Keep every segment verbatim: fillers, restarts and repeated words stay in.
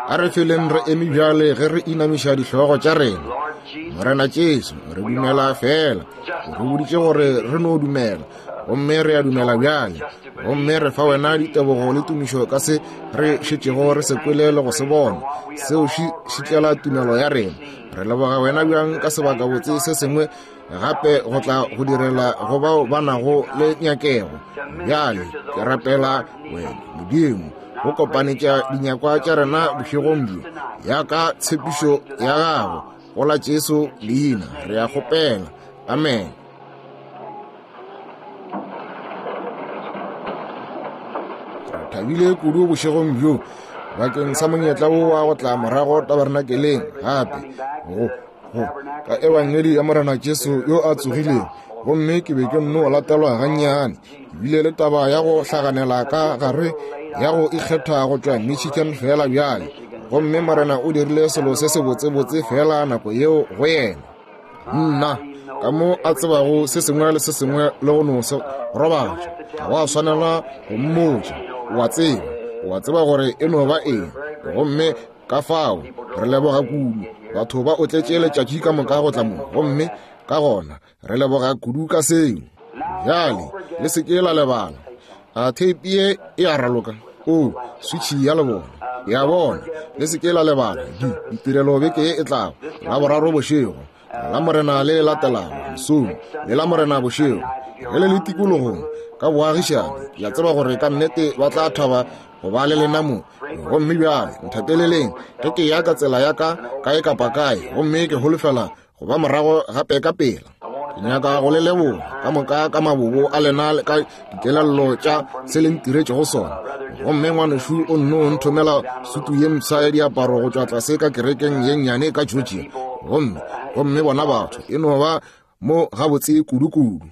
A re feleng re eme bjale ge re inamiša dihlogo tša rena. Morena Jesu, re dumela fela. O re boditše gore re no dumela, gomme re a dumela bjale. Gomme re fa wena ditebogo le tumišo ka se re šetšego re se kwele le go se bona, seo šitlela tumelo ya rena. Re leboga wena bjang ka sebakabotse se sengwe gape go tla go direla go bao ba nago le nyakego. Bjale ke rapela wena Modimo go kopanetša dinyakwa tša rena bošegong bjo ya ka tshepišo ya gago go la Jesu leina re a kgopela. Amen. Re thabile kudu bošegong bjo bakeng sa monyetla wo wa go tla morago tabernakeleng gape go go ka ebangedi ya Morena Jesu yo a tsogilego. Gomme ke be ke nno latelwa gannyane, ke bile le taba ya go hlaganela ka gare ya go ikgetha go tšwa Michigan fela bjale. Gomme Morena o dirile selo se sebotsebotse fela nako yeo go yena. Nna ka mo a tsebago se sengwe le se sengwe le go no se robatša, ga wa swanela go mmotša. O a tseba, o a tseba gore e no ba eng. Gomme ka fao re leboga kudu batho ba o tletše letšatši ka moka go tla mo, gomme ka gona re leboga kudu ka seo. Bjale le se ke la lebala, a theipi ye e a raloka o switšhi ya lebona ya bona. Le se ke la lebala di ditirelo beke ye e tlago, la boraro bošego, la Morena le latelago mesong, le la Morena bošego. Ge le le tikologong ka boagišane, ke a tseba gore ka nnete ba tla thaba go ba le lena mo. Gomme bjale nthapeleleng ge ke ya ka tsela ya ka kae kapa kae, gomme ke holofela go ba morago gape ka pela. Ke nyaka go le leboga ka moka ka mabobo a lena le ka dikelello tša se le ntiretšego sona. Gomme ngwanešu o nno nthomela sutu ye mpsha ya diaparo go tšwa tlase ka kerekeng ye nnyane ka Georgia. Gomme gomme bona batho e no ba mo gabotse kudu-kudu.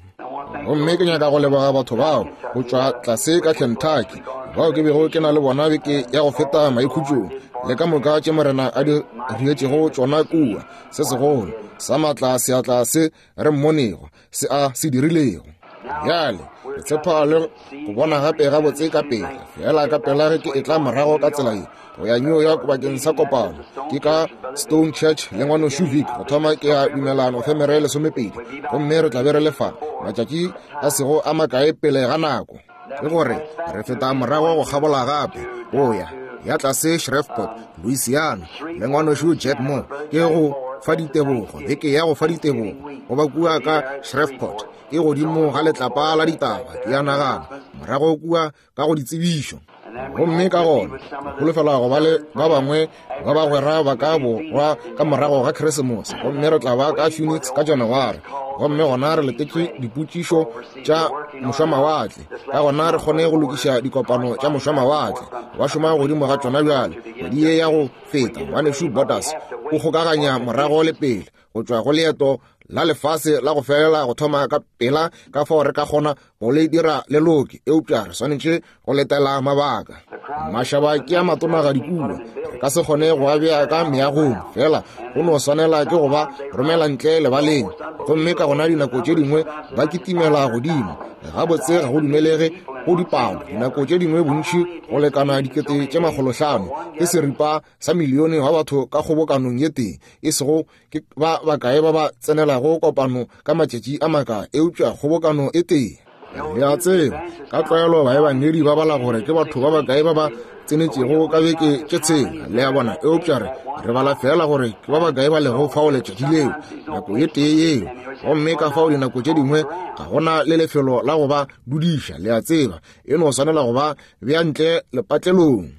Gomme ke nyaka go leboga batho bao go tšwa tlase ka Kentucky bao ke bego ke na le bona beke ya go feta maikhutšong, le ka moka tše Morena a di rietšego tšona kua, se segolo sa maatla seatla se re mmonego se a se dirilego. Bjale re tshepa le go bona gape gabotse ka pela, fela ka pela ge ke etla morago ka tsela ye go ya New York bakeng sa kopano. Ke ka Stone Church le ngwanošu Vic go thoma ke ya dumela Nofemere lesomepedi, gomme re tla be re le fa matšatši a sego a makae pele ga nako. Ke gore re feta morago go kgabola gape go ya ya tlase Shreveport, Louisiana le ngwanošu Jack Moore. Ke go fa ditebogo, beke ya go fa ditebogo go ba kua ka Shreveport ke godimo ga letlapa la ditaba, ke ya nagana morago kua ka go ditsebišo. Gomme ka gona holofela go ba le ba bangwe ba bagwera ba ka borwa ka morago ga Keresemose, gomme re tla ba ka Phoenix ka January. Gomme gona re letetše dipotšišo tša mošwamawatle, ka gona re kgone go lokiša dikopano tša mošwamawatle. Ba šoma godimo ga tšona bjale. Kgwedi ye ya go feta ngwanešu Borders o kgokaganya morago le pele go tšwa go leeto la lefase la go felela go thoma ka pela ka fao re ka kgona go le dira le loke, eupša re swanetše go letela mabaka. Mašaba ke a matonagadi kua, re ka se kgone go a bea ka meagong, fela go no swanela ke go ba romela ntle lebaleng. Gomme ka gona dinako tše dingwe ba kitimela godimo gabotse, ga go dumelege go dipalo. Dinako tše dingwe bontši go lekana dikete tše makgolohlano ke seripa sa milione wa batho ka kgobokanong ye tee, e sego ke ba bakae ba ba tsenelago kopano ka matšatši a makae, eupša kgobokano e tee. Le a tseba ka tlwaelo baebangedi ba bala gore ke batho ba bakae ba ba tsenetšego ka beke tše tshela, le a bona, eupša re re bala fela gore ke ba bakae ba lego fao letšatši leo, nako ye tee yeo. Gomme ka fao dinako tše dingwe ga gona le lefelo la go ba dudiša, le a tseba, e no swanela go ba bea ntle lepatlelong.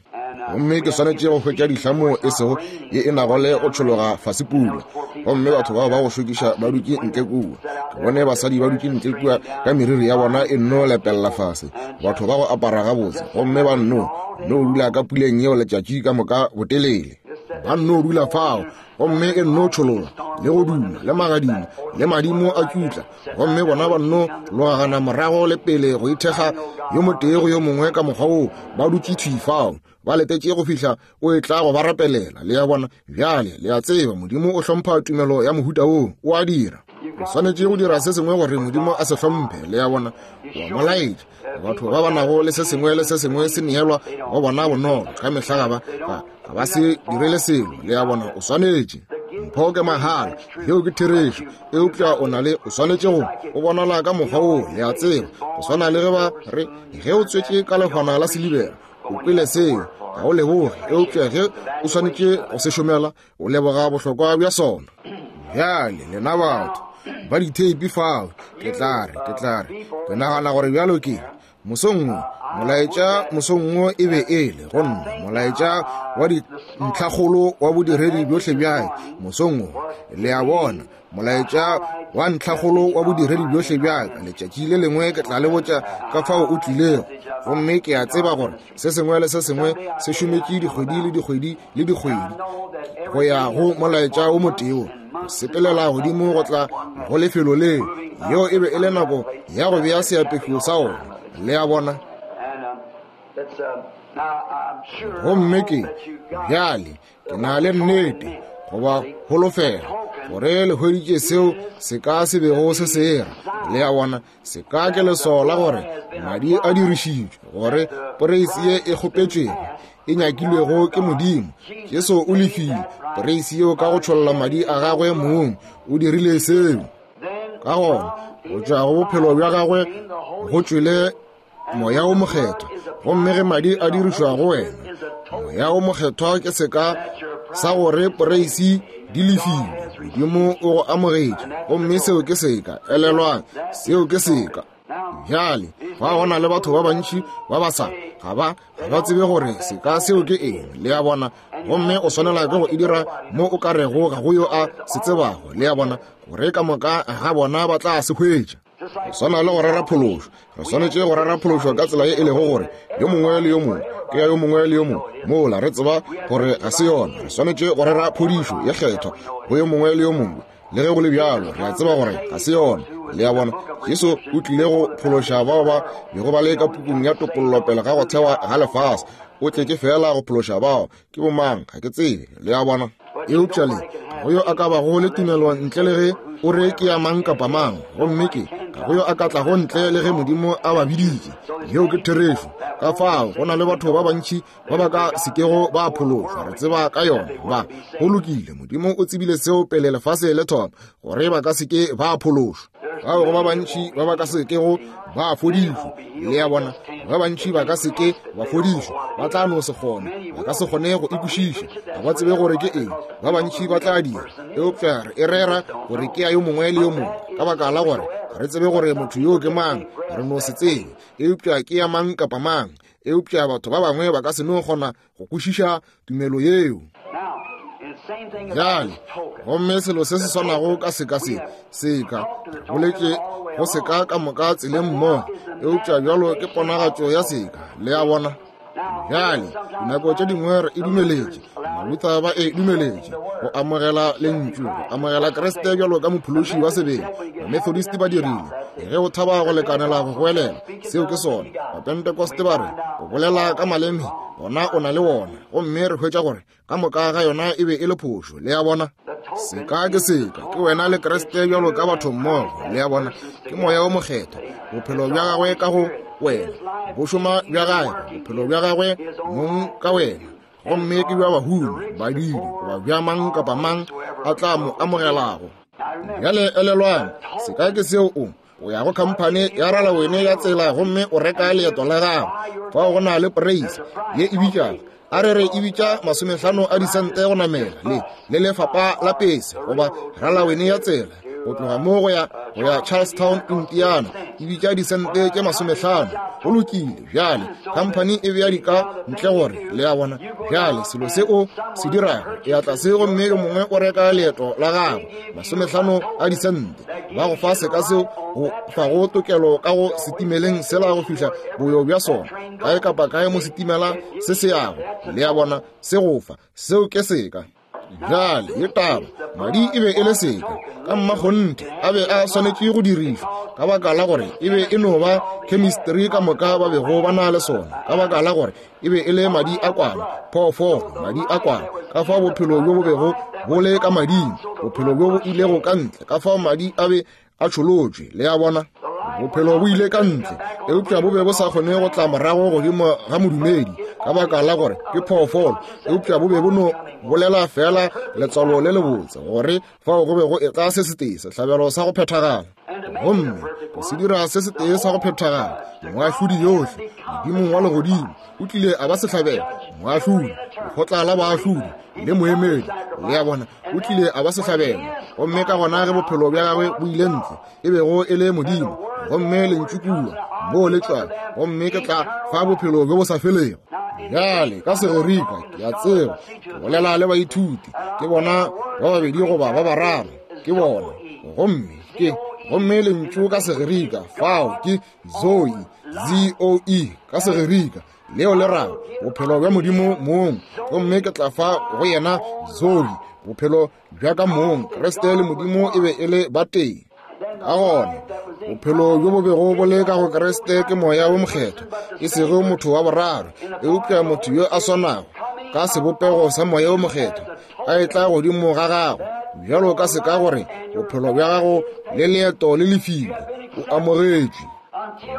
Gomme ke swanetše go hwetša dihlamo e sego ye e nago le go tšhologa fase pula. Gomme batho bao ba go šokiša ba dutše ntle kua. Ke bone basadi ba dutše ntle kua ka meriri ya bona e nno lepella fase, batho ba go apara gabotse, gomme ba nno nno dula ka puleng yeo letšatši ka moka botelele. Ba nno dula fao, gomme e nno tšhologa le go duma le magadimo le madimo a tšutla, gomme bona ba nno logagana morago le pele go ithekga yo motee go yo mongwe ka mokgwa woo, ba dutše thwi fao ba letetše go fihla o e tla go ba rapelela. Le a bona bjale, le a tseba Modimo o hlompha tumelo ya mohuta woo, o a dira. O swanetše go dira se sengwe gore Modimo a se hlomphe, le a bona. Wa mo laetša. Batho ba ba nago le se sengwe le se sengwe se neelwa go bona bonolo, ka mehla ga ba, ga, ga ba se direle selo, le a bona. O swanetše. Mpho ke mahala, yeo ke therešo, eupša o na le, o swanetše go, o bonala ka mokgwa woo, le a tseba. Go swana le ge ba re, ge o tswetše ka lehwana la silibera, o kwele seo, ga o leboge, eupša ge o swanetše go se šomela, o leboga bohlokwa bja sona. Bjale, lena batho ba ditheipi fao, ke tla re, ke tla re, ke nagana gore bjalo ke mosong wo, molaetša mosong wo e be e le go nna molaetša wa dintlhakgolo wa bodiredi bjohle bja mosong wo, le a bona, molaetša wa ntlhakgolo wa bodiredi bjohle bja ka. Letšatši le lengwe ke tla le botša ka fao o tlilego, gomme ke a tseba gore se sengwe le se sengwe se šometše dikgwedi le dikgwedi le dikgwedi go ya go molaetša o motee wo, go sepelela godimo go tla go lefelo leo. Yeo e be e le nako ya go bea seapešo sa ona, le a bona. Gomme ke bjale ke na le nnete goba holofela gore le hweditše seo se ka se bego se se era, le a bona. Se ka ke leswao la gore madi a dirišitšwe, gore poreisi ye e kgopetšwego e nyakilwego ke Modimo. Jesu o lefile poreisi yeo ka go tšholla madi a gagwe mong, o dirile seo. Ka gona go tšwa go bophelo bja gagwe go tšwele Moya o Mokgethwa, gomme ge madi a dirišwa go wena, Moya o Mokgethwa ke seka sa gore poreisi di lefile, Modimo o go amogetše, gomme seo ke seka. Elelwang, seo ke seka. Bjale, fa go na le batho ba bantši ba ba sa, ga ba, ga ba tsebe gore seka seo ke eng, le a bona, gomme o swanela ke go e dira mo o ka rego ga go yo a se tsebago, le a bona, gore ka moka ga bona ba tla se hwetša. Go swana le go rera phološo, re swanetše go rera phološo ka tsela ye e lego gore yo mongwe le yo mongwe ke ya yo mongwe le yo mongwe, mola re tseba gore ga se yona. Re swanetše go rera phodišo ye kgethwa go yo mongwe le yo mongwe, le ge go le bjalo re a tseba gore ga se yona, le a bona. Jesu o tlile go phološa bao ba bego ba le ka pukung ya topollo pele ga go thewa ga lefase. O tletše fela go phološa bao. Ke bomang? Ga ke tsebe, le a bona. Eupša le ga go yo a ka bago le tumelo ntle le ge o re ke ya mang kapa mang, gomme ke ga go yo a ka tlago ntle le ge Modimo a ba biditše. Yeo ke therešo. Ka fao go na le batho ba bantši ba ba ka sekego ba phološwa, re tseba ka yona. Ba go lokile, Modimo o tsebile seo pele lefase le thoma, gore ba ka seke ba phološwa. Bao go ba bantši ba ba ka sekego ba fodišwa, le a bona, ba bantši ba ka seke ba fodišwa, ba tla no se kgone, ba ka se kgone go ikwešiša, ga ba tsebe gore ke eng. Ba bantši ba tla dira, eupša re e rera gore ke ya yo mongwe le yo mongwe, ka baka la gore ga re tsebe gore motho yo ke mang, re no se tsebe, eupša ke ya mang kapa mang. Eupša batho ba bangwe ba ka se no kgona go kwešiša tumelo yeo. Bjale, gomme selo se se swanago ka seka se, seka, re boletše go seka ka moka tseleng mmogo, eupša bjalo ke ponagatšo ya seka, le a bona. Bjale, dinako tše dingwe re e dumeletše, Maluther ba e dumeletše go amogela lentšu, go amogela Kriste bjalo ka mophološi wa sebele. Bamethodist ba dirile, ge o thaba go lekanela go goelela, seo ke sona. Bapentekoste ba re, o bolela ka maleme, gona o na le wona, gomme re hwetša gore ka moka ga yona e be e le phošo, le a bona. Seka ke seka, ke wena le Kriste bjalo ka batho mmogo, le a bona. Ke Moya o Mokgethwa, bophelo bja gagwe ka go wena, bo šoma bja gagwe, bophelo bja gagwe mong ka wena, gomme ke bja bahumi, badidi, goba bja mang kapa mang a tla mo amogelago. Bjale elelwang, seka ke seo o o ya go khamphane ya ralawene ya tsela gomme o reka leeto la gago. Fao go na le poreisi ye e bitšago, a re re e bitša masomehlano a disente go namela le le lefapa la pese goba ralawene ya tsela go tloga mo go ya go ya Charlestown, Indiana, e bitša disente tše masomehlano. Go lokile, bjale khamphane e bea dika ntle gore, le a bona. Bjale selo se o se dirago, e ya tlase gomme yo mongwe o reka leeto la gago masomehlano a disente, ba go fa seka seo go fago tokelo ka go setimeleng sela go fihla boyo bja sona kae kapa kae mo setimela se se yago, le a bona, se go fa seo ke seka. Bjale ye taba, madi e be e le seka ka mmakgonthe, a be a swanetše go dirišwa ka baka la gore e be e no ba chemistry ka moka ba bego ba na le sona, ka baka la gore e be e le madi a kwana, phoofolo, madi a kwana. Ka fao bophelo bjo bo bego bo le ka mading, bophelo bjo bo ilego ka ntle, ka fao madi a be a tšholotšwe. Le a bona, bophelo bo ile ka ntle, eupša bo be bo sa kgone go tla morago godimo ga modumedi ka baka la gore ke phoofolo, eupša bo be bo no bolela fela letswalo le lebotse gore fao go be go etla se setee, sehlabelo sa go phethagala. Gomme go se dira se setee sa go phethagala, moahlodi yohle Modimong wa legodimo o tlile a ba sehlabelo, moahlodi, lekgotla la baahlodi le moemedi. Le a bona, o tlile a ba sehlabelo. Gomme ka gona ge bophelo bja gagwe bo ile ntle, e bego e le Modimo, gomme lentšu kua moo le tšwa, gomme ke tla fa bophelo bjo bo sa felego. Bjale ka Segerika ke a tseba, ke bolela le baithuti, ke bona ba babedi goba ba bararo, ke bona. Gomme ke gomme lentšu ka Segerika fao ke Zoe, Z O E ka Segerika, leo le rago bophelo bja Modimo mong. Gomme ke tla fa go yena Zoe, bophelo bja ka mong. Kriste le Modimo e be e le batee. Ka gona bophelo bjo bo bego bo le ka go Kriste ke Moya wo Mokgethwa, e sego motho wa boraro, eupša motho yo a swanago ka sebopego sa Moya wo Mokgethwa a etla godimo ga gago, bjalo ka seka gore bophelo bja gago le leeto le lefile, o amogetšwe.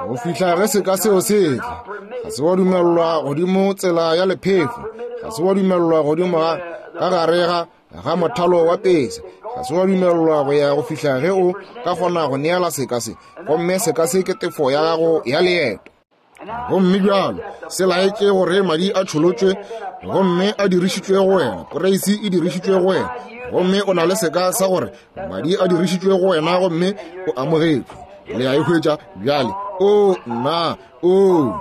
Go fihla ge seka seo se tla, ga se wa dumelelwa godimo tsela ya lephefo, ga se wa dumelelwa godimo ga ka gare ga ga mothalo wa pese, ga se wa dumelelwa go ya go fihla ge o ka kgona go neela seka se, gomme seka se ke tefo ya gago ya leeto. Gomme bjalo se laetše gore madi a tšholotšwe gomme a dirišitšwe go wena, poreisi e dirišitšwe go wena, gomme o na le seka sa gore madi a dirišitšwe go wena gomme o amogetšwe. Le a e hwetša bjale? O nna, o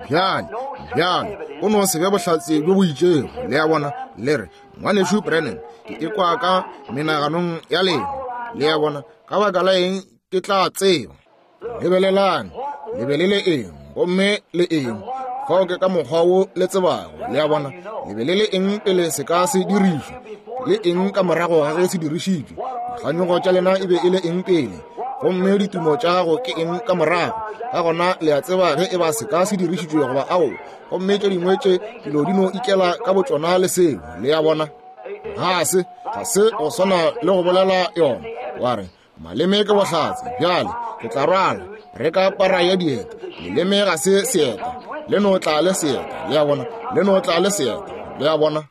bjale, bjale o no se be bohlatse bjo bo itšego. Le a bona, le re, Ngwanešu Branham, ke ekwa ka menaganong ya lena. Le a bona, ka baka la eng ke tla tseba? Lebelelang, le be le le eng, gomme le eng, fao ke ka mokgwa wo le tsebago. Le a bona, le be le le eng pele se ka se dirišwa, le eng ka morago ga ge se dirišitšwe. Dikganyogo tša lena e be e le eng pele, gomme ditumo tša gago ke eng ka morago. Ka gona le a tseba ge e ba se ka se dirišitšwe goba ao, gomme tše dingwe tše dilo di no ikela ka botšona le seo. Le a bona, ga se ga se go swana le go bolela yona wa re maleme ke bohlatse. Bjale ke tla rwala re ka para ya dieta, leleme ga se seeta, le no tla le seeta. Le a bona, le no tla le seeta. Le a bona,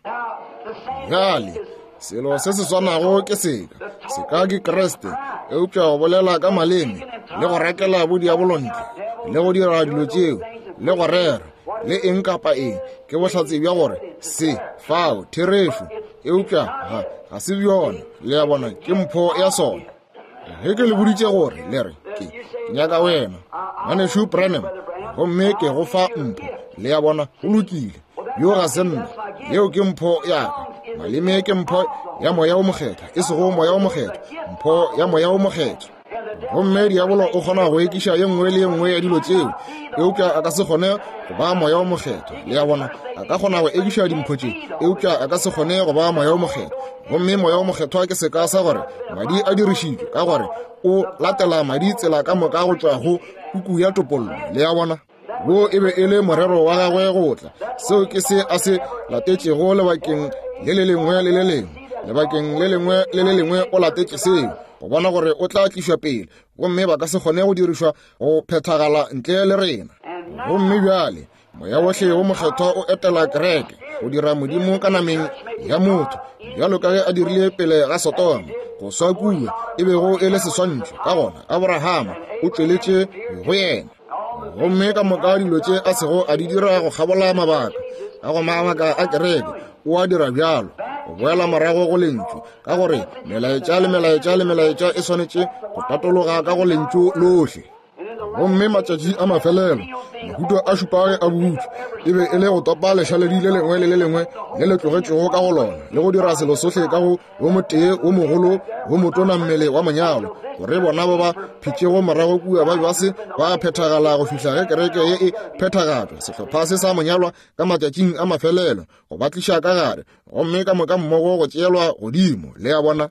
bjale selo se se swanago ke seka, seka ke Kriste, eupša go bolela ka maleme le go rakela bo diabolo ntle le go dira dilo tšeo le go rera le eng kapa eng ke bohlatse bja gore se fao therešo, eupša ga ga se bjona. Le a bona, ke mpho ya sona. Ge ke le boditše gore le re ke nyaka wena Ngwanešu Branham, gomme ke go fa mpho. Le a bona, go lokile, yo ga se nna, yeo ke mpho ya ka. Maleme ke mpho ya Moya wo Mokgethwa, e sego Moya wo Mokgethwa, mpho ya Moya wo Mokgethwa. Gomme diabolo o kgona go ekiša ye nngwe le ye nngwe ya dilo tšeo, eupša a ka se kgone go ba Moya wo Mokgethwa. Le a bona, a ka kgona go ekiša dimpho tše, eupša a ka se kgone go ba Moya wo Mokgethwa. Gomme Moya wo Mokgethwa ke seka sa gore madi a dirišitšwe, ka gore o latela madi tsela ka moka go tšwa go puku ya topollo. Le a bona, wo e be e le morero wa gagwe go tla. Seo ke se a se latetšego lebakeng le le lengwe le le lengwe, lebakeng le lengwe le le lengwe o latetše seo, go bona gore o tla tlišwa pele, gomme ba ka se kgone go dirišwa go phethagala ntle le rena. Gomme bjale Moya wohle wo Mokgethwa o etela kereke go dira Modimo ka nameng ya motho, bjalo ka ge a dirile pele ga Sodoma, go swa kua e bego e le seswantšho. Ka gona Abrahama o tšweletše go yena, gomme ka moka dilo tše a sego a di dira go kgabola mabaka a go mabaka a kereke, o a dira bjalo go boela morago go lentšu, ka gore melaetša le melaetša le melaetša e swanetše go tatologa ka go lentšu lohle. Gomme matšatši a mafelelo, mahuto a šupago a butšwe, e be e le go topa lešaledi le lengwe le le lengwe le le tlogetšego ka go lona, le go dira selo sohle ka go wo motee wo mogolo wo motona mmele wa monyalo, gore bona ba ba phetšego morago kua ba be ba se ba phethagala go fihla ge kereke ye e phethagatšwa, sehlopha se sa monyalwa ka matšatšing a mafelelo, go ba tliša ka gare, gomme ka moka mmogo go tšeelwa godimo. Le a bona?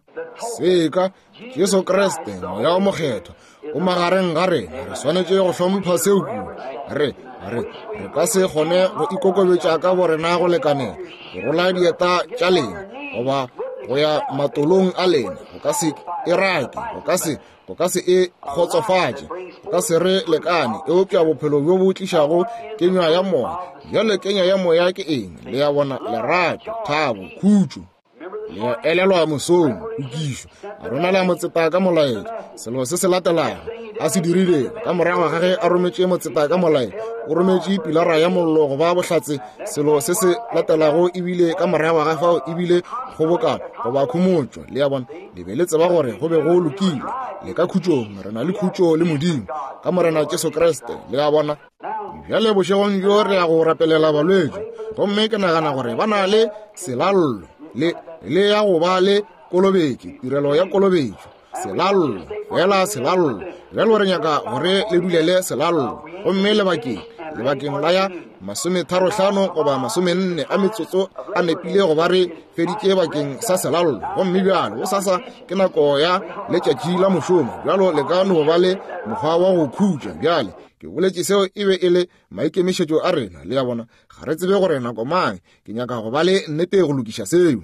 Seka Jesu Kriste, Moya o Mokgethwa, o magareng ga rena. Re swanetše go hlompha seo kudu. Re re re ka se kgone go ikokobetša ka borena go lekanela go rola dieta tša lena goba go ya matolong a lena. Go ka se e rake, go ka se go ka se e kgotsofatše, go ka se re lekane. Eupša bophelo bjo bo tlišago kenywa ya moya. Bjale kenywa ya moya ke eng? Le a bona? Lerato, thabo, khutšo. Le elelwa mosong, kukišo a romela motseta ka molaetša. Selo se se latelago a se dirilego ka morago ga ge a rometše motseta ka molaetša, o rometše pilara ya mollo go ba bohlatse. Selo se se latelago ebile ka morago ga fao ebile kgobokano goba khomotšo. Le a bona? Le be le tseba gore go be go lokile. Le ka khutšong, re na le khutšo le Modimo ka Morena Jesu Kriste. Le a bona? Bjale bošegong bjo re ya go rapelela balwetši, gomme ke nagana gore ba na le selallo le le ya go ba le kolobetšo, tirelo ya kolobetšo, selallo, fela selallo. Bjalo re nyaka gore le dulele selallo, gomme lebakeng lebakeng la ya masometharohlano goba masomenne a metsotso a nepile go ba re feditše bakeng sa selallo. Gomme bjalo gosasa ke nako ya letšatši la mošomo, bjalo le ka no ba le mokgwa wa go khutša. Bjale ke boletše seo e be e le maikemišetšo a rena. Le a bona? Ga re tsebe gore nako mang. Ke nyaka go ba le nnete go lokiša seo.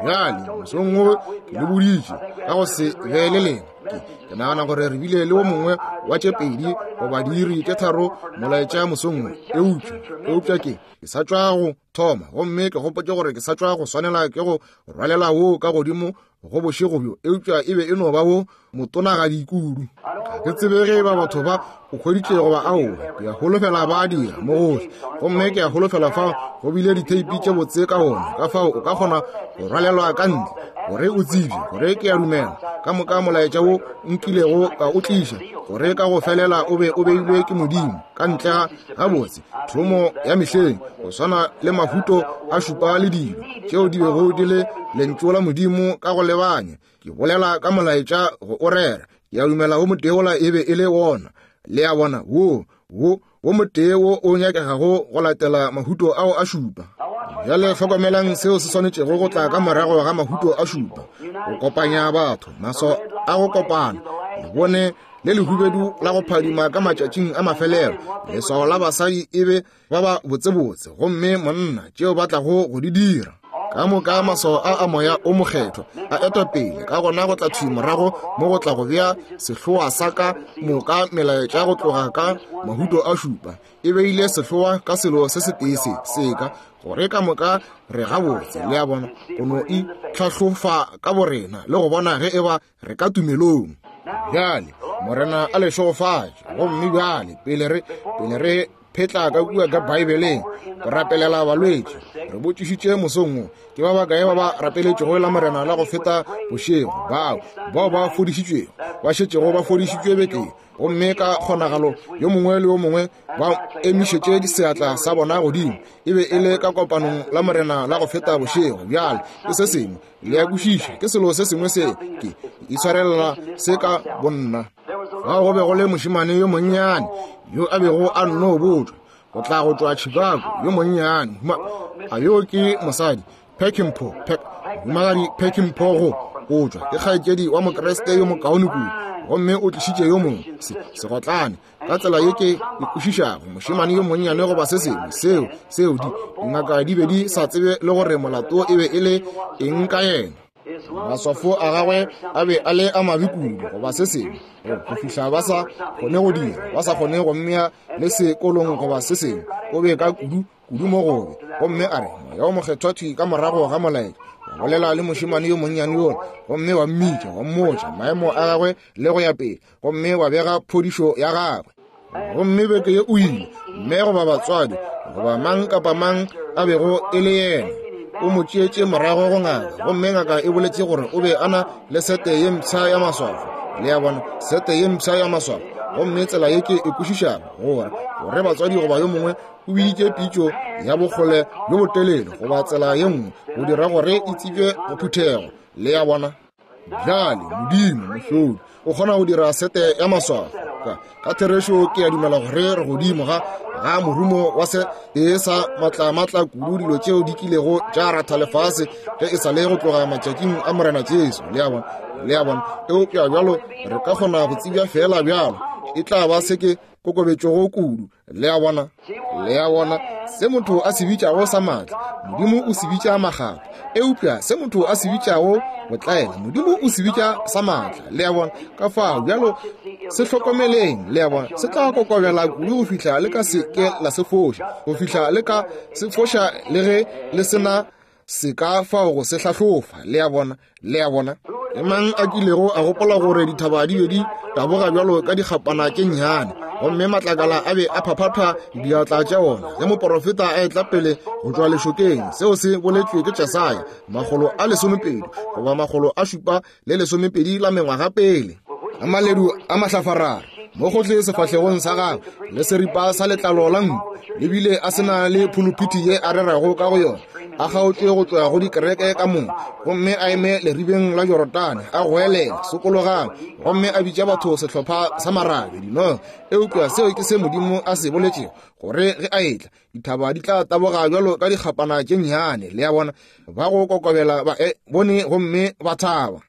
Bjale mosong wo ke le boditše ka go se be le lena. Ke ke nagana gore re bile le wo mongwe wa tše pedi goba diiri tše tharo molaetša mosong wo, eupša eupša ke ke sa tšwa go thoma, gomme ke gopotše gore ke sa tšwa go swanela ke go rwalela wo ka godimo go bošego bjo, eupša e be e no ba wo motonagadi kudu. Ga ke tsebe ge ba batho ba o hweditše goba aowa. Ke a holofela ba dira mo gohle, gomme ke a holofela fao go bile ditheipi tše botse ka gona, ka fao o ka kgona go rwalelwa ka ntle gore o tsebje gore ke a dumela ka moka molaetša wo nkilego ka o tliša, gore ka go felela o be o beilwe ke Modimo ka ntle ga gabotse thomo ya mehleng, go swana le mahuto a šupa le dilo tšeo di bego di le lentšu la Modimo ka go lebanya. Ke bolela ka molaetša go o rera. Ke a dumela wo motee wola e be e le wona. Le a bona? Wo wo wo motee wo o nyakegago go latela mahuto ao a šupa. Bjale hlokomelang seo se swanetšego go tla ka morago ga mahuto a šupa, go kopanya batho, maswao a go kopana. Le bone le lehubedu la go phadima ka matšatšing a mafelelo, leswao la basadi e be ba ba botsebotse, gomme monna tšeo ba tlago go di dira. Ka moka maswao a a moya o mokgethwa a eta pele, ka gona go tla thwi morago mo go tla go bea sehloa sa ka moka melaetša go tloga ka mahuto a šupa. E beile sehloa ka selo se setee se seka, gore ka moka re gabotse. Le a bona? Go no itlhahlofa ka borena le go bona ge e ba re ka tumelong. Bjale Morena a le šegofatše. Gomme bjale pele re pele re phetla ka kua ka Bibeleng go rapelela balwetši, re botšišitše mosong wo ke ba bakae ba ba rapeletšego la Morena la go feta bošego, bao bao ba fodišitšwego, ba šetšego ba fodišitšwe bekeng, gomme ka kgonagalo yo mongwe le yo mongwe ba emišetše seatla sa bona godimo. E be e le ka kopanong la Morena la go feta bošego. Bjale ke se sengwe, le a kwešiša, ke selo se sengwe se ke itshwarelela se ka bonna. Fao go be go le mošemane yo monnyane yo a bego a nno botšwa go tla go tšwa Chicago, yo monnyane. A yo ke mosadi Peckinpah, Peck, mohumagadi Peckinpah go go tšwa, ke kgaetšedi wa Mokriste yo mokaone kudu, gomme o tlišitše yo mongwe se segotlane ka tsela ye ke e kwešišago, mošemane yo monnyane goba se sengwe seo seo di dingaka di be di sa tsebe le gore molato e be e le eng ka yena. Maswafo a gagwe a be a le a mabe kudu goba se sengwe, go fihla ba sa kgone go dira, ba sa kgone go mmea le sekolong goba se sengwe. O be ka kudu kudu mo gobe. Gomme a re Moya o Mokgethwa thwi ka morago ga molaetša wa bolela le mošemane yo monnyane yola, gomme wa mmitša, wa mmotša maemo a gagwe le go ya pele, gomme wa bega phodišo ya gagwe. Gomme beke ye o ile, mme goba batswadi goba mang kapa mang a bego e le yena, o mo tšeetše morago go ngaka, gomme ngaka e boletše gore o be a na le sete ye mpsha ya maswafo. Le a bona? Sete ye mpsha ya maswafo. Gomme tsela ye ke e kwešišago gore gore batswadi goba yo mongwe o biditše pitšo ya bokgole bjo botelele goba tsela ye nngwe go dira gore e tsebje go phuthego. Le a bona? Bjale Modimo mohlodi o kgona go dira sete ya maswafo. Ka, ka therešo ke a dumela gore re godimo ga ga morumo wa se e sa matlamatla kudu dilo tšeo di kilego tša ratha lefase ge e sa le go tloga matšatšing a Morena Jesu. Le a bona? Le a bona? Eupša bjalo re ka kgona go tsebja fela bjalo e tla ba se ke kokobetšego kudu. Le a bona? Le a bona? Se motho a se bitšago sa maatla, Modimo o se bitša magato. Eupša se motho a se bitšago botlaela, Modimo o se bitša sa maatla. Le a bona? Ka fao bjalo se hlokomeleng. Le a bona? Se tla kokobela kudu go fihla le ka se ke la se foša, go fihla le ka se foša le ge le sena se ka fao go se hlahlofa. Le a bona? Le a bona? E mang a kilego a gopola gore dithaba di be di taboga bjalo ka dikgapana tše nnyane, gomme matlakala a be a phaphatha diatla tša ona ge moporofeta a etla pele go tšwa lešokeng? Seo se boletšwe ke Jesaya makgolo a lesomepedi goba makgolo a šupa le lesomepedi la mengwaga pele. A maledu a mahlafarara mo gohle sefahlegong sa gagwe le seripa sa letlalo la nku, le bile a sena le phuluphithi ye a rerago ka go yona, a kgaotšwe go tšwa go dikereke ka moka, gomme a eme leribeng la Jorodane a goelela sokologang, gomme a bitša batho sehlopha sa marabe dinoga. Eupša seo ke se Modimo a se boletšego, gore ge a etla dithaba di tla taboga bjalo ka dikgapana tše nnyane. Le a bona? Ba go kokobela ba e bone gomme ba thaba.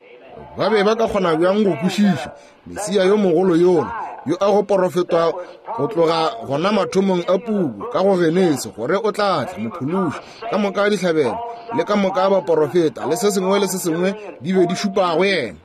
Ba be ba ka kgona bjang go kwešiša Mesia yo mogolo yola yo a go porofetwa go tloga gona mathomong a puku ka go Genesi gore o tla tla mophološi? Ka moka dihlabelo le ka moka baporofeta le se sengwe le se sengwe di be di šupa go yena.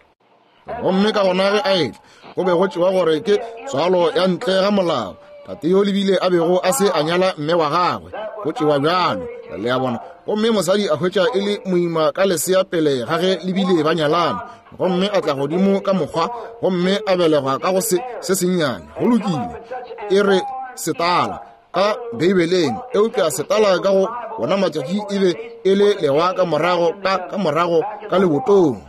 Gomme ka gona ge a etla go be go tšewa gore ke tswalo ya ntle ga molao, tate yo lebile a bego a se a nyala mme wa gagwe, go tšewa bjalo. Le a bona? Gomme mosadi a hwetša e le moima ka lesea pele ga ge lebile ba nyalana, gomme a tla godimo ka mokgwa gomme a belegwa ka go se se sennyane. Go lokile, e re setala ka Beibeleng, eupša setala ka go bona matšatši e be e le lewa ka morago ka ka morago ka lebotong.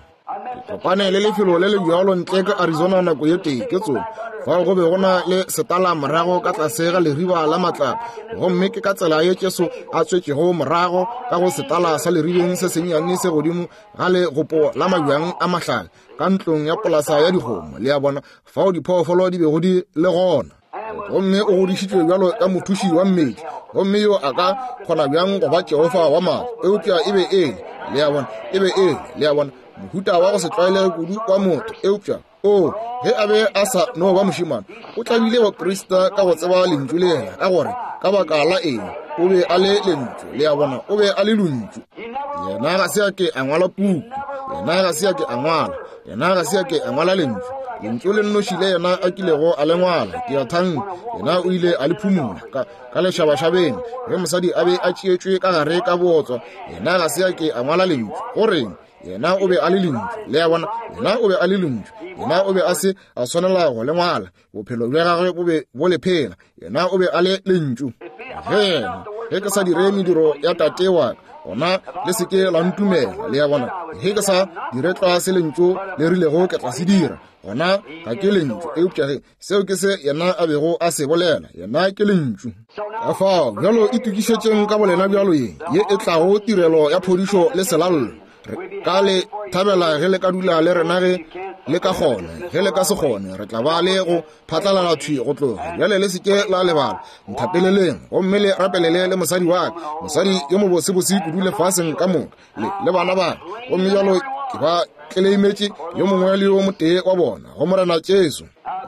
Ke kopane le lefelo le le bjalo ntle ka Arizona nako ye tee ke tsone fao go be go na le setala morago ka tlase ga leriba la matlapa, gomme ke ka tsela ye Jesu a tswetšego morago ka go setala sa leribeng se sennyane se godimo ga legopo la mabjang a mahlale ka ntlong ya polasa ya dikgomo. Le a bona? Fao diphoofolo di bego di le gona. Gomme o godišitšwe bjalo ka mothuši wa mmetli, gomme yo a ka kgona bjang go ba Jehofa wa maatla? Eupša e be e le, le a bona, e be e le, le a bona, mohuta wa go se tlwaelege kudu wa motho. Eupša o ge a be a sa no ba mošemane, o tlabile baprista ka go tseba lentšu le yena, ka gore ka baka la eng o be a le lentšu. Le a bona? O be a le lentšu. Yena ga se a ke a ngwala puku, yena ga se a ke a ngwala, yena ga se a ke a ngwala lentšu. Lentšu le nnoši le yena a kilego a le ngwala, ke a thanka yena o ile a le phumola ka, ka lešabašabeng ge mosadi a be a tšeetšwe ka gare ka bootswa. Yena ga se a ke a ngwala lentšu. Goreng? Yena o be a le lentšu. Le a bona? Yena o be a le lentšu. Yena o be a se a swanela go le ngwala, bophelo bja gagwe bo be bo le phela. Yena o be a le lentšu. Ge yena ge ke sa dire mediro ya tate wa ka, gona le se ke la ntumela. Le a bona? Ge ke sa dire tlwa se lentšu le rilego ke tla se dira, gona ga ke lentšu. Eupša ge seo ke se yena a bego a se bolela, yena ke lentšu. Ka fao bjalo itokišetšeng ka bolena bjalo ye ye e tlago tirelo ya phodišo le selallo. Re ka le thabela ge le ka dula le rena ge le ka kgona. Ge le ka se kgone, re tla ba le go phatlalala thwi go tloga bjale. Le se ke la lebala, nthapeleleng gomme le rapelele le mosadi wa ka, mosadi yo mobosebose kudu lefaseng ka moka, le le bana ba. Gomme bjalo ke ba tleleimetše yo mongwe le yo motee wa bona go Morena Jesu.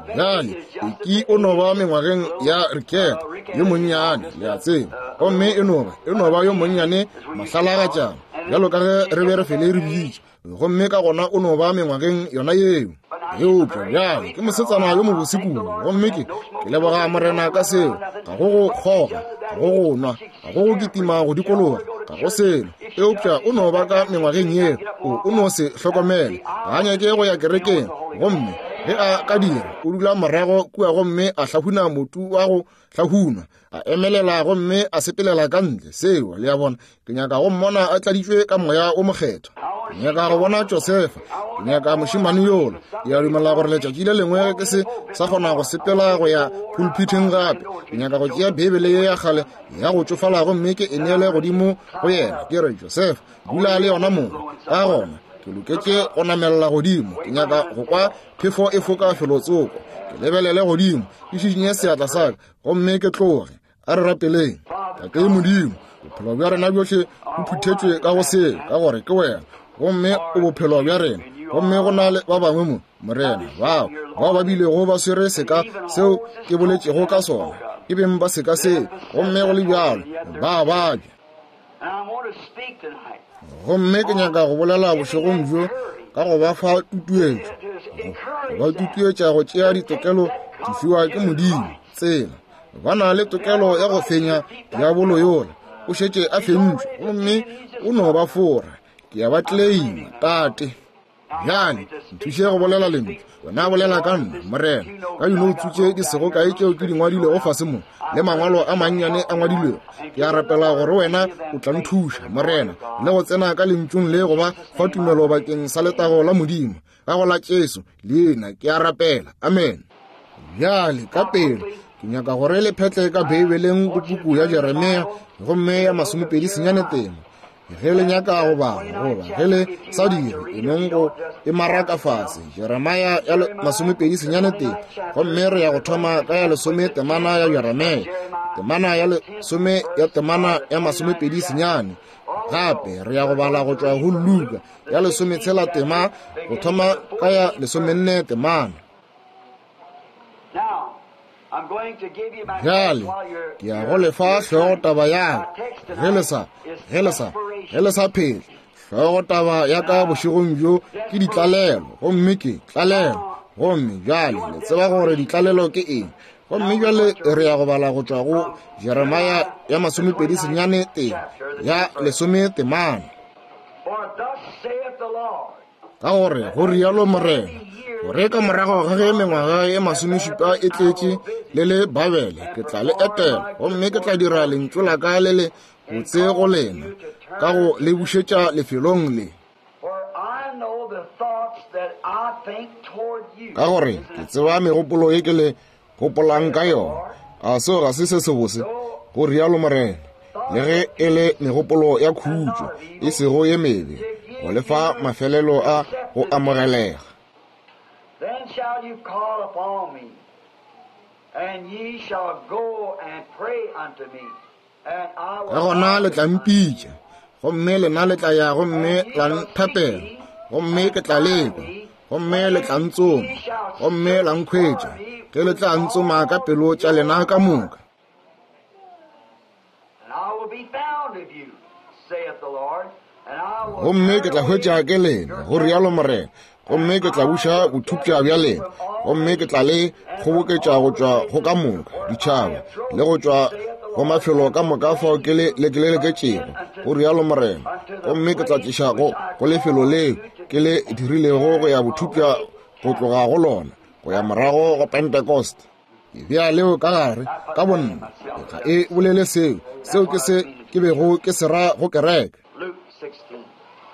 Bjale Eki o no ba mengwageng ya Riketa yo monnyane, le a tseba, gomme e no ba e no ba yo monnyane mahlalagatšana bjalo ka ge re be re fele re bitša, gomme ka gona o no ba mengwageng yona yeo. Eupša bjale ke mosetsana yo mobose kudu, gomme ke ke leboga Morena ka seo. Ga go go kgoga, ga go go nwa, ga go go kitima go dikologa, ga go selo. Eupša o no ba ka mengwageng yeo, o o no se hlokomele, ga a nyake go ya kerekeng, gomme ge a ka dira o dula morago kua gomme a hlahuna motu wa go hlahunwa, a emelela gomme a sepelela ka ntle. Seo, le a bona, ke nyaka go mmona a tladitšwe ka moya o mokgethwa. Ke nyaka go bona Josefa. Ke nyaka mošemane yola. Ke a dumela gore letšatši le lengwe ke se sa kgona go sepela go ya pulpiteng gape. Ke nyaka go tšea Beibele ye ya kgale ya go tšofala gomme ke e neele godimo go yena. Ke re, Josefa, dula le yona mong. Ka gona ke loketše go namelela godimo. Ke nyaka go kwa phefo e foka felotsoko. Ke lebelele godimo, ke šišinye seatla sa ka gomme ke tloge. A re rapeleng. Tate Modimo, bophelo bja rena bjohle bo phuthetšwe ka go seo, ka gore ke wena, gomme o bophelo bja rena. Gomme go na le ba bangwe mo, Morena, bao bao ba bilego ba swere seka seo ke boletšego ka sona, e beng ba seka seo, gomme go le bjalo ba babja. Gomme ke nyaka go bolela bošegong bjo ka go ba fa tutuetšo, go ba tutuetša go tšea ditokelo di fiwa ke Modimo. Tsela ba na le tokelo ya go fenya diabolo yola, o šetše a fentšwe, gomme o no ba fora. Ke a ba tleleima, Tate. Bjale nthuše go bolela lentšu. Wena bolela ka nna, Morena, ka dinoutsu tše di sego kae tšeo ke di ngwadilego fase mo, le mangwalo a mannyane a ngwadilwego. Ke a rapela gore wena o tla nthuša, Morena, le go tsena ka lentšung le go ba fa tumelo bakeng sa letago la Modimo. Ka go la Jesu leina ke a rapela. Amen. Bjale ka pele ke nyaka gore le phetle ka Beibeleng go puku ya Jeremia gomme ya masomepedi senyane tema. Ge le nyaka go bala goba ge le sa dire, e nong go e maraka fase. Jeremia ya masomepedi senyane tema, gomme re ya go thoma ka ya lesome temana ya Jeremia, temana ya lesome ya temana ya masomepedi senyane. Gape re ya go bala go tšwa go Luka ya lesometshela tema go thoma ka ya lesomenne temana. Bjale ke ya go lefa hlogo taba ya ka. Ge le sa, ge le sa, ge le sa phele, hlogo taba ya ka bošegong bjo ke ditlalelo, gomme ke tlalelo. Gomme bjale le tseba gore ditlalelo ke eng. Gomme bjale re ya go bala go tšwa go Jeremia ya masomepedi senyane tema ya lesome temana. Ka gore go rialo Morena, gore ka morago ga ge mengwaga ye masomešupa e tletše le le Babele, ke tla le etela, gomme ke tla dira lentšu la ka le le botse go lena, ka go le bušetša lefelong le. Ka gore ke tseba megopolo ye ke le gopolang ka yona. A seo ga se se sebose? Go rialo Morena, le ge e le megopolo ya khutšo, e sego ye mebe, go lefa mafelelo a go amogelega. Then shall you call upon me, and ye shall go and pray unto me, and I Ka gona le tla mpitša, gomme lena le tla ya gomme la nthapela, gomme ke tla lekwa, gomme le tla ntsoma, gomme la nkhwetša, ge le tla ntsoma ka pelo tša lena ka moka. And I will be found of you, saith the Lord, and I will Gomme ke tla hwetša ke lena, go rialo Morena, gomme ke tla buša bothupša bja lena, gomme ke tla le kgoboketša go tšwa go ka moka ditšhaba le go tšwa go mafelo ka moka fao ke le lekeleketšego, go rialo Morena, gomme ke tla tliša go go lefelo leo ke le dirilego go ya bothupša go tloga go lona go ya morago go Pentecost. Ke bea leo ka gare ka bonna, ga e bolele seo, seo ke se ke bego ke se ra go kereke. Luke sixteen,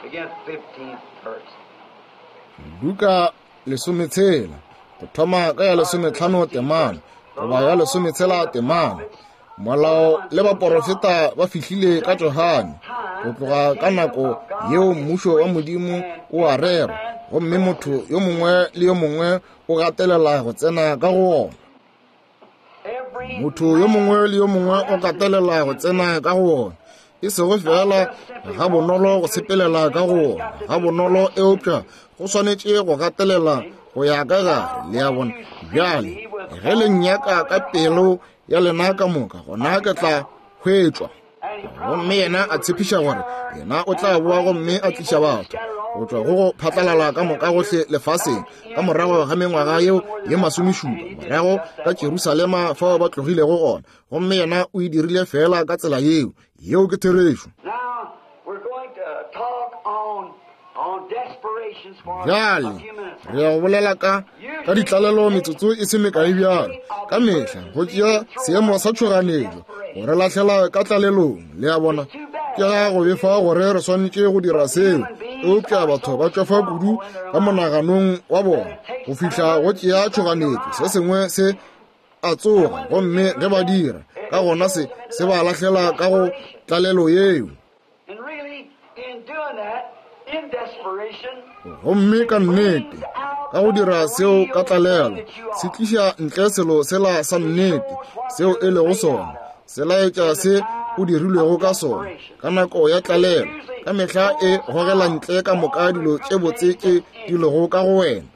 begin fifteenth verse. Luka lesometshela, go thoma ka ya lesometlhano temana goba ya lesometshela temana. Molao le baporofeta ba fihlile ka Johane, go tloga ka nako yeo mmušo wa Modimo o a rerwa, gomme motho yo mongwe le yo mongwe o gatelela go tsena ka go wona. Motho yo mongwe le yo mongwe o gatelela go tsena ka go wona, e sego fela ga bonolo go sepelela ka go wona, ga bonolo, eupša go swanetše go gatelela go ya ka gare. Le a bona? Bjale ge le nnyaka ka pelo ya lena ka moka, gona ke tla hwetšwa. Gomme yena a tshepiša gore yena o tla boa gomme a tliša batho go tšwa go go phatlalala ka moka gohle lefaseng ka morago ga mengwaga yeo ye masomešupa, morago ka Jerusalema fao ba tlogilego gona. Gomme yena o e dirile fela ka tsela yeo. Yeo ke therešo. Now we're going to talk on, on desperations for a Bjale few minutes. re ya go bolela ka ka ditlalelo metsotso e se mekae bjalo. Ka mehla go tšea seemo sa tšhoganetšo go re lahlela ka tlalelong. Le a bona? Ke ga go befa gore re swanetše go dira seo. Eupša batho ba tšwafa kudu ka monaganong wa bona go fihla go tšea tšhoganetšo, se sengwe se a tsoga, gomme ge ba dira, ka gona se se ba lahlela ka go tlalelo yeo. Gomme ka nnete, ka go dira seo ka tlalelo, se tliša ntle selo sela sa nnete seo e lego sona, se laetša se o dirilwego ka sona ka nako ya tlalelo. Ka mehla e gogela ntle ka moka dilo tše botse tše di lego ka go wena.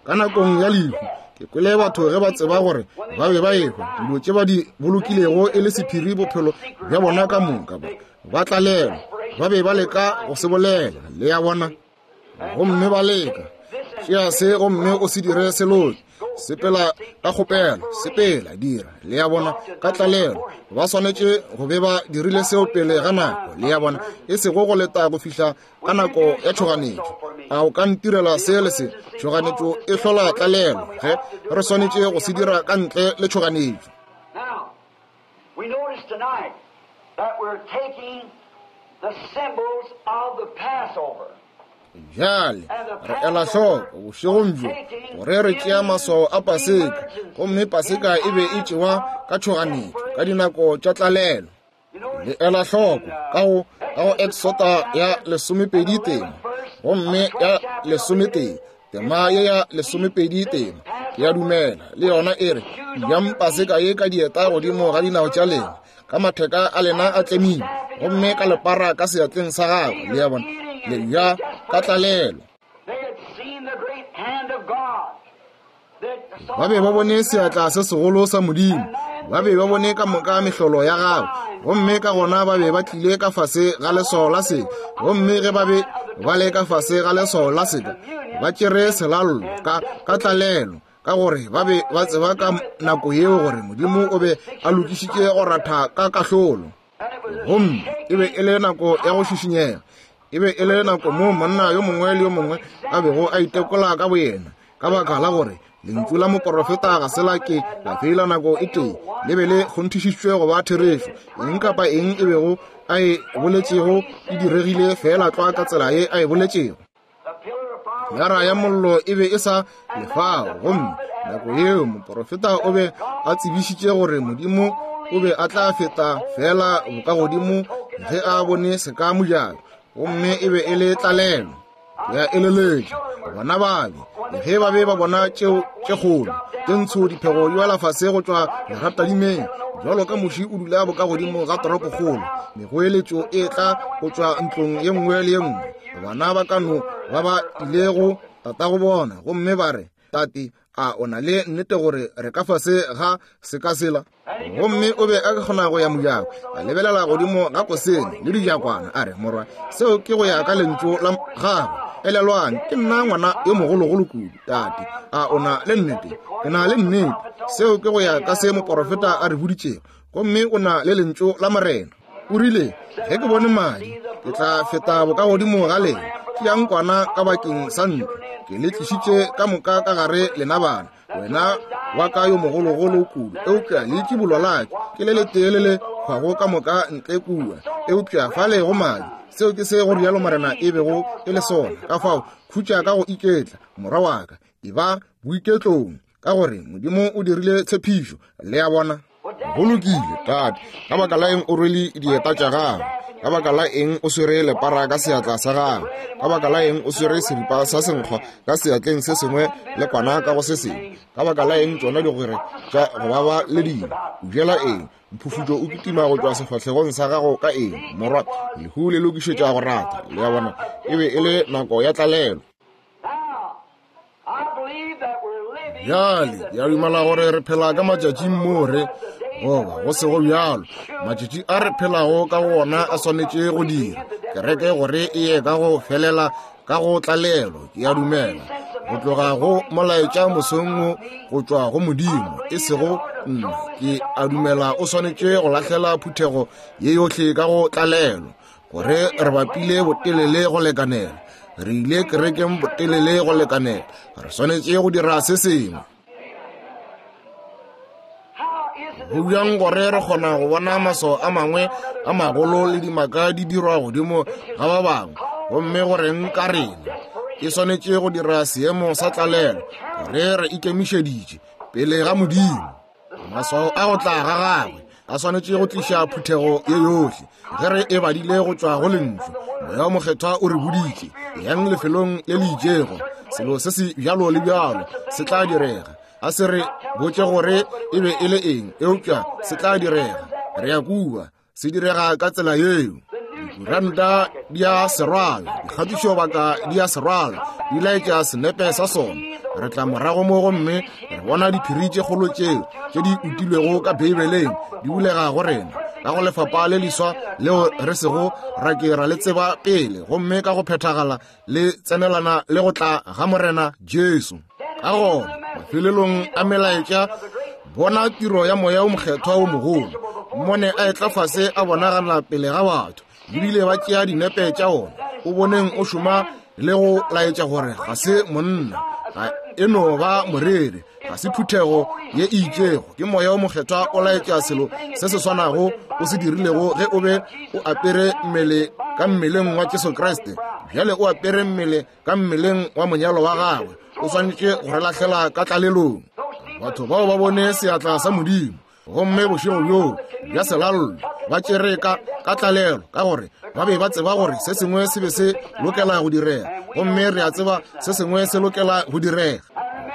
Ka nakong ya lehu, ke kwele batho ge ba tseba gore ba be ba ehwa, dilo tše ba di bolokilego e le sephiri bophelo bja bona ka moka, ba ba tlalelwa, ba be ba leka go se bolela, le ya bona, gomme ba leka tšea se gomme o se dire seloke, sepela ka kgopelo, sepela dira, le ya bona, ka tlalelo. Ba swanetše go be ba dirile seo pele ga nako, le ya bona, e sego go leta go fihla ka nako ya tšhoganetšo. A o ka ntirela se le se? Tšhoganetšo e hlola tlalelo, ge re swanetše go se dira ka ntle le tšhoganetšo. Bjale re ela hloko bošegong bjo gore re tšea maswao a Paseka, gomme Paseka e be e tšewa ka tšhoganetšo ka dinako tša tlalelo. Le ela hloko ka go ka go Exota ya lesomepedi tema, gomme ya lesometee tema ye ya lesomepedi tema, ke ya dumela le yona e re, jang Paseka ye ka dieta godimo ga dinao tša lena, ka matheka a lena a tlemile, gomme ka lepara ka seatleng sa gago, le ya bona, le ja ka tlalelo. Ba be ba bone seatla se segolo sa Modimo, ba be ba bone ka moka mehlolo ya gagwe, gomme ka gona ba be ba tlile ka fase ga leswao la seka. Gomme ge ba be ba le ka fase ga leswao la seka, ba tšere selallo ka ka tlalelo, ka gore ba be ba tseba ka nako yeo gore Modimo o be a lokišitše go ratha ka kahlolo. Gomme e be e le nako ya go šišinyega, e be e le nako moo monna yo mongwe le yo mongwe a bego a itekola ka boyena, ka baka la gore lentšu la moporofeta ga se la ke la feila nako e tee, le be le kgonthišišitšwe go ba therešo. Eng kapa eng e bego a e boletšego e diregile fela tlwa ka tsela ye a e boletšego. Pilara ya mollo e be e sa lefao, gomme nako yeo moporofeta o be a tsebišitše gore Modimo o be a tla feta fela bokagodimo ge a bone seka mojako, gomme e be e le tlalelo. Ya eleletša bona babe ge ba be ba bona tšeo tše kgolo tše ntsho diphego di wela fase go tšwa leratadimeng, jwalo ka moši o dula bokagodimo ga toropokgolo, megoeletšo e tla go tšwa ntlong ye nngwe le ye nngwe. Bana ba kano ba ba ilego tatago bona gomme ba re, tate, a o na le nnete gore re ka fase ga seka sela? Gomme o be a kgona go ya mojako, a lebelela godimo ga kosene le dijakwana, a re, morwa, seo ke go ya ka lentšu la gagwe. Elelwang, ke nna ngwana yo mogologolo kudu. Tate, a o na le nnete? Ke na le nnete. Seo ke go ya ka se moporofeta a re boditšego, gomme o na le lentšu la Morena. O rile, ge ke bone madi, ke tla feta bokagodimo ga lena. Tšeang kwana ka bakeng sa ntlo, ke le tlišitše ka moka ka gare lena bana, wena wa ka yo mogologolo kudu, eupša leitšibulo la ka ke le letee le le hwago ka moka ntle kua, eupša fale go madi. Seo ke se go rialo Morena e bego e le sona. Ka fao khutša ka go iketla, morwa wa ka, e ba boiketlong, ka gore Modimo o dirile tshepišo. Le ya bona. Go lokile, tate, ka baka la eng o rwele dieta tša gago? Ka baka la eng o swere lepara ka seatla sa gago? Ka baka la eng o swere seripa sa senkgwa ka seatleng se sengwe le kwana ka go se sengwe? Ka baka la eng tšona digwere tša go baba le dilo? O jela eng? Mphufutšo o kitima go tšwa sefahlegong sa gago ka eng? Morwa, lehu le lokišetša go rata. Le ya bona, e be e le nako ya tlalelo. Bjale ke a dumela gore re phela ka matšatšing moo re goba go sego bjalo, matšatši a re phelago ka go ona a swanetše go dira kereke gore e ye ka go felela ka go tlalelo. Ke a dumela go tloga go molaetša mosong wo go tšwa go Modimo, e sego nna. Ke a dumela o swanetše go lahlela phuthego ye yohle ka go tlalelo, gore re bapile botelele go lekanela, re ile kerekeng botelele go lekanela, re swanetše go dira se sengwe. Go bjang gore re kgona go bona maswao a mangwe a magolo le dimaka di dirwa godimo ga ba bangwe, Gomme go reng ka rena? E swanetše go dira seemo sa tlalelo gore re ikemišeditše pele ga Modimo. Maswao a go tla ga gagwe a swanetše go tliša phuthego ye yohle. Ge re e badile go tšwa go lentšu, Moya o Mokgethwa o re boditše, yang lefelong le le itšego, selo se se bjalo le bjalo se tla direga. A se re botše gore e be e le eng, eupša se tla direga. Re ya kua, se direga ka tsela yeo. Dikuranta di a se rwala, dikgatišobaka di a se rwala, di laetša senepe sa sona. Re tla morago mo gomme re bona diphiri tše kgolo tšeo tše di utilwego ka Beibeleng di bulega go rena ka go lefapa le leswa leo re sego ra ke ra le tseba pele, gomme ka go phethagala le tsenelana le go tla ga Morena Jesu. Ka gona mafelelong a melaetša, bona tiro ya Moya o Mokgethwa o mogolo, mmone a etla fase a bonagala pele ga batho, ebile ba tšea dinepe tša ona. O boneng o šoma le go laetša gore ga se monna, ga e no ba moreri, ga se phuthego ye e itšego. Ke Moya o Mokgethwa o laetša selo se se swanago o se dirilego ge o be o apere mmele ka mmeleng wa Jesu Kriste. Bjale o apere mmele ka mmeleng wa monyalo wa gagwe, o swanetše go re lahlela ka tlalelong. Batho bao ba bone seatla sa Modimo, gomme bošego bjoo bja selallo ba tšere ka ka tlalelo, ka gore ba be ba tseba gore se sengwe se be se lokela go direga, gomme re a tseba se sengwe se lokela go direga.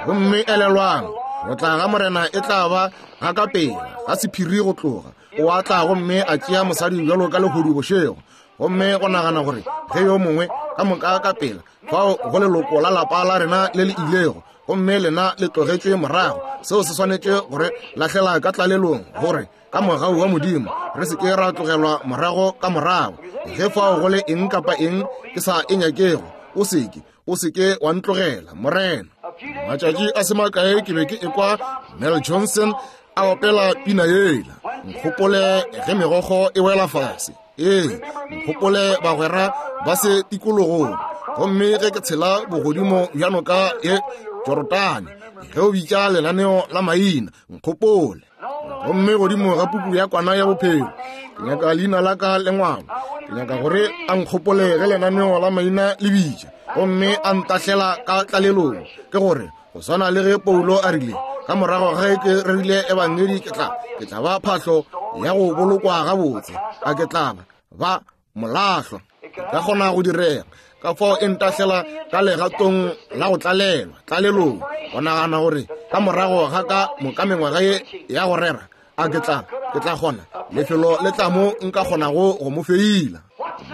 Gomme elelwang, go tla ga Morena e tla ba ga ka pela, ga sephiri go tloga. O a tla gomme a tšea mosadi bjalo ka lehodu bošego, gomme go nagana gore ge yo mongwe ka moka ka pela fao go leloko la lapa la rena le le ilego, gomme lena le tlogetšwe morago, seo se swanetše gore lahlela ka tlalelong, gore ka mogau wa Modimo re se ke ra tlogelwa morago ka morago. Ge fao go le eng kapa eng ke sa e nyakego, o seke o seke wa ntlogela, Morena. Matšatši a se makae ke be ke ekwa Mel Johnson a opela pina yela, nkgopole ge megokgo e wela fase. Ee, nkgopole bagwera ba se tikologong, gomme ge ke tshela bogodimo bja noka ye Jorodane, ge o bitša lenaneo la maina, nkgopole. Gomme godimo ga puku ya kwana ya bophelo, ke nyaka leina la ka lengwalo. Ke nyaka gore a nkgopole ge lenaneo la maina le bitša, gomme a ntahlela ka tlalelong. Ke gore go swana le ge Paulo a rile, ka morago ge ke rerile ebangedi, ke tla ke tla ba phahlo ya go bolokwa gabotse, a ke tla ba molahlwa. Ka kgona go direga. Ka fao e ntahlela ka legatong la go tlalelwa tlalelong, go nagana gore ka morago ga ka moka mengwaga ye ya go rera, a ke tla ke tla kgona lefelo le tla mo nka kgonago go mo feila.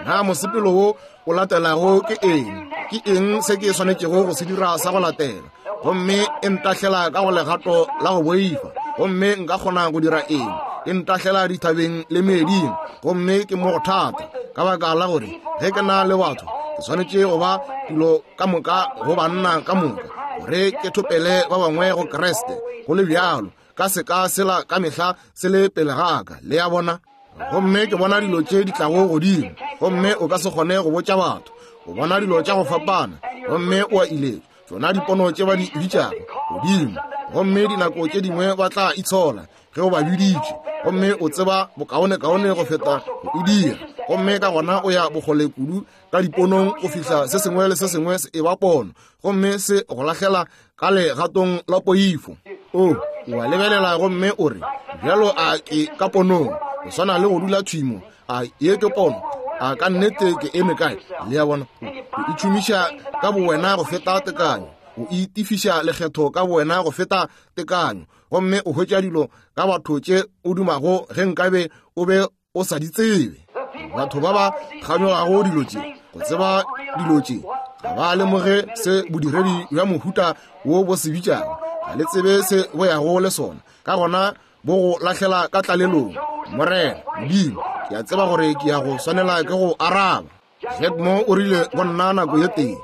Na mosepelo wo o latelago ke eng? Ke eng se ke swanetšego go se dira sa go latela? Gomme e ntahlela ka go legato la go boifa, gomme nka kgona go dira eng? E ntahlela dithabeng le meeding, gomme ke mo go thata, ka baka la gore ge ke na le batho, ke swanetše go ba dilo ka moka go banna ka moka, gore ke thopele ba bangwe go Kriste. Go le bjalo, ka seka sela ka mehla se le pele ga ka, le ya bona. Gomme ke bona dilo tše di tlago godimo, gomme o ka se kgone go botša batho. O bona dilo tša go fapana, gomme o a iletša tšona dipono tše ba di bitšago godimo, gomme dinako tše dingwe ba tla itshola ge o ba biditše, gomme o tseba bokaonekaone go feta go e dira. Gomme ka gona o ya bokgole kudu ka diponong go fihla se sengwe le se sengwe se e ba pono, gomme se go lahlela ka legatong la poifo. O o a lebelela gomme o re, bjalo a ke ka ponong, go swana le go dula thwimo, a ye ke pono, a ka nnete ke eme kae? Le ya bona, o itšhomiša ka bowena go feta tekanyo, o itifiša lekgetho ka bowena go feta tekanyo, gomme o hwetša dilo ka batho tše o dumago ge nkabe o be o sa di tsebe. Batho ba ba kganyogago dilo tše, go tseba dilo tše, ga ba lemoge se bodiredi bja mohuta wo bo se bitšago, ga le tsebe se bo yago le sona, ka gona bo go lahlela ka tlalelong. Morena Modimo, ke a tseba gore ke ya go swanela ke go araba. Jack Mo o rile go nna nako ye tee,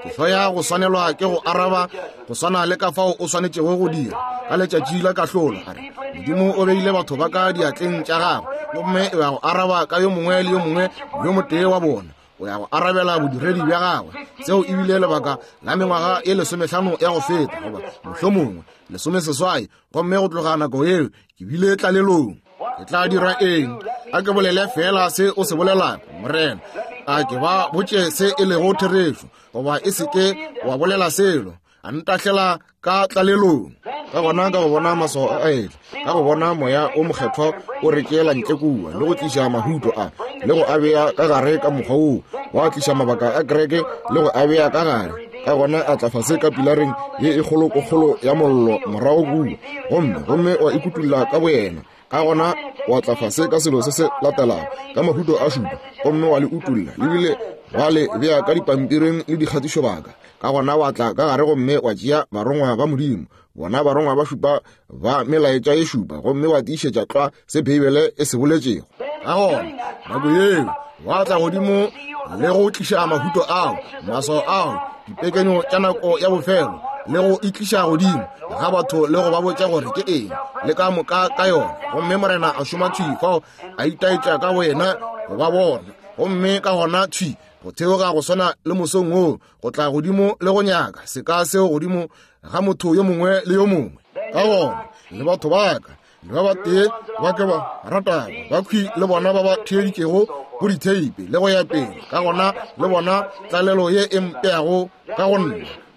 ke hloya go swanelwa ke go araba go swana le ka fao o swanetšego go dira ka letšatši la kahlolo. A re, Modimo o beile batho ba ka diatleng tša gagwe, gomme o ya go araba ka yo mongwe le yo mongwe yo motee wa bona. O ya go arabela bodiredi bja gagwe. Seo e bile lebaka la mengwaga ye lesomehlano ya go feta, goba mohlomongwe lesomeseswai, gomme go tloga nako yeo ke bile tlalelong. Ke tla dira eng? A ke bolele fela se o se bolelago, Morena. A ke ba botše se e lego therešo, goba e se ke wa bolela selo. A ntahlela ka tlalelong. Ka gona ka go bona maswao a etla, ka go bona moya o mokgethwa o re tšeela ntle kua le go tliša mahuto a le go a bea ka gare ka mokgwa woo, wa tliša mabaka a kereke le go a bea ka gare. Ka gona a tla fase ka pilareng ye e kgolokokgolo ya mollo morago kua, gomme gomme wa ikutulla ka boyena. Ka gona wa tla fase ka selo se se latelago ka mahuto a šupa, gomme wa le utulla lebile wa le bea ka dipampiring le dikgatišobaka. Ka gona wa tla ka gare gomme wa tšea barongwa ba Modimo, bona barongwa ba šupa ba melaetša ye šupa, gomme wa tiišetša tlwa se Beibele e se boletšego. Ka gona nako yeo wa tla godimo le go tliša mahuto ao, maswao ao, dipekenyo tša nako ya bofelo, le go itliša godimo ga batho le go ba botša gore ke eng le ka moka ka yona. Gomme Morena a šoma thwi fao, a itaetša ka boyena go ba bona. Gomme ka gona thwi go theoga go swana le mosong woo, go tla godimo le go nyaka seka seo godimo ga motho yo mongwe le yo mongwe. Ka gona le batho ba ka le ba batee ba ke ba ratago ba khwi le bona ba ba theeditšego go ditheipe le go ya pele. Ka gona le bona tlalelo ye e mpeago ka go nna,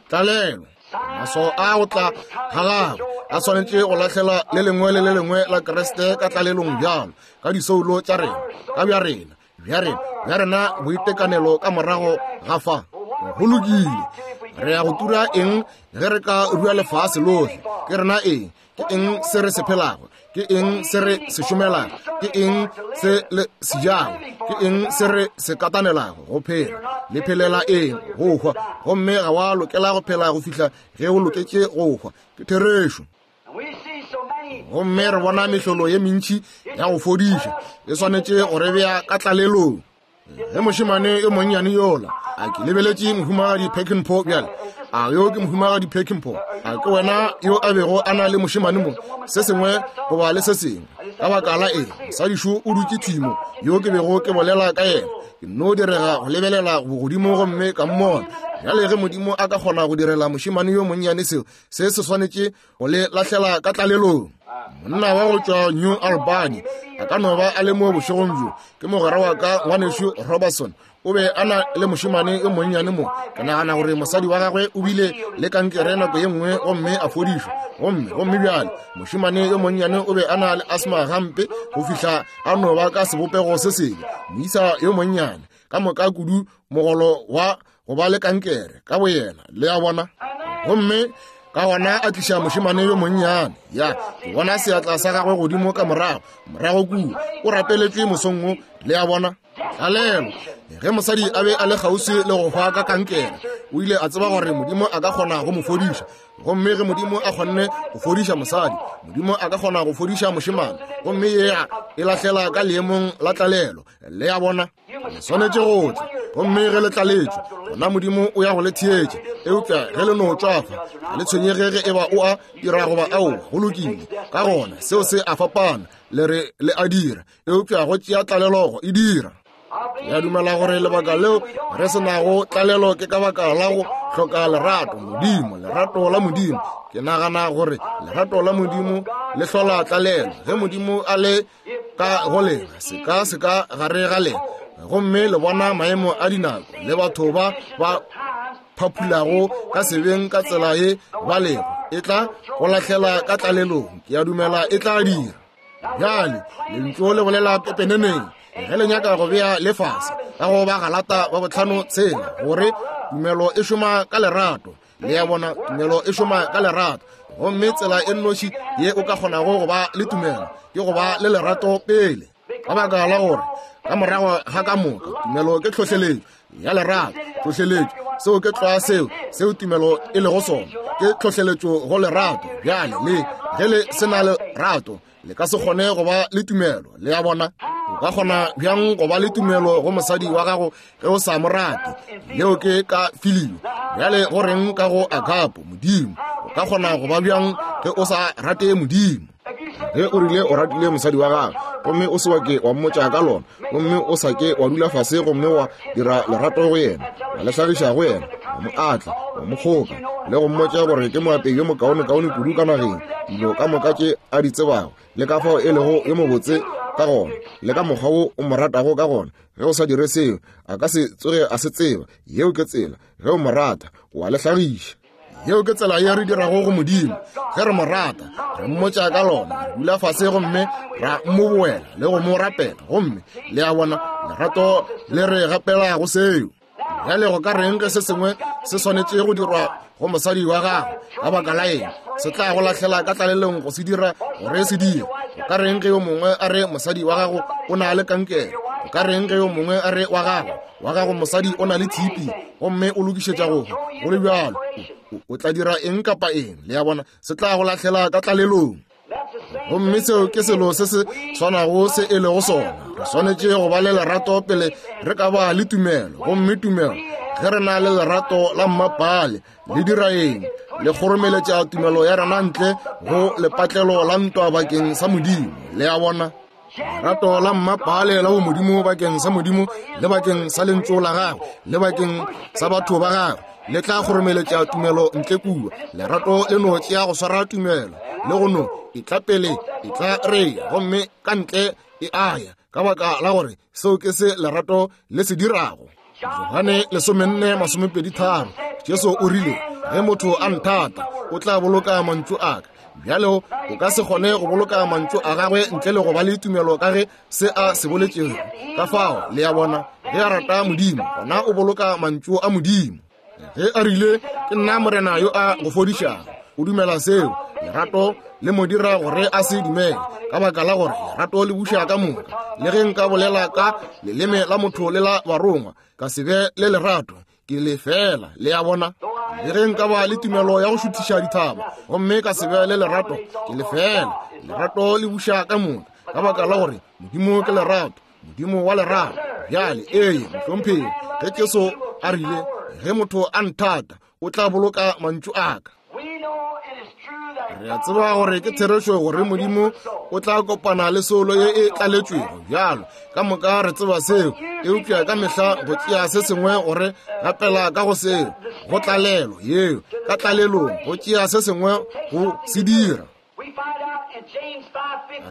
tlalelo. Maswao a go tla ga gagwe a swanetše go lahlela le lengwe le le lengwe la Kriste ka tlalelong bjalo ka disoulo tša rena, ka bja rena, bja rena, bja rena boitekanelo ka morago ga fa. Go lokile, re ya go tura eng ge re ka rua lefase lohle? Ke rena eng? Ke eng se re se phelago? Ke eng se re se šomelago? Ke eng se le se jago? Ke eng se re se katanelago go phela? Le phelela eng? Go hwa. Gomme ga wa lokela go phela go fihla ge o loketše go hwa. Ke therešo. Gomme re bona mehlolo ye mentši ya go fodiša e swanetše go re bea ka tlalelong. Ge mošemane yo monnyane yola, a ke lebeletše mohumagadi Peckinpah bjale, a yo ke mohumagadi Peckinpah, a ke wena yo a bego a na le mošemane mo, se sengwe goba le se sengwe. Ka baka la eng, mosadišo o dutše thwi mo, yo ke bego ke bolela ka yena. Ke nno direga go lebelela bogodimo gomme ka mmona. Bjale ge Modimo a ka kgona go direla mošemane yo monnyane seo, se se swanetše go le lahlela ka tlalelong. Monna wa go tšwa New Albany a ka no ba a le mo bošegong bjo, ke mogwera wa ka ngwanešu Robertson. O be a na le mošemane yo monnyane mo. Ke nagana gore mosadi wa gagwe o bile le kankere nako ye nngwe gomme a fodišwa. Gomme gomme bjale mošemane yo monnyane o be a na le asthma gampe go fihla a no ba ka sebopego se sebe. Moisa yo monnyane ka moka kudu mogolo wa go ba le kankere ka boyena, le a bona. Gomme ka gona a tliša mošemane yo monnyane. Ya, ke bona seatla sa gagwe godimo ka morago, morago kua. O rapeletšwe mosong wo, le a bona. Tlalelo. Ge mosadi a be a le kgauswi le go hwa ka kankere, o ile a tseba gore Modimo a ka kgona go mo fodiša. Gomme ge Modimo a kgonne go fodiša mosadi, Modimo a ka kgona go fodiša mošemane. Gomme yea e lahlela ka leemong la tlalelo, le a bona. Le swanetše go tla, gomme ge le tlaletšwe, gona Modimo o ya go le theetša. Eupša ge le no tšwafa, ga le tshwenyege ge eba o a dira goba aowa, go lokile. Ka gona seo se a fapana, le re le a dira, eupša go tšea tlalelo go e dira. Ke a dumela gore lebaka leo re se nago tlalelo ke ka baka la go hloka lerato Modimo, lerato la Modimo. Ke nagana gore lerato la Modimo le hlola tlalelo. Ge Modimo a le ka go lena, seka seka gare ga lena, gomme le bona maemo a dinako le batho ba ba phaphulago ka sebeng ka tsela ye ba lego, e tla go lahlela ka tlalelong. Ke a dumela e tla dira. Bjale lentšu le bolela pepeneneng ge le nyaka go bea lefase ka go ba Galata ba botlhano tshela, gore tumelo e šoma ka lerato. Le a bona, tumelo e šoma ka lerato. Gomme tsela e nnoši ye o ka kgonago go ba le tumelo ke go ba le lerato pele. Ka baka la gore ka morago ga ka moka tumelo ke tlhohleletšo ya lerato. Tlhohleletšo, seo ke tlwa seo seo tumelo e lego sona, ke tlhohleletšo go lerato. Bjale le ge le se na lerato, le ka se kgone go ba le tumelo. Le a bona, o ka kgona bjang go ba le tumelo go mosadi wa gago ge o sa mo rate? Leo ke ka filio. Bjale go reng ka go agapo Modimo? O ka kgona go ba bjang ge o sa rate Modimo? Ge o rile o ratile mosadi wa gago, gomme o se wa ke wa mmotša ka lona, gomme o sa ke wa dula fase gomme wa dira lerato go yena, wa le hlagiša go yena, wa mo atla, wa mo kgoka, le go mmotša gore ke moapei yo mokaonekaone kudu ka nageng, dilo ka moka tše a di tsebago, le ka fao e lego yo mobotse ka gona le ka mokgwa wo o mo ratago ka gona. Ge o sa dire seo, a ka se tsoge a se tseba. Yeo ke tsela. Ge o mo rata, o a le hlagiša. Yeo ke tsela ye re dirago go Modimo. Ge re mo rata, re mmotša ka lona, re dula fase gomme ra mo boela le go mo rapela. Gomme le a bona, lerato le re gapela go seo. Bjale go ka reng ge se sengwe se swanetše go dirwa go mosadi wa gago ka baka la eng, se tla go lahlela ka tlalelong go se dira gore se dire. Go ka reng ge yo mongwe a re mosadi wa gago o na le kankere? Go ka reng ge yo mongwe a re wa gago wa gago mosadi o na le T B gomme o lokišetša go hwa? Go le bjalo, o tla dira eng kapa eng? Le a bona, se tla go lahlela ka tlalelong. Gomme seo ke selo se se swanago se e lego sona. Re swanetše go ba le lerato pele re ka ba le tumelo. Gomme tumelo, ge re na le lerato la mmapale, le dira eng? Le kgoromeletša tumelo ya rena ntle go lepatlelo la ntwa bakeng sa Modimo. Le a bona, lerato la mmapale la bomodimo bakeng sa Modimo le bakeng sa lentšu la gagwe le bakeng sa batho ba gagwe le tla kgoromeletša tumelo ntle kua. Lerato le no tšea go swara tumelo le go no e tla pele, e tla reya, gomme ka ntle e aya, ka baka la gore seo ke se lerato le se dirago. Johane lesomenne masomepedi tharo, Jesu o rile, ge motho a nthata, o tla boloka mantšu a ka. Bjale o ka se kgone go boloka mantšu a gagwe ntle le go ba le tumelo ka ge se a se boletšego. Ka fao, le a bona, ge a rata Modimo, gona o boloka mantšu a Modimo. Ge a rile, ke nna Morena yo a go fodišago, o dumela seo. Lerato le mo dira gore a se dumele, ka baka la gore lerato le buša ka moka. Le ge nka bolela ka leleme la motho le la barongwa, ka se be le lerato, ke le fela. Le a bona, le ge nka ba le tumelo ya go šuthiša dithaba gomme ka se be le lerato, ke le fela. Lerato le buša ka moka, ka baka la gore Modimo ke lerato, Modimo wa lerato. Bjale, ee, mohlomphegi, ge Jesu a rile, ge motho a nthata, o tla boloka mantšu a ka. Re a tseba gore ke therešo gore Modimo o tla kopana le soulo ye e tlaletšwego. Bjalo ka moka re tseba seo, eupša ka mehla go tšea se sengwe gore rapela ka go seo, go tlalelo yeo, ka tlalelong go tšea se sengwe go se dira.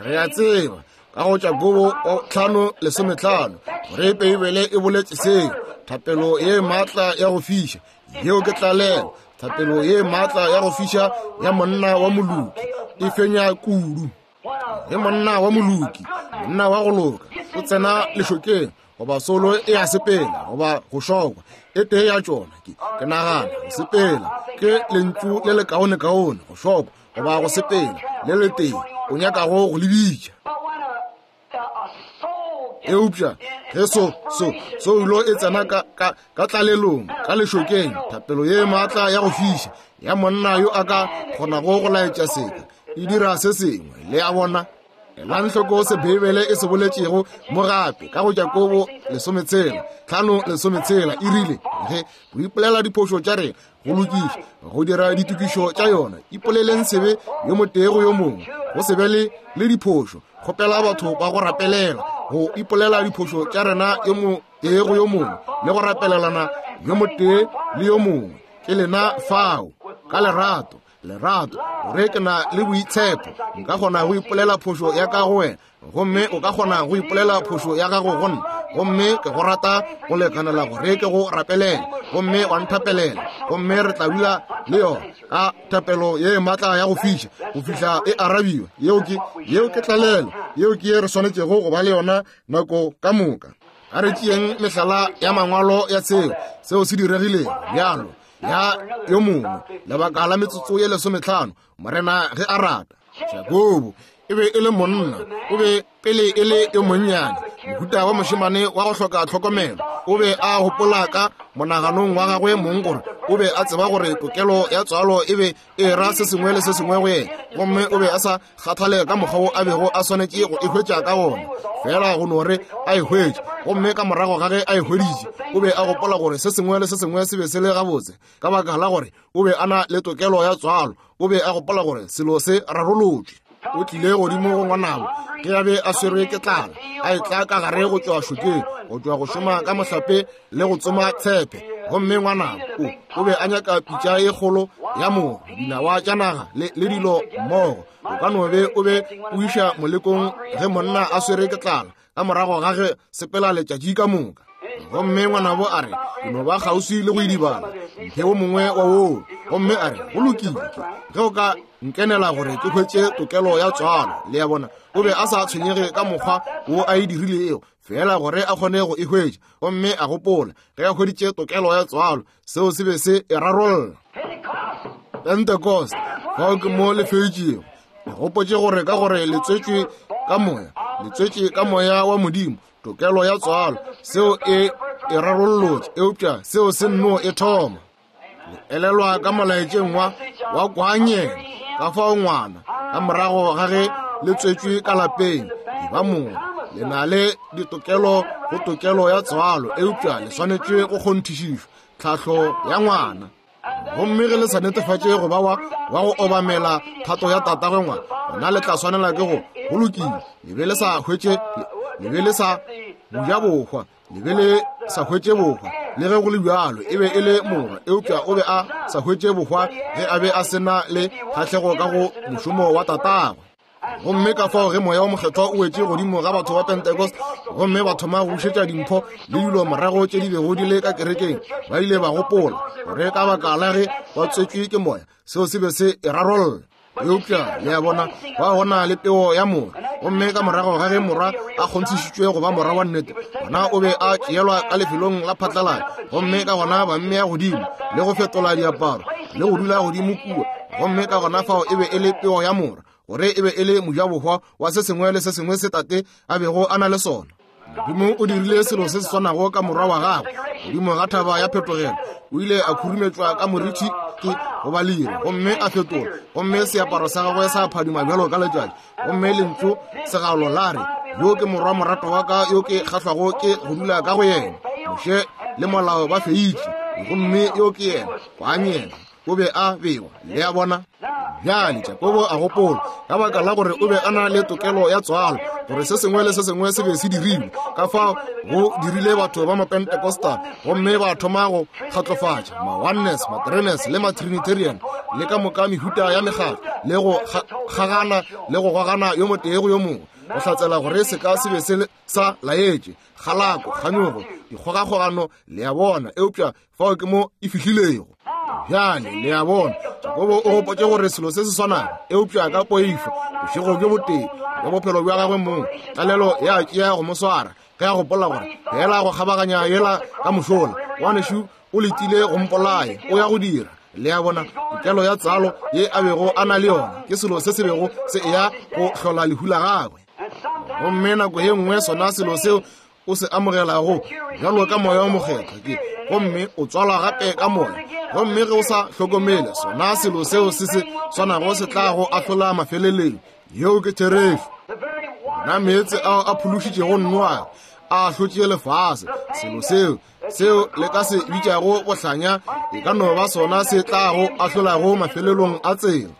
Re a tseba ka go Jakobo tlhano lesometlhano gore Beibele e boletše seo, thapelo ye maatla ya go fiša, yeo ke tlalelo. Thapelo ye maatla ya go fiša ya monna wa moloki e fenya kudu. Ge monna wa moloki, monna wa go loka, o tsena lešokeng, goba solo e a sepela goba go šokwa, e tee ya tšona, ke, ke nagana go sepela ke lentšu le lekaonekaone, go šokwa goba go sepela le letee o nyakago go le bitša. Eupša ge so so soulo e tsena ka, ka, ka tlalelong, ka lešokeng, thapelo ye maatla ya go fiša ya monna yo a ka kgonago go laetša seka e dira se sengwe. Le a bona, elang hloko se Beibele e se boletšego mo gape ka go Jakobo lesometshela tlhano lesometshela, e rile, ge go ipolela diphošo tša rena, go lokiša, go dira ditokišo tša yona, ipoleleng sebe yo motee go yo mongwe, go se be le le diphošo, kgopela batho ba go rapelela, go ipolela diphošo tša rena yo motee go yo mongwe le go rapelelana yo motee le yo mongwe. Ke lena fao ka lerato, lerato, gore ke na le boitshepo, nka kgona go ipolela phošo ya ka go wena, gomme o ka kgona go ipolela phošo ya gago go nna, gomme ke go rata go lekanela gore ke go rapelela, gomme wa nthapelela, gomme re tla dula le yona ka thapelo ye maatla ya go fiša go fihla e arabiwa. Yeo ke, yeo ke tlalelo, yeo ke ye re swanetšego go ba le yona nako ka moka. A re tšeeng mehlala ya mangwalo ya seo seo se diregilego bjalo ya yo mongwe lebaka la metsotso ye lesometlhano, Morena ge a rata. Jakobo e be e le monna, o be pele e le yo monnyane, mohuta wa mošemane wa go hloka tlhokomelo. O be a gopola ka monaganong wa gagwe mong gore o be a tseba gore tokelo ya tswalo e be e ra se sengwe le se sengwe go yena, gomme o be a sa kgathale ka mokgwa wo a bego a swanetše go e hwetša ka gona, fela go no re a e hwetše. Gomme ka morago ga ge a e hweditše, o be a gopola gore se sengwe le se sengwe se be se le gabotse, ka baka la gore o be a na le tokelo ya tswalo. O be a gopola gore selo se rarolotšwe. O tlile godimo go ngwanabo ge a be a swerwe ke tlala, a etla ka gare go tšwa šokeng, go tšwa go šoma ka mohlape le go tsoma tshepe. Gomme ngwanabo o, o be a nyaka pitša ye kgolo ya mogo, dinawa tša naga le, le dilo mmogo. O ka no be o be o iša molekong ge monna a swere ke tlala ka morago ga ge sepela letšatši ka moka. Gomme ngwanabo a re, ke no ba kgauswi le go idibala, mphe wo mongwe wa woo. Gomme a re, go lokile, ge o ka nkenela gore ke hwetše tokelo ya tswalo. Le a bona, o be a sa tshwenyege ka mokgwa wo a e dirilego, fela gore a kgone go e hwetša. Gomme a gopola ge a hweditše tokelo ya tswalo, seo se be se e rarolla. Pentecost, fao ke mo le fetšego. Le gopotše gore ka gore le tswetšwe ka moya, le tswetše ka moya wa Modimo, tokelo ya tswalo, seo e e rarollotše, eupša seo se nno e thoma. Le elelwa ka molaetšeng wa wa kwanyeng, ka fao ngwana ka morago ga ge le tswetšwe ka lapeng, e ba mongwe, le na le ditokelo go tokelo ya tswalo, eupša le swanetše go kgonthišišwa tlhahlo ya ngwana. Gomme ge le sa netefatše go ba wa wa go obamela thato ya tatagwe ngwana, gona le tla swanela ke go go lokile. Le be le sa hwetše, le be le sa buja bohwa, le be le sa hwetše bohwa. Le ge go le bjalo, e be e le morwa, eupša o be a sa hwetše bohwa ge a be a sena le kgahlego ka go mošomo wa tatagwe. Gomme ka fao ge moya wa mokgethwa o wetše godimo ga batho ba Pentecost, gomme ba thoma go bušetša dimpho le dilo morago tše di bego di le ka kerekeng, ba ile ba gopola gore ka baka la ge ba tswetšwe ke moya, seo se be se e rarolla. Eupša le a bona, ba gona le peo ya morwa. Gomme ka morago ga ge morwa a kgonthišitšwe go ba morwa wa nnete, gona o be a tšeelwa ka lefelong la phatlalatša, gomme ka gona ba mmea godimo le go fetola diaparo le go dula godimo kua. Gomme ka gona fao e be e le peo ya morwa, gore e be e le mojabohwa wa se sengwe le se sengwe se tate a bego a na le sona. Modimo o dirile selo se se swanago ka morwa wa gagwe godimo ga thaba ya phetogelo. O ile a khurumetšwa ka morithi ke goba lere, gomme a fetola, gomme seaparo sa gagwe sa phadima bjalo ka letšatši. Gomme lentšu segalo la re, yo ke morwa morato wa ka, yo ke kgahlwago ke go dula ka go yena. Moshe le molao ba feitše, gomme yo ke yena, kwanyena, o be a bewa. Le a bona? Bjale Jakobo a gopola, ka baka la gore o be a na le tokelo ya tswalo, gore se sengwe le se sengwe se be se dirilwe. Ka fao go dirile batho ba Mapentecostal, gomme ba thoma go kgatlofatša ma-oneness, ma-threeness le ma-trinitarian le ka moka mehuta ya mekgatlo, le go kgagana le go gogana yo motee go yo mongwe, go hlatsela gore seka se be se sa laetše kgalako, kganyogo, dikgogakgogano. Le a bona? Eupša fao ke mo e fihlilego. Bjale le a bona, Jakobo o gopotše gore selo se se swanago, eupša ka poifo, bošego bjo botee bja bophelo bja gagwe mong, tlalelo ya tšea go mo swara ge a gopola gore fela go kgabaganya yela ka mošola, ngwanešu o letile go mpolaya, o ya go dira. Le a bona, tokelo ya tswalo ye a bego a na le yona ke selo se se bego se eya go hlola lehu la gagwe. Gomme nako ye nngwe sona selo seo o se amogelago bjalo ka moya wa mokgethwa ke, gomme o tswalwa gape ka moya. Gomme ge o sa hlokomele, sona selo seo se se swanago se tla go ahlola mafeleleng. Yeo ke therešo. Bona meetse ao a phološitšego Noa a ahlotše lefase. Selo seo seo le ka se bitšago bohlanya e ka no ba sona se tlago ahlolago mafelelong a tsela.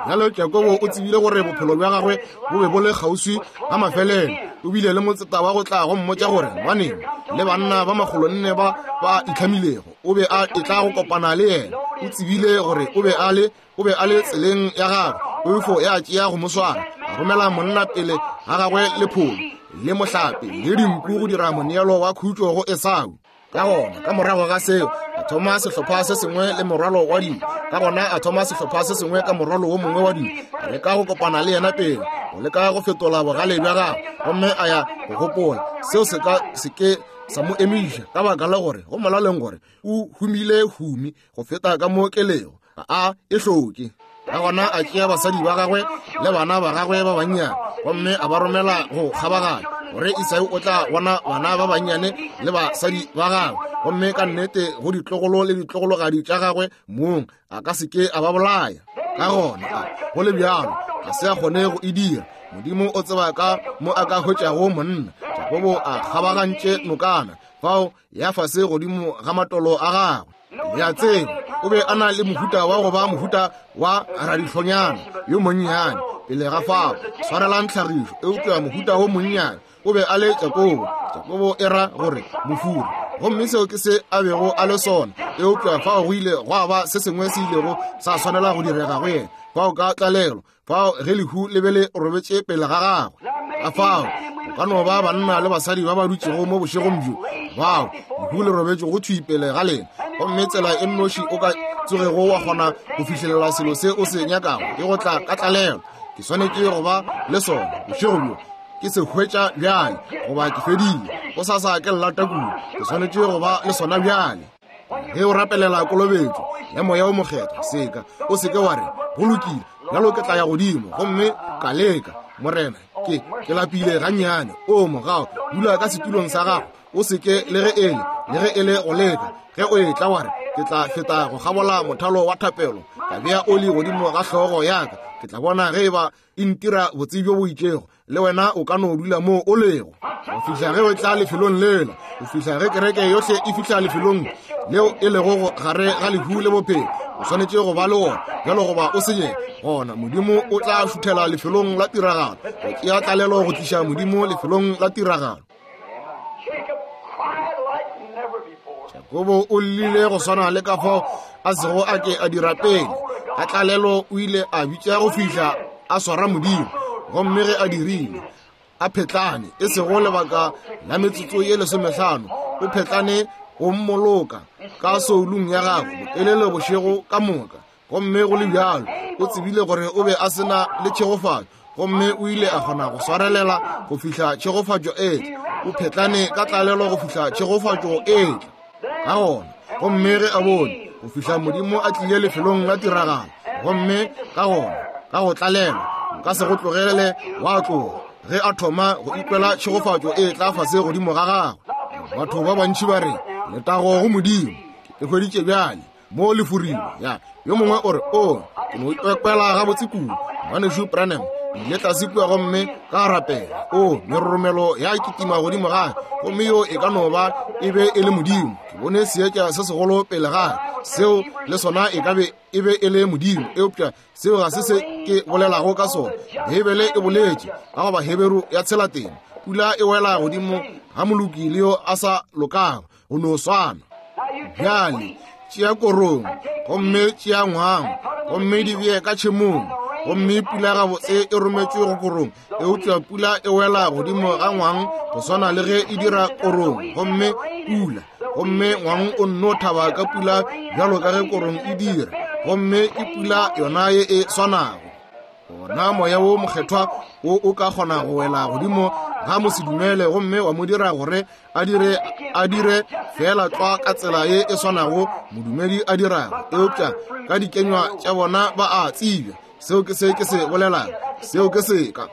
Bjale Jakobo o tsebile gore bophelo bja gagwe bo be bo le kgauswi ga mafelelo. O bile le motseta wa go tla go mmotša gore ngwaneng le banna ba makgolonne ba ba itlhamilego o be a etla go kopana le yena. O tsebile gore o be a le o be a le tseleng ya gagwe. Poifo ya tšea go mo swara, a romela monna pele ga gagwe le pholo le mohlape le dinku go dira moneelo wa khutšo go Esau. Ka gona ka morago ga seo a thoma sehlopha se sengwe le morwalo wa dilo. Ka gona a thoma sehlopha se sengwe ka morwalo wo mongwe wa dilo, a leka go kopana le yena pele, go leka go fetola bogale bja gagwe. Gomme a ya go gopola seo se ka se ke sa mo emiša, ka baka la gore go molaleng gore o humile humi go feta ka mo kelego, ga a e hloke. Ka gona a tšea basadi ba gagwe le bana ba gagwe ba bannyane, gomme a ba romela go kgabaganya gore Esau o tla bona bana ba bannyane le basadi ba gagwe, gomme ka nnete go ditlogolo le ditlogologadi tša gagwe mong a ka se ke a ba bolaya. Ka gona go le bjalo ga se a kgone go e dira. Modimo o tseba ka mo a ka hwetšago monna. Jakobo a kgabagantše nokana fao ya fase godimo ga matolo a gagwe. Le a tseba, o be a na le mohuta wa go ba mohuta wa radihlonyana yo monnyane pele ga fao, swarelang tlhagišo, eupša mohuta wo monnyane O be a le Jakobo. Jakobo e ra gore mofuri. Gomme seo ke se a bego a le sona. Eupša fao go ile gwa ba se sengwe se ilego sa swanela go direga go yena. Fao ka tlalelo, fao ge lehu le be le robetše pele ga gagwe. Ka fao go ka no ba banna le basadi ba ba dutšego mo bošegong bjo, bao lehu le robetše go thwi pele ga lena. Gomme tsela e nnoši o ka tsogego wa kgona go fihlelela selo se o se nyakago ke go tla ka tlalelo. Ke swanetše go ba le sona bošego bjo. Ke se hwetša bjale goba ke fedile. Go sasa ke llata kudu. Ke swanetše go ba le sona bjale. Ge o rapelela kolobetšo ya Moya o Mokgethwa, seka o seke wa re go lokile, bjalo ke tla ya godimo gomme ka leka. Morena, ke ke lapile gannyane. O mogao, dula ka setulong sa gago. O seke le ge ele le ge ele go leka. Ge o etla wa re ke tla feta go kgabola mothalo wa thapelo, ka bea oli godimo ga hlogo ya ka, ke tla bona ge eba e ntira botse bjo bo itšego. Le wena o ka no dula moo o lego go fihla ge o tla lefelong lela, go fihla ge kereke yohle e fihla lefelong leo e lego gare ga lehu le bophelo. O swanetše go ba le wona bjalo goba o senye. Gona Modimo o tla šuthela lefelong la tiragalo, go tšea tlalelo go tliša Modimo lefelong la tiragalo. Jakobo o llile go swana le ka fao a sego a ke a dira pele. Ka tlalelo o ile a bitša go fihla a swara Modimo. Gomme ge a dirile, a phetlane, e sego lebaka la metsotso ye lesomehlano, o phetlane go mmoloka ka soulung ya gagwe botelele bošego ka moka. Gomme go le bjalo o tsebile gore o be a sena le tšhegofatšo, gomme o ile a kgona go swarelela go fihla tšhegofatšo e tla. O phetlane ka tlalelo go fihla tšhegofatšo e tla. Ka gona, gomme ge a bone go fihla Modimo a tlile lefelong la tiragalo, gomme ka gona ka go tlalelwa nka se go tlogele wa tloga. Ge a thoma go ikwela tšhegofatšo e tla fase godimo ga gagwe, batho ba bantši ba re letago go Modimo, ke hweditše bjale mo le furile. Ya yo mongwe o re o ke no ikwela gabotse kudu, ngwanešu Branham, ile tlase kua gomme ka rapela. O meroromelo ya kitima godimo ga, gomme yo e ka no ba e be e le Modimo. Ke bone seetša se segolo pele ga seo, le sona e ka be e be e le Modimo, eupša seo ga se se ke bolelago ka sona. Beibele e boletše ka go Baheberu ya tshelateng, pula e wela godimo ga moloki le yo a sa lokago, go no swana. Bjale tšea korong gomme tšea ngwang gomme di bee ka tšhemong, gomme pula gabotse e rometšwe go korong, eupša pula e wela godimo ga ngwang go swana le ge e dira korong. Gomme pula, gomme ngwang o nno thaba ka pula bjalo ka ge korong e dira, gomme ke pula yona ye e swanago. Gona Moya wo Mokgethwa wo o ka kgona go wela godimo ga mosedumele gomme wa mo dira gore a dire a dire fela tlwa ka tsela ye e swanago modumedi a dirago, eupša ka dikenywa tša bona ba a tsebja. Seo ke se ke se bolelago, seo ke seka.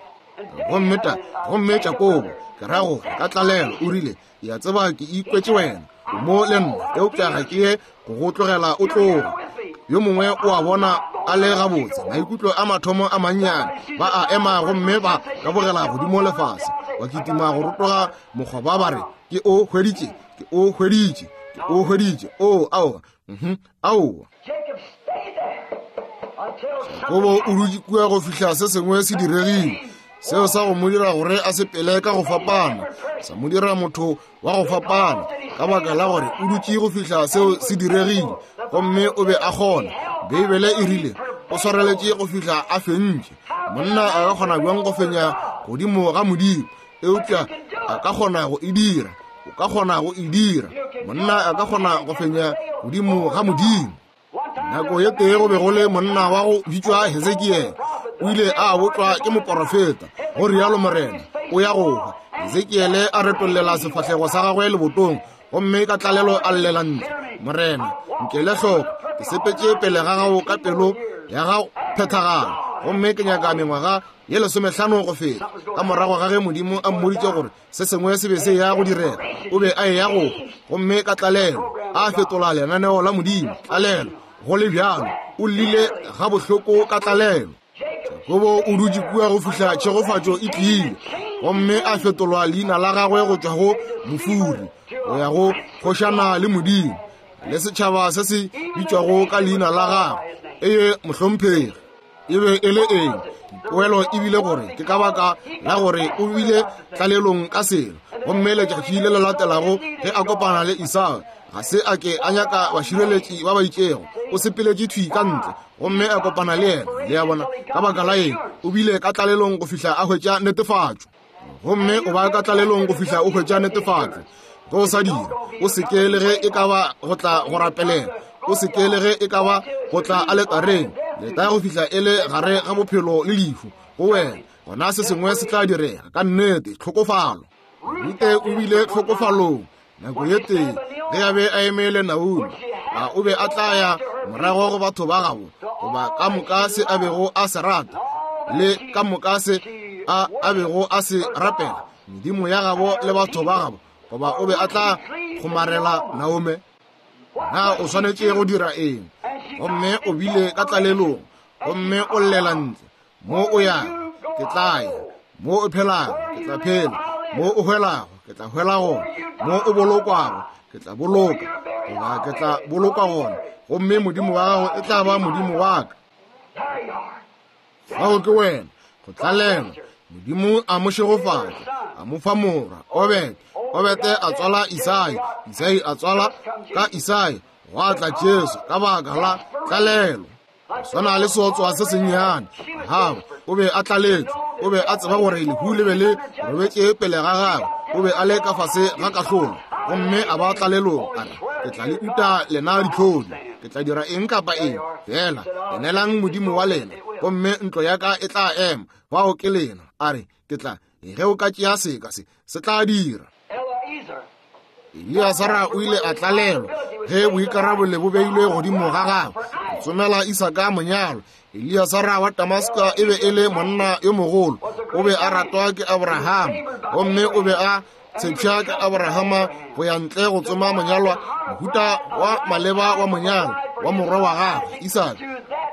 Gomme ta gomme Jakobo, ke ra gore ka tlalelo o rile, ya tseba ke ikwetše wena, o mo le nna, eupša ga ke ye go go tlogela o tloga. Yo mongwe o a bona a le gabotse, maikutlo a mathomo a mannyane, ba a ema gomme ba kabogela godimo lefase, ba kitima go rotoga mokgoba ba re ke o hweditše, ke o hweditše, ke o hweditše. O aowa, mhm, aowa. Jakobo o dutše kua go fihla se sengwe se diregile, seo sa go mo dira gore a sepele ka go fapana, sa mo dira motho wa go fapana, ka baka la gore o dutše go fihla seo se diregile, gomme o be a kgona. Beibele e rile o swareletše go fihla a fentše. Monna a ka kgona bjang go fenya godimo ga Modimo? Eupša a ka kgona go e dira. O ka kgona go e dira. Monna a ka kgona go fenya godimo ga Modimo. Nako ye tee go be go le monna wa go bitšwa Hezekiele. O ile a botšwa ke moporofeta, go rialo Morena, o ya go hwa. Hezekiele a retollela sefahlego sa gagwe lebotong, gomme ka tlalelo a llela ntle, Morena, nkele hloko, ke sepetše pele ga gago ka pelo ya gago phethagala, gomme ke nyaka mengwaga ye lesomehlano go feta. Ka morago ga ge Modimo a mmoditše gore se sengwe se be se ya go direga, o be a eya go hwa, gomme ka tlalelo a fetola lenaneo la Modimo. Tlalelo go le bjalo, o llile ga bohloko ka tlalelo. Jakobo o dutše kua go fihla tšhegofatšo e tlile, gomme a fetolwa leina la gagwe go tšwa go mofuri go ya go kgošana le Modimo le setšhaba se se bitšwago ka leina la gagwe. Eye mohlomphegi, e be e le eng? Poelo e bile gore ke ka baka la gore o bile tlalelong ka selo. Gomme letšatši le le latelago ge a kopana le Esau, ga se a ke a nyaka bašireletši ba ba itšego, o sepeletše thwi ka ntle gomme a kopana le yena. Le a bona, ka baka la eng? O bile ka tlalelong go fihla a hwetša netefatšo. Gomme o ba ka tlalelong go fihla o hwetša netefatšo. Ge o sa dira, o se ke le ge e ka ba go tla go rapelela, o se ke le ge e ka ba go tla aletareng, leta go fihla e le gare ga bophelo le lehu go wena, gona se sengwe se tla direga. Ka nnete, tlhokofalo. Rute o bile tlhokofalong nako ye tee ge a be a eme le Naomi. A o be a tla ya morago go batho ba gabo, goba ka moka se a bego a se rata le ka moka se a a bego a se rapela, medimo ya gabo le batho ba gabo, goba o be a tla kgomarela Naomi? Na o swanetše go dira eng? Gomme o bile ka tlalelong, gomme o llela ntle. Mo o yago, ke tla ya. Mo o phelago, ke tla phela. Mo o hwelago, ke tla hwela gona. Mo o bolokwago, ke tla boloka, goba ke tla bolokwa gona. Gomme Modimo wa gago e tla ba Modimo wa ka. Fao ke wena, go tlalelwa. Modimo a mo šegofatša, a mo fa morwa, Obete. Obete a tswala Isai, Isai a tswala ka Isai, gwa tla Jesu ka baka la tlalelo. Swana le seotswa se sennyane. Ahaba o be a tlaletšwe, o be a tseba gore lehu le be le robetše pele ga gagwe, o be a le ka fase ga kahlolo, gomme a ba tlalelong. A re, ke tla le uta lena ditlhodi, ke tla dira eng kapa eng, fela enelang Modimo wa lena, gomme ntlo ya ka e tla ema. Fao ke lena. A re, ke tla, ge o ka tšea seka se, se tla dira. Eliasara o ile a tlalelwa ge boikarabelo bo beilwe godimo ga gagwe go tsomela Isaka monyalo. Eliasara wa Damaska e be e le monna yo mogolo, o be a ratwa ke Abrahama, gomme o be a tshepša ke Abrahama go ya ntle go tsoma monyalwa, mohuta wa maleba wa monyalo wa morwa wa gagwe Isaka,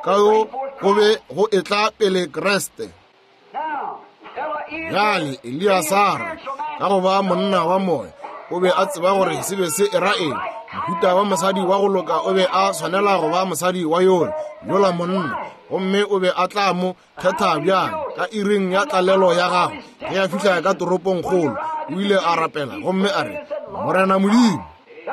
ka yo go be go etla pele Kriste. Bjale Eliasara, ka go ba monna wa moya, o be a tseba gore se be se era eng. Mohuta wa mosadi wa go loka o be a swanela go ba mosadi wa yona yola monna, gomme o be a tla mo kgetha bjang ka iring ya tlalelo ya gagwe. Ge a fihla ka toropongkgolo, o ile a rapela gomme a re, Morena Modimo.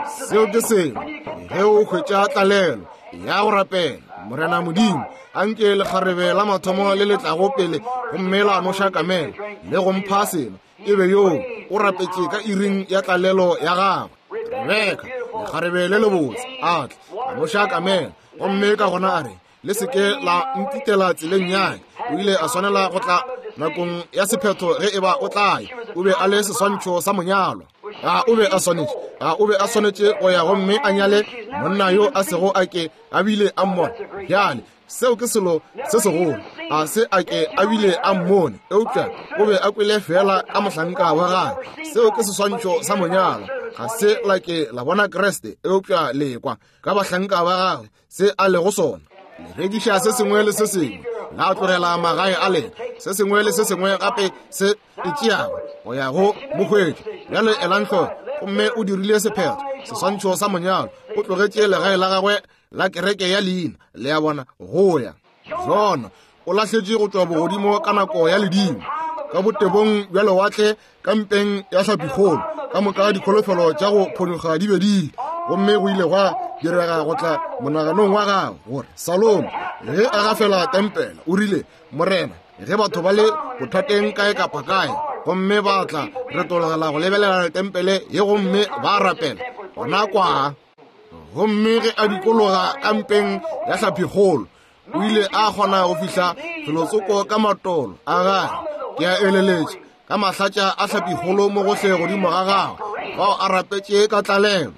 Seo ke selo ge o hwetša tlalelo ya go rapela, Morena Modimo, anke lekgarebe la mathomo le le tlago pele gomme la noša kamela le go mpha selo, e be yoo o rapetše ka iring ya tlalelo ya gagwe. Rebeka, lekgarebe le lebotse, a tla a noša kamela, gomme ka gona a re, le se ke la ntitela tseleng ya ka. O ile a swanela go tla nakong ya sephetho ge e ba o tla ya. O be a le seswantšho sa monyalwa. A o be a swanetše, a o be a swanetše go ya gomme a nyale monna yo a sego a ke a bile a mmone. Bjale seo ke selo se segolo, a se a ke a bile a mmone, eupša o be a kwele fela ka mohlanka wa gagwe. Seo ke seswantšho sa monyalwa. Ga se la ke la bona Kriste, eupša le kwa ka bahlanka ba gagwe se a lego sona. Le rekiša se sengwe le se sengwe, la tlogela magae a lena, se sengwe le se sengwe gape se e tšeago go ya go mohwetši. Bjale elang hloko, gomme o dirile sephetho, seswantšho sa monyalo. O tlogetše legae la gagwe la kereke ya leina, le a bona, go ya. Jona o lahletše go tšwa bogodimo ka nako ya ledimo, ka botebong bja lewatle, ka mpeng ya hlapikgolo, ka moka dikholofelo tša go phonyokga di be di ile. Gomme go ile gwa direga go tla monaganong wa gagwe gore Salomo ge a gafela tempele, o rile, Morena, ge batho ba le bothateng kae kapa kae, gomme ba tla retologela go lebelela tempele ye gomme ba rapela, gona kwa. Gomme ge a dikologa ka mpeng ya hlapikgolo, o ile a kgona go fihla felotsoko ka matolo a gagwe, ke a eleletša, ka mahlatša a hlapikgolo mo gohle godimo ga gagwe, fao a rapetše ka tlalelo.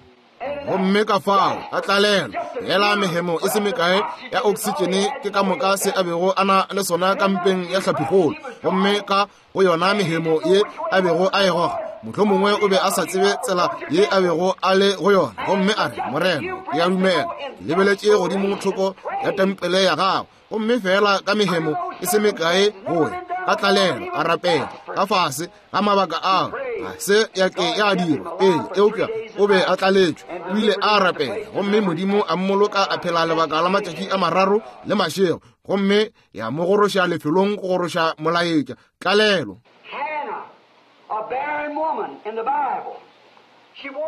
Gomme ka fao ka tlalelo, fela mehemo e se mekae ya oksitšene ke ka moka se a bego a na le sona ka mpeng ya hlapikgolo. Gomme ka go yona mehemo ye a bego a e goga, mohlomongwe o be a sa tsebe tsela ye a bego a le go yona. Gomme a re, Morena, ke a dumela, ke lebeletše godimo thoko ya tempele ya gago, gomme fela ka mehemo e se mekae go ya Ka tlalelo a rapela ka fase ga mabaka ao ga se ya ke ya dirwa pele, eupša o be a tlaletšwe. O ile a rapela gomme Modimo a mmoloka a phela lebaka la matšatši a mararo le mašego, gomme ya mo goroša lefelong go goroša molaetša. Tlalelo.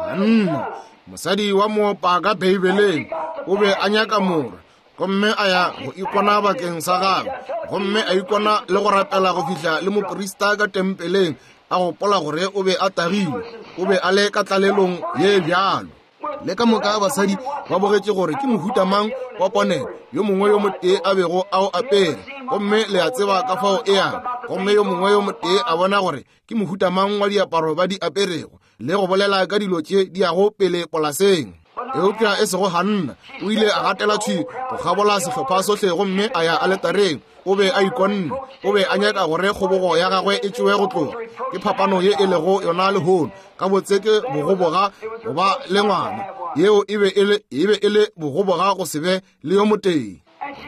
Hanna, mosadi wa moopa ka Beibeleng, o be a nyaka morwa, gomme a ya go ikona bakeng sa gagwe, gomme a ikona le go rapela go fihla le moprista ka tempeleng a gopola gore o be a tagilwe. O be a le ka tlalelong ye bjalo. Le ka moka basadi ba bogetše gore ke mohuta mang wa ponelo yo mongwe yo motee a bego a o apere, gomme le a tseba ka fao e yang. Gomme yo mongwe yo motee a bona gore ke mohuta mang wa diaparo ba di aperego, le go bolela ka dilo tše di yago pele polaseng. Eupša e sego Hanna, o ile a gatela thwi go kgabola sehlopha sohle gomme a ya aletareng. O be a ikonne, o be a nyaka gore kgobogo ya gagwe e tšewe go tloga. Ke phapano ye e lego yona lehono. Ka botse ke bogoboga go ba le ngwana, yeo e be e le e be e le bogoboga go se be le yo motee.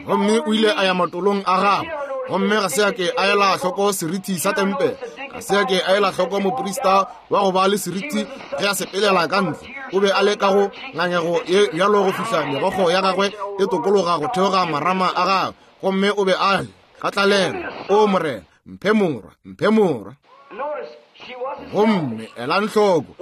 Gomme o ile a ya matolong a gagwe, gomme ga se a ke a ela hloko seriti sa tempele, ga se a ke a ela hloko moprista wa go ba le seriti ge a sepelela ka ntle. O be a le ka go ngangego ye bjalo go fihla megokgo ya gagwe e tokologa go theoga marama a gagwe, gomme o be a le ka tlalelo. O Morena, mphe morwa, mphe morwa. Gomme elang hloko,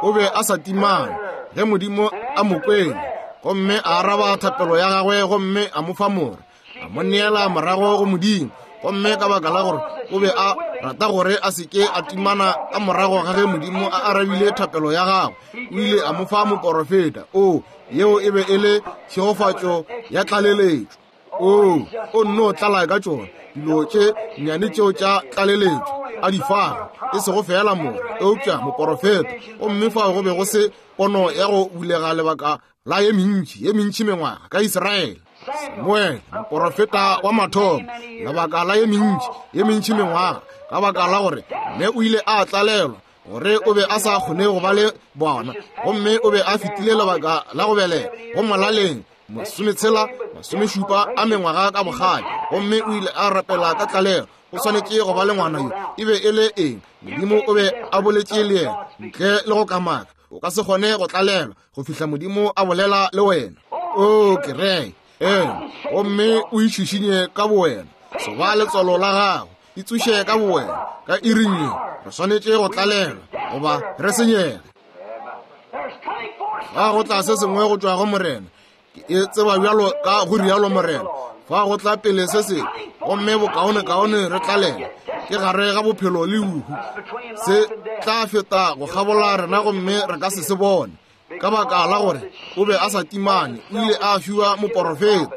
o be a sa timane ge Modimo a mo kwele, gomme a araba thapelo ya gagwe, gomme a mo fa morwa, a mo neela morago go Modimo. Gomme ka baka la gore o be a rata gore a se ke a timana ka morago ga ge Modimo a arabile thapelo ya gagwe, o ile a mo fa moporofeta. O, yeo e be e le tšhegofatšo ya tlaleletšo. O, o nno tlala ka tšona dilo tše nnyane tšeo tša tlaleletšo a di fago, e sego fela mo, eupša moporofeta. Gomme fao go be go se pono ya go bulega lebaka la ye mentši ye mentši mengwaga ka Israele. Samuele, moporofeta wa mathomo, lebaka la ye mentši ye mentši mengwaga, ka baka la gore mme o ile a tlalelwa gore o be a sa kgone go ba le bona, gomme o be a fetile lebaka la go belega go molaleng masometshela masomešupa a mengwaga ka bogale, gomme o ile a rapela ka tlalelo. O swanetše go ba le ngwana yo. E be e le eng? Modimo o be a boletše le yena ntle le go kamaka. O ka se kgone go tlalelwa go fihla Modimo a bolela le wena. O kereke ee, gomme o itšhišinye ka bowena, soba letswalo la gago, itsoše ka bowena ka iring ye. Re swanetše go tlalelwa goba re senyege. Fa go tla se sengwe go tšwa go Morena, ke e tseba bjalo ka go rialo Morena. Fa go tla pele se sengwe, gomme bokaonekaone re tlalelwa ke gare ga bophelo le lehu. Se tla feta go kgabola rena gomme re ka se se bone, ka baka la gore o be a sa timane. O ile a fiwa moporofeta.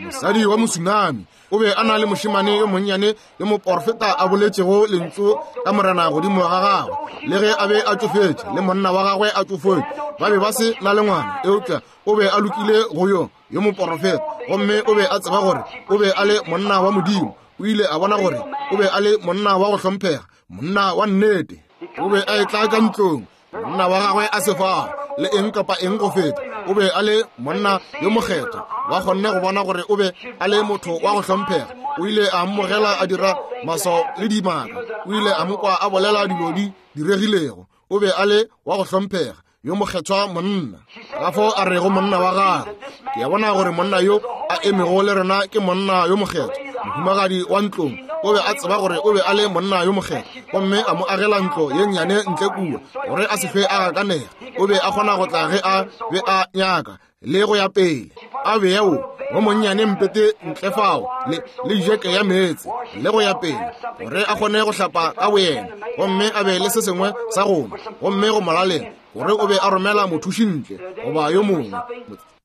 Mosadi wa mosunami o be a na le mošemane yo monnyane yo moporofeta a boletšego lentšu ka Morena godimo ga gagwe. Le ge a be a tšofetše le monna wa gagwe a tšofetše, ba be ba se na le ngwana, eupša o be a lokile go yo yo moporofeta, gomme o be a tseba gore o be a le monna wa Modimo. O ile a bona gore o be a le monna wa go hlomphega, monna wa nnete. O be a etla ka ntlong, monna wa gagwe a se fao le eng kapa eng go feta. O be a le monna yo mokgethwa, ba kgonne go bona gore o be a le motho wa go hlomphega. O ile a mmogela a dira maswao le dimaka. O ile a mo kwa a bolela dilo di diregilego. O be a le wa go hlomphega, yo mokgethwa monna. Ka fao a rego monna wa gagwe, ke a bona gore monna yo a emego le rena ke monna yo mokgethwa. Mohumagadi wa ntlong o be a tseba gore o be a le monna yo mokgethwa, gomme a mo agela ntlo ye nnyane ntle kua gore a se hlwe a gakanega. O be a kgona go tla ge a be a nyaka le go ya pele. A bea wo wo monnyane mpete ntle fao le le jeke ya meetse le go ya pele, gore a kgone go hlapa ka boyena, gomme a be le se sengwe sa go nwa. Gomme go molaleng gore o be a romela mothuši ntle goba yo mongwe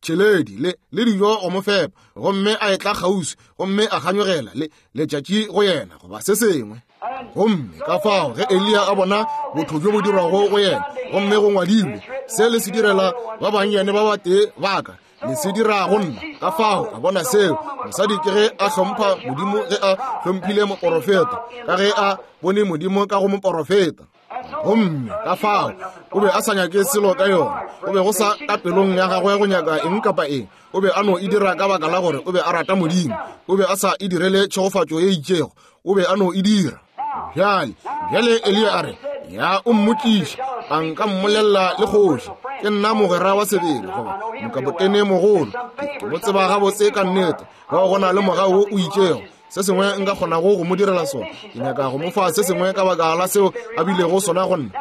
tšheledi le le dijo go mo fepa, gomme a etla kgauswi gomme a kganyogela le letšatši go yena goba se sengwe. Gomme ka fao ge Eliya a bona botho bjo bo dirwago go yena, gomme go ngwadilwe, se le se direla ba bannyane ba batee ba ka, le se dira go nna. Ka fao a bona seo mosadi ke ge a hlompha Modimo, ge a hlomphile moporofeta, ka ge a bone Modimo ka go moporofeta. Gomme ka fao o be a sa nyake selo ka yona. O be go sa ka pelong ya gagwe go nyaka eng kapa eng. O be a no e dira ka baka la gore o be a rata Modimo. O be a sa e direle tšhegofatšo ye itšego. O be a no e dira. Bjale, bjale Eliya a re, ya o mmotšiše, a nka mmolelela le kgoši. Ke nna mogwera wa sebele, goba mokapotene mogolo. Ke mo tseba gabotse ka nnete. Bao go na le mogau wo o itšego, se sengwe nka kgonago go mo direla sona. Ke nyaka go mo fa se sengwe ka baka la seo a bilego sona go nna.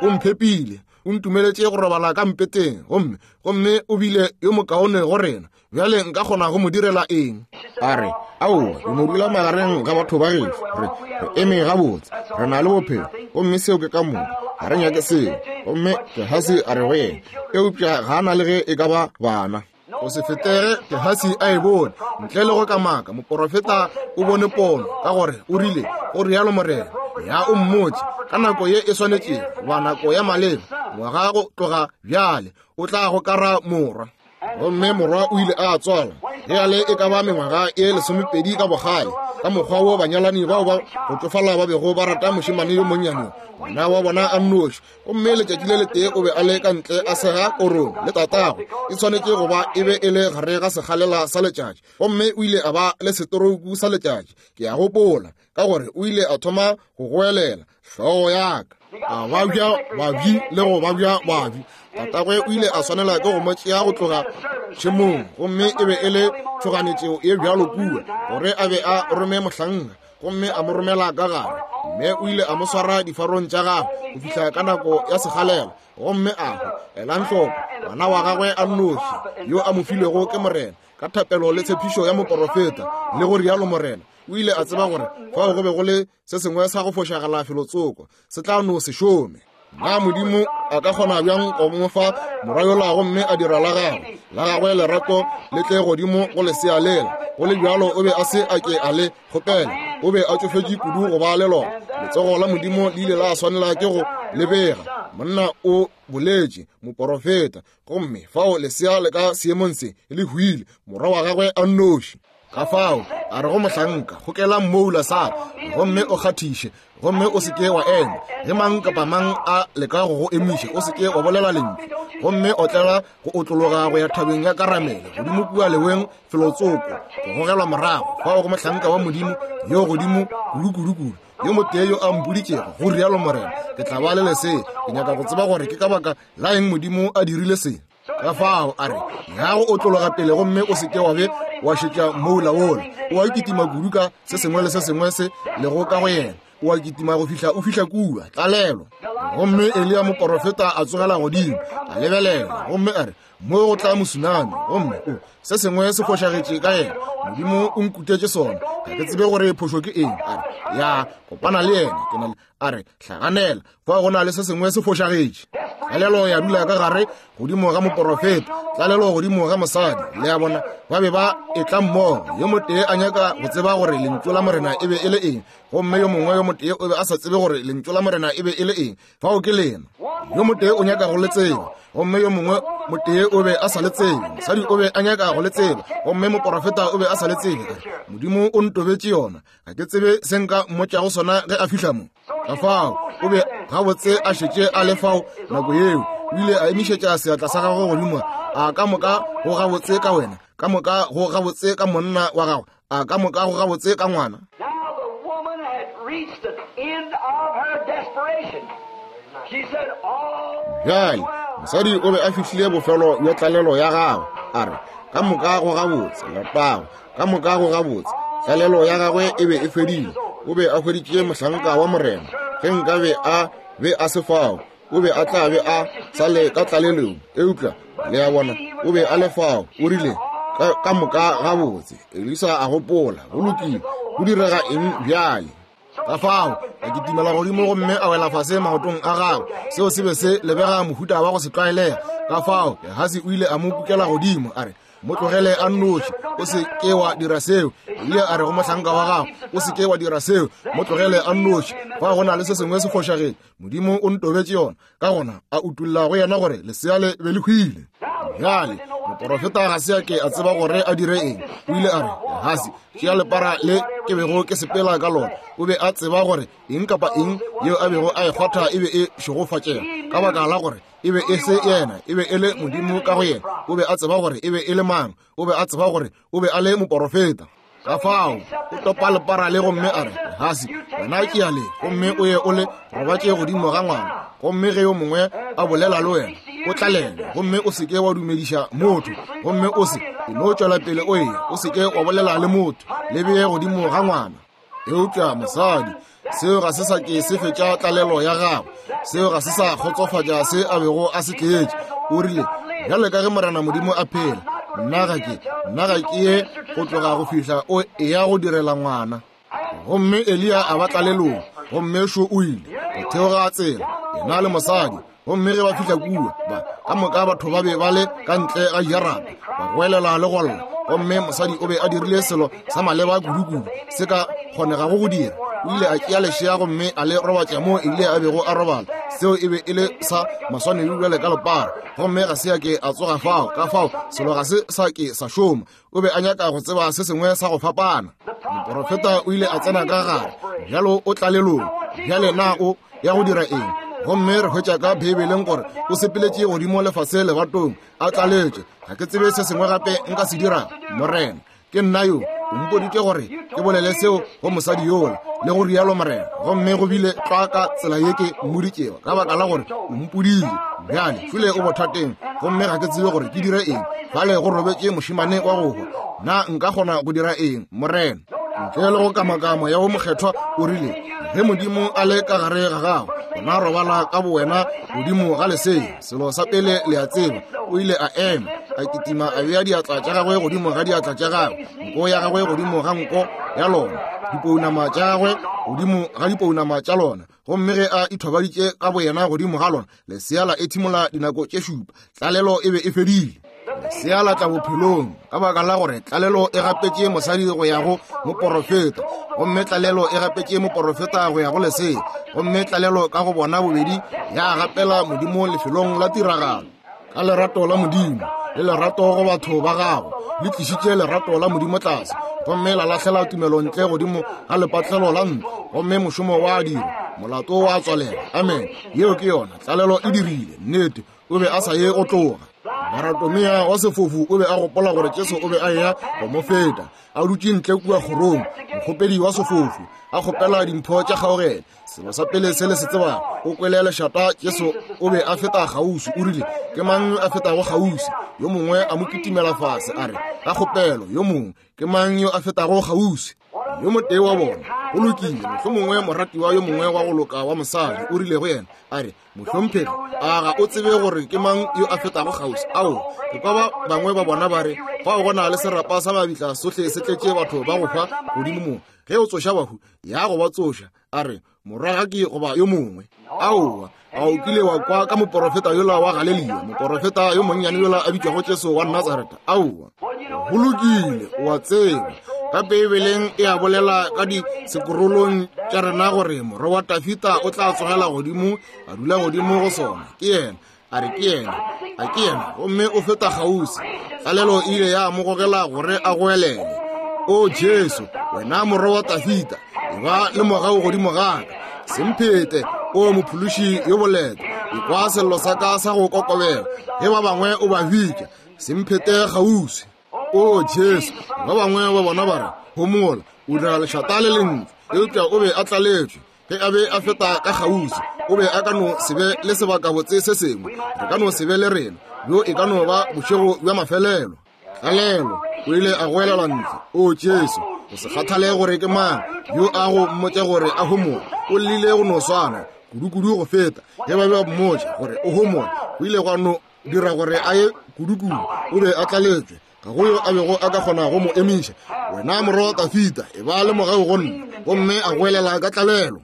O mphepile, o ntumeletše go robala ka mpeteng, gomme gomme o bile yo mokaone go rena. Bjale nka kgona go mo direla eng? A re, aowa, re no dula magareng ga batho ba gešo. Re re eme gabotse, re na le bophelo, gomme seo ke ka moka. Ga re nyake seo. Gomme Gehasi a re go yena, eupša ga a na le ge e ka ba bana. Go se fetege Gehasi a e bone, ntle le go kamaka, moporofeta o bone pono, ka gore o rile, go rialo Morena, ya o mmotše ka nako ye e swanetšego, goba nako ya maleba, ngwaga go tloga bjale, o tla go kara morwa. Gomme morwa o ile a tswalwa ge a le e ka ba mengwaga e lesomepedi ka bogale, ka mokgwa wo banyalani bao ba go tšofala ba bego ba rata mošemane yo monnyane, ngwana wa bona a nnoši. Gomme letšatši le letee o be a le ka ntle a sega korong le tatagwe. E swanetše go ba e be e le gare ga segalela sa letšatši, gomme o ile a ba le setorouku sa letšatši. Ke a gopola, ka gore o ile a thoma go goelela, hlogo ya ka, a babja babji le go babja babji. Tatagwe o ile a swanela ke go mo tšea go tloga tšhemong, gomme e be e le tšhoganetšo ye bjalo kua gore a be a rome mohlanka, gomme a mo romela ka gare. Mme o ile a mo swara difarong tša gagwe go fihla ka nako ya segalela, gomme a hwa. Elang hloko, ngwana wa gagwe a nnoši yo a mo filwego ke Morena ka thapelo le tshepišo ya moporofeta, le go rialo Morena. O ile a tseba gore fao go be go le se sengwe sa go fošagala felotsoko, se tla no se šome. Na Modimo a ka kgona bjang go mo fa morwa yola gomme a dira la gagwe la gagwe lerato le tle godimo go lesea lela? Go le bjalo o be a se a ke a le kgopela. O be a tšofetše kudu go ba le lona. Letsogo la Modimo le ile la swanela ke go lebega. Monna o boletše, moporofeta, gomme fao lesea le ka seemong se le hwile, morwa wa gagwe a nnoši. Ka fao a re go mohlanka, gokela mmoula sa gomme o kgathiše, gomme o se ke wa ema. Ge mang kapa mang a leka go go emiša, o se ke wa bolela lentšu. Gomme o tlela go otlologa go ya thabeng ya Karamele, godimo kua leweng felotsoko, go gogelwa morago fao go mohlanka wa Modimo yo godimo kudu-kudu-kudu, yo motee yo a mpoditšego, go rialo Morena, ke tla ba le lesea. Ke nyaka go tseba gore ke ka baka la eng Modimo a dirile se. Ka fao a re, ya go otlologa pele gomme o se ke wa be wa šetša mmoula wola. O a kitima kudu ka se sengwe le se sengwe se lego ka go yena. O a kitima go fihla o fihla kua tlalelo. Gomme Eliya moporofeta a tsogela godimo, a lebelela, gomme a re, mo go tla mosunami, gomme o se sengwe se fošagetše ka yena. Modimo o nkutetše sona, ga ke tsebe gore phošo ke eng. A re, ya kopana le yena, ke na le. A re, hlaganela, fa go na le se sengwe se fošagetše. Tlalelo ya dula ka gare godimo ga moporofeta, tlalelo godimo ga mosadi. Le a bona, ba be ba etla mmogo. Yo motee a nyaka go tseba gore lentšu la Morena e be e le eng, gomme yo mongwe yo motee o be a sa tsebe gore lentšu la Morena e be e le eng. Fao ke lena. Yo motee o nyaka go le tseba, gomme yo mongwe motee o be a sa le tsebe. Mosadi o be a nyaka go le tseba, gomme moporofeta o be a sa le tsebe. Modimo o ntobetše yona, ga ke tsebe se nka mmotšago sona ge a fihla mo. Ka fao o be gabotse a šetše a le fao nako yeo. O ile a emišetša seatla sa gagwe godimo. A ka moka go gabotse ka wena, ka moka go gabotse ka monna wa gago, a ka moka go gabotse ka ngwana. Now the woman had reached the end of her desperation. She said, all Bjale mosadi o be a fihlile bofelo bja tlalelo ya gagwe. A re, ka moka go gabotse, letago, ka moka go gabotse. Tlalelo ya gagwe e be e fedile. O be a hweditše mohlanka wa Morena. Ge nka be a be a se fao, o be a tla be a sa le ka tlalelong. Eupša le a bona, o be a le fao. O rile, ka, ka moka gabotse. Elisa a gopola, go lokile, go direga eng bjale? Ka fao a kitimela godimo gomme a wela fase maotong a gagwe. Seo se be se lebega mohuta wa go se tlwaelega. Ka fao Gehasi o ile a mo kukela godimo, a re, mo tlogele a nnoši, o se ke wa dira seo. Ile a re go mohlanka wa gagwe, o se ke wa dira seo, mo tlogele a nnoši. Fa go na le se sengwe se fošagetše, Modimo o ntobetše yona. Ka gona a utulla go yena gore lesea le be le hwile. Bjale Moporofeta ga se a ke a tseba gore a dire eng. O ile a re, Gehasi, tšea lepara le ke bego ke sepela ka lona. O be a tseba gore eng kapa eng yeo a bego a e kgwatha e be e šegofatšega, ka baka la gore e be e se yena, e be e le Modimo ka go yena. O be a tseba gore e be e le mang. O be a tseba gore o be a le moporofeta. Ka fao o topa lepara le gomme a re, Gehasi, wena ke ya le, gomme o ye o le robatše godimo ga ngwana. Gomme ge yo mongwe a bolela le wena, o tlalele, gomme o seke wa dumediša motho, gomme o se e no tšwela pele o eya, o seke wa bolela le motho, le beye godimo ga ngwana. Eupša mosadi, seo ga se sa ke se fetša tlalelo ya gagwe, seo ga se sa kgotsofatša se a bego a se tletše. O rile, bjale ka ge Morena Modimo a phela, nna ga ke nna ga ke ye go tloga go fihla o eya go direla ngwana. Gomme Eliya a ba tlalelong, gomme šo o ile go theoga tsela, yena le mosadi. Gomme ge ba fihla kua, ba ka moka batho ba be ba le ka ntle ga jarata, ba goelela le go lla. Gomme mosadi o be a dirile selo sa maleba kudu-kudu se ka kgonegago go dira. O ile a tšea lešea gomme a le robatša moo Eliya a bego a robala. Seo e be e le sa maswanedi bjale ka lepara, gomme ga se a ke a tsoga fao. Ka fao selo ga se sa ke sa šoma. O be a nyaka go tseba se sengwe sa go fapana. Moporofeta o ile a tsena ka gare, bjalo o tlalelong. Bjale na o ya go dira eng? Gomme re hwetša ka Beibeleng gore o sepeletše godimo lefase lebatong a tlaletše. Ga ke tsebe se sengwe gape nka se dira, Morena. Ke nna yo, o mpoditše gore ke bolele seo go mosadi yola, le go rialo Morena. Gomme go bile tlwa ka tsela ye ke mmoditšego, ka baka la gore o mpodile. Bjale šole o bothateng, gomme ga ke tsebe gore ke dire eng. Fale go robetše mošemane wa go hwa. Na nka kgona go dira eng, Morena? Ntle le go kamakamo ya wo mokgethwa, o rile, ge Modimo a le ka gare ga gago, gona robala ka bowena godimo ga lesea. Selo sa pele le a tseba, o ile a ema, a kitima, a bea diatla tša gagwe godimo ga diatla tša gagwe, nko ya gagwe godimo ga nko ya lona, dipounama tša gagwe godimo ga dipounama tša lona. Gomme ge a ithobaditše ka boyena godimo ga lona, lesea la ethimola dinako tše šupa. Tlalelo e be e fedile. Lesea la tla bophelong, ka baka la gore tlalelo e gapetše mosadi go ya go moporofeta, gomme tlalelo e gapetše moporofeta go ya go lesea, gomme tlalelo ka go bona bobedi ya gapela Modimo lefelong la tiragalo. Ka lerato la Modimo le lerato go batho ba gago, le tlišitše lerato la Modimo tlase, gomme la lahlela tumelo ntle godimo ga lepatlelo la ntlo, gomme mošomo wa dira, molato wa tswalela. Amen. Yeo ke yona tlalelo e dirile. Nnete, o be a sa ye go tloga. Baratomea wa sefofu o be a gopola gore Jesu o be a eya go mo feta. A dutše ntle kua kgorong, mokgopedi wa sefofu a kgopela dimpho tša kgaogelo. Selo sa pele se le se tsebago, o kwele lešata Jesu o be a feta kgauswi. O rile, ke mang yo a fetago kgauswi? Yo mongwe a mo kitimela fase, a re, ka kgopelo, yo mongwe, ke mang yo a fetago kgauswi? Yo motee wa bona, go lokile, mohlomongwe moratiwa yo mongwe wa go loka wa mosadi, o rile go yena, a re, mohlomphegi, a ga o tsebe gore ke mang yo a fetago kgauswi? Ao, ke kwa ba bangwe ba bona ba re, fao go na le serapa sa mabitla sohle se tletše batho ba go hwa godimo mo. Ge o tsoša bahu, ya go ba tsoša. A re, moragaki goba yo mongwe. Aowa, a o kile wa kwa ka moporofeta yola wa Galelia, moporofeta yo monnyane yola a bitšwago Jesu wa Nazareta? Aowa, go lokile, o a tseba. Ka Beibeleng e a bolela ka disekorolong tša rena gore morwa wa Tafita o tla tsogela godimo, a dula godimo go sona. Ke yena, a re ke yena, a ke yena, gomme o feta kgauswi. Tlalelo e ile ya mo gogela gore a goelele, O Jesu, wena morwa wa Tafita, e ba le mogau godimo ga ka. Semphete, o mophološi yo boleta, ekwa sello sa ka sa go kokobela. Ge ba bangwe o ba bitša, semphete kgauswi. O Jesu, ba bangwe ba bona ba re, homola, o dira lešata le lentši. Eupša o be a tlaletšwe. Ge a be a feta ka kgauswi, o be a ka no se be le sebakabotse se sengwe. Re ka no se be le rena, bjo e ka no ba bošego bja mafelelo. Tlalelo, o ile a goelela ntle, O Jesu, go se kgathale gore ke mang yo a go mmotša gore a homola, o llile go no swana kudu-kudu go feta. Ge ba be ba mmotša gore o homola, o ile gwa no dira gore a ye kudu-kudu. O be a tlaletšwe, ga go yo a bego a ka kgona go mo emiša. Wena morwa wa Tafita, e ba le mogau go nna. Gomme a goelela ka tlalelo.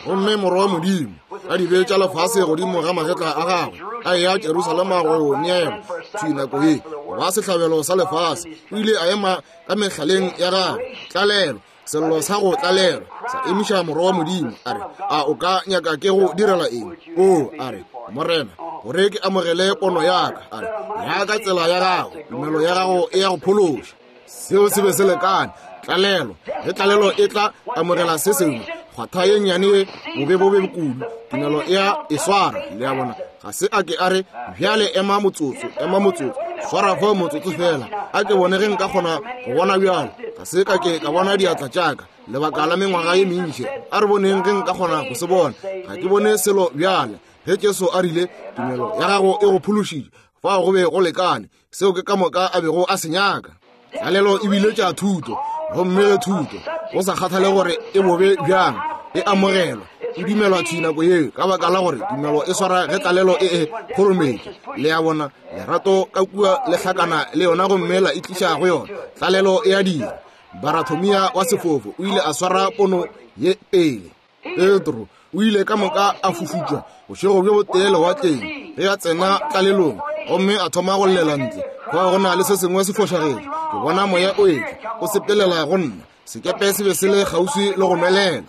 Gomme morwa wa Modimo a di beetša lefase godimo ga magetla a gagwe, a eya Jerusalema go yo neelwa thwi nako ye go ba sehlabelo sa lefase. O ile a ema ka mehlaleng ya gagwe. Tlalelo, sello sa go tlalelwa sa emiša morwa wa Modimo. A re, a o ka nyaka ke go direla eng? O, a re, Morena, gore ke amogele pono ya ka. A re, ya ka tsela ya gago, tumelo ya gago e ya go phološa. Seo se be se lekane. Tlalelo, ge tlalelo e tla amogela se sengwe, kgwatha ye nnyane ye bobe bobe kudu, tumelo e a e swara. Le a bona, ga se a ke a re, bjale ema motsotso, ema motsotso, swara fao motsotso fela, a ke bone ge nka kgona go bona bjalo. Ga se ka ke ka bona diatla tša ka lebaka la mengwaga ye mentši, a re boneng ge nka kgona go se bona. Ga ke bone selo bjale. Ge Jesu a rile, tumelo ya gago e go phološitše, fao go be go lekane. Seo ke ka moka a bego a se nyaka. Tlalelo e bile tša thuto, gomme thuto, go sa kgathale gore e bobe bjang, e amogelwa, e dumelwa thwi nako yeo, ka baka la gore tumelo e swara ge tlalelo e e kgorometše. Le a bona, lerato ka kua le hlakana le yona gomme la e tliša go yona. Tlalelo e a dira. Barathomia wa sefofo o ile a swara pono ye pele. Petro o ile ka moka a fufutšwa bošego bjo botee lewatleng ge a tsena tlalelong, gomme a thoma go llela ntle. Fao go na le se sengwe se fošagetše. Ke bona moya o etla o sepelela go nna. Sekepe se be se le kgauswi le go nwelela.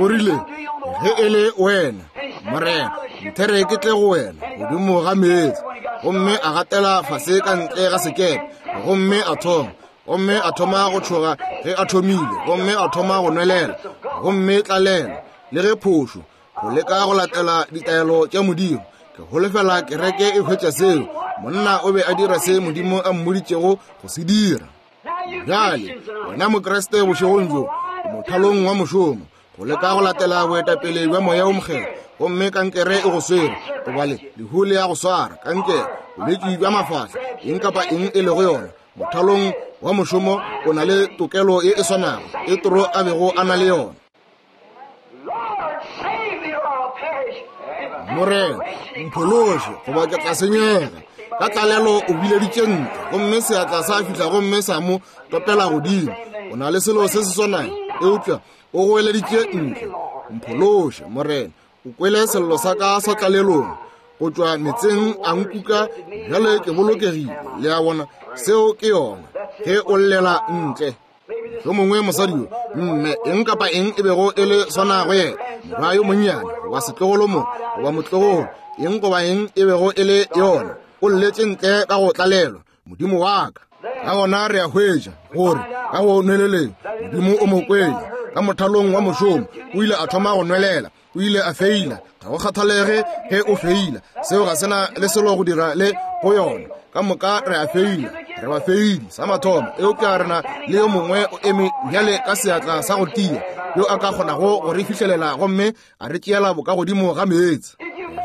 O rile, ge e le wena, Morena, nthere ke tle go wena godimo ga meetse. Gomme a gatela fase ka ntle ga sekepe, gomme a thoma gomme a thoma go tšhoga ge a thomile, gomme a thoma go nwelela, gomme tlalelo le ge phošo go leka go latela ditaelo tša Modimo. Ke holofela kereke e hwetša seo. Monna o be a dira se Modimo a mmoditšego go se dira. Bjale wena Mokriste bošegong bjo, mothalong wa mošomo, go leka go latela boetapele bja Moya o Mokgethwa, gomme kankere e go swere, goba le lehu le ya go swara, kankere, bolwetši bja mafahla, eng kapa eng e lego yona, mothalong wa mošomo o na le tokelo ye e swanago Petro a bego a na le yona. Morena, mphološe, goba ke tla senyega. Ka tlalelo o bileditše ntle, gomme seatla sa fihla gomme sa mo topela godimo. O na le selo se se swanago, eupša o goeleditše ntle, mphološe, Morena. O kwele sello sa ka sa tlalelong go tšwa metseng a nkuka, bjale ke bolokegile. Le a bona, seo ke yona ge o llela ntle. Yo mongwe mosadi yo, mme eng kapa eng e bego e le swana go yena, morwa yo monnyane goba setlogolo mo goba motlogolo, eng goba eng e bego e le yona, o lletše ntle ka go tlalelwa, Modimo wa ka. Ka gona re a hwetša gore ka go nweleleng Modimo o mo kwele. Ka mothalong wa mošomo o ile a thoma go nwelela, o ile a feila. Ga go kgathalege ge o feila, seo ga sena le selo go dira le go yona. Ka moka re a feila, re ba feili sa mathomo, eupša rena le yo mongwe o eme bjale ka seatla sa go tia, yo a ka kgonago go re fihlelela gomme a re tšeela bokagodimo ga meetse.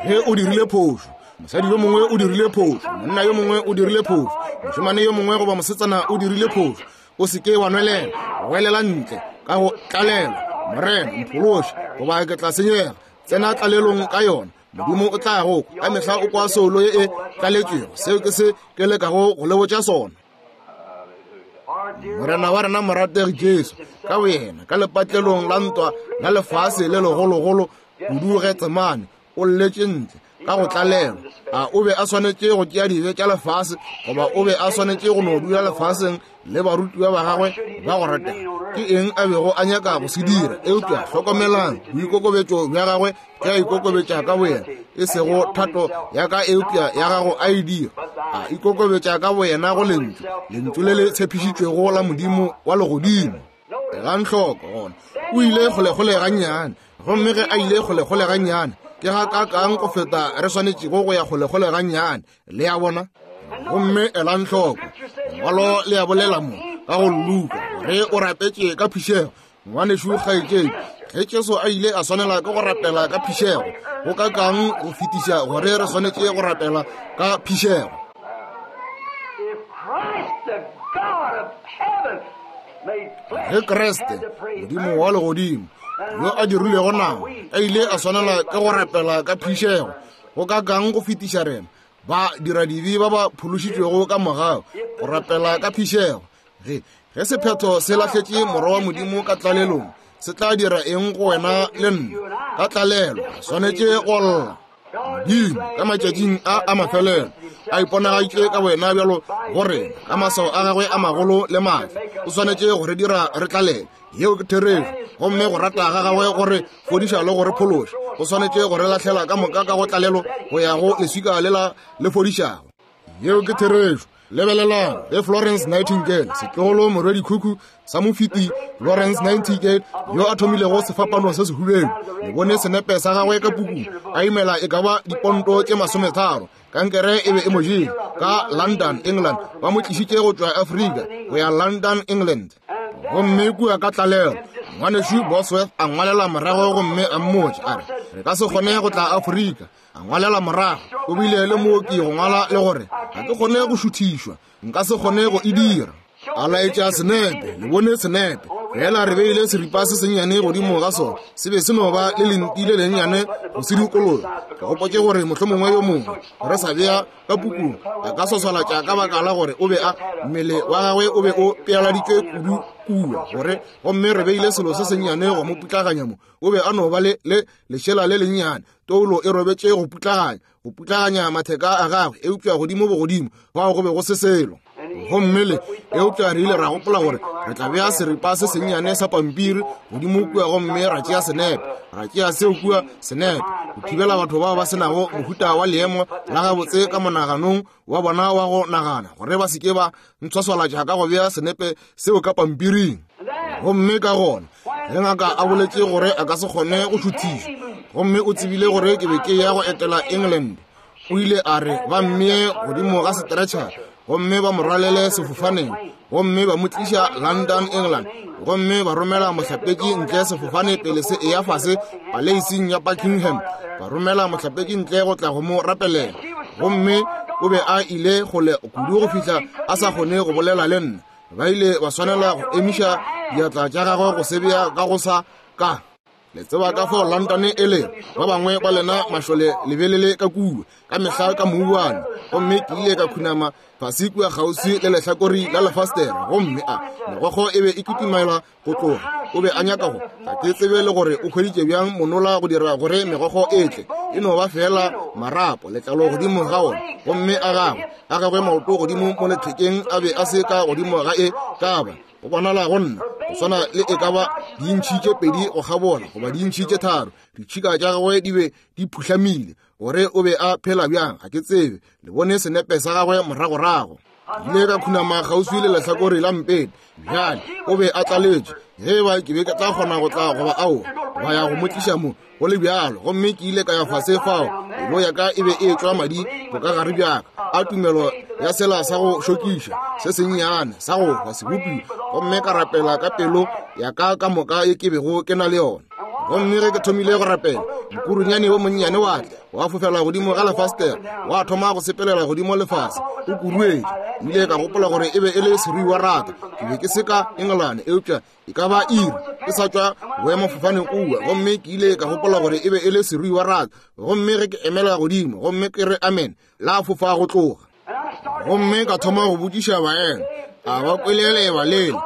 Ge o dirile phošo, mosadi yo mongwe o dirile phošo, monna yo mongwe o dirile phošo, mošemane yo mongwe goba mosetsana o dirile phošo, o se ke wa nwelela, welela ntle ka go tlalelwa, Morena, mphološe, goba ke tla senyega. Tsena tlalelong ka yona. Modimo o tla go kwa ka mehla o kwa soulo ye e tlaletšwego. Seo ke se ke lekago go le botša sona. Morena wa rena morategi Jesu ka boyena ka lepatlelong la ntwa la lefase le legologolo kudu Getsemane, o lletše ntle ka go tlalelwa. A o be a swanetše go tšea dibe tša lefase, goba o be a swanetše go no dula lefaseng le barutiwa ba gagwe ba go ratega? Ke eng a bego a nyaka go se dira? Eupša hlokomelang boikokobetšo bja gagwe ge a ikokobetša ka boyena, e sego thato ya ka eupša ya gago a e dira. A ikokobetša ka boyena go lentšu, lentšu le le tshepišitšwego la Modimo wa legodimo. Elang hloko gona, o ile kgolekgole gannyane, gomme ge a ile kgolekgole gannyane, ke ga kakang go feta re swanetšego go ya kgolekgole gannyane. Le a bona? Gomme elang hloko, lengwalo le a bolela mo ka go Luka gore o rapetše ka phišego. Ngwanešu kgaetšedi, ge Jesu a ile a swanela ke go rapela ka phišego, go kakang go fetiša gore re swanetše go rapela ka phišego? Ge Kriste, Modimo wa legodimo, yo a dirilego nama, a ile a swanela ke go rapela ka phišego, go kakang go fetiša rena ba dira dibe ba ba phološitšwego ka mogau go rapela ka phišego? Ge ge sephetho se lahletše morwa wa Modimo ka tlalelong, se tla dira eng go wena le nna? Ka tlalelo re swanetše go lla. Modimo ka matšatšing a a mafelelo a iponagaditše ka wena bjalo go rena ka maswao a gagwe a magolo le maatla. O swanetše go re dira re tlalele. Yeo ke therešo. Gomme go rata ga gagwe gore fodiša le gore phološa go swanetše go re lahlela ka moka ka go tlalelo go ya go leswika lela le fodišago. Yeo ke therešo. Lebelelang ge Florence Nightingale, setlogolo morwedi khukhu sa mofiti Florence Nightingale, yo a thomilego sefapano se sehubedu, le bone senepe sa gagwe ka pukung, a imela e ka ba diponto tše masometharo. Kankere e be e mo jele ka London, England. Ba mo tlišitše go tšwa Afrika go ya London, England. Gomme kua ka tlalelo, ngwanešu Bosworth a ngwalela morago gomme a mmotša a re, re ka se kgone go tla Afrika. A ngwalela morago, o bile le mooki go ngwala le gore ga ke kgone go šuthišwa, nka se kgone go e dira. A laetša senepe, le bone senepe. Fela re beile seripa se sennyane godimo ga sona, se be se no ba le lenti le lennyane go se dikologa. Ke gopotše gore mohlomongwe yo mongwe re sa bea ka pukung a ka swaswalatša ka baka la gore o be a mmele wa gagwe o be o pealaditšwe kudu kua gore, gomme re beile selo se sennyane go mo putlaganya mo. O be a no ba le le lešela le lennyane, toulo e robetše go putlaganya, go putlaganya matheka a gagwe, eupša godimo bogodimo fao go be go se selo. Gomme le eupša re ile ra gopola gore re tla bea seripa se sennyane sa pampiri godimo kua gomme ra tšea senepe, ra tšea seo kua senepe go thibela batho bao ba senago mohuta wa leemo la gabotse ka monaganong wa bona wa go nagana gore ba se ke ba ntshwaswalatša ka go bea senepe seo ka pampiring. Gomme ka gona ge ngaka a boletše gore a ka se kgone go šuthišwa, gomme o tsebile gore ke be ke ya go etela England, o ile a re ba mmee godimo ga stretcher gomme ba mo rwalele sefofaneng, gomme ba mo tliša London, England, gomme ba romela mohlapetši ntle sefofane pele se eya fase paleising ya Buckingham. Ba romela mohlapetši ntle go tla go mo rapelela, gomme o be a ile kgole kudu go fihla a sa kgone go bolela le nna. Ba ile ba swanela go emiša diatla tša gagwe go se bea ka go sa ka. Le tseba ka fao London e le, ba bangwe ba lena mašole lebelele ka kua ka mehla ka mouwane. Gomme ke ile ka khunama fase kua kgauswi le lehlakori la lefastere, gomme a megokgo e be e kitimela go tloga. O be a nyaka go, ga ke tsebe le gore o hweditše bjang monola go dira gore megokgo e tle. E no ba fela marapo, letlalo godimo ga ona, gomme a gagwe a gagwe maoto godimo mo lethekeng a be a se ka godimo ga e ka ba go bonala go nna go swana le e ka ba dintšhi tše pedi go kgabola goba dintšhi tše tharo. Ditšhika tša gagwe di be di phuhlamile. Gore o be a phela bjang ga ke tsebe. Le bone senepe sa gagwe moragorago. Ile ka khunama kgauswi le lehlakore la mpete. Bjale o be a tlaletše ge ba ke be ke tla kgona go tla goba aowa ba ya go mo tliša mo go le bjalo. Gomme ke ile ka ya fase fao, pelo ya ka e be e tšwa madi bokagare bjaka a tumelo ya sela sa go šokiša se sennyane sa go hwa sebopiwa. Gomme ka rapela ka pelo ya ka ka moka e ke bego ke na le yona. Gomme ge ke thomile go rapela, mokurunyane wo monnyane wa tla wa fofela godimo ga lefastere, wa thoma go sepelela godimo lefase o kuruetše. Ile ka gopola gore e be e le seruiwa rata. Ke be ke se ka England, eupša e ka ba iri ke sa tšwa boemafofaneng kua, gomme ke ile ka gopola gore e be e le seruiwa rata. Gomme ge ke emela godimo gomme ke re amen, la fofa go tloga. Gomme ka thoma go botšiša baena, a ba kwele leeba lela,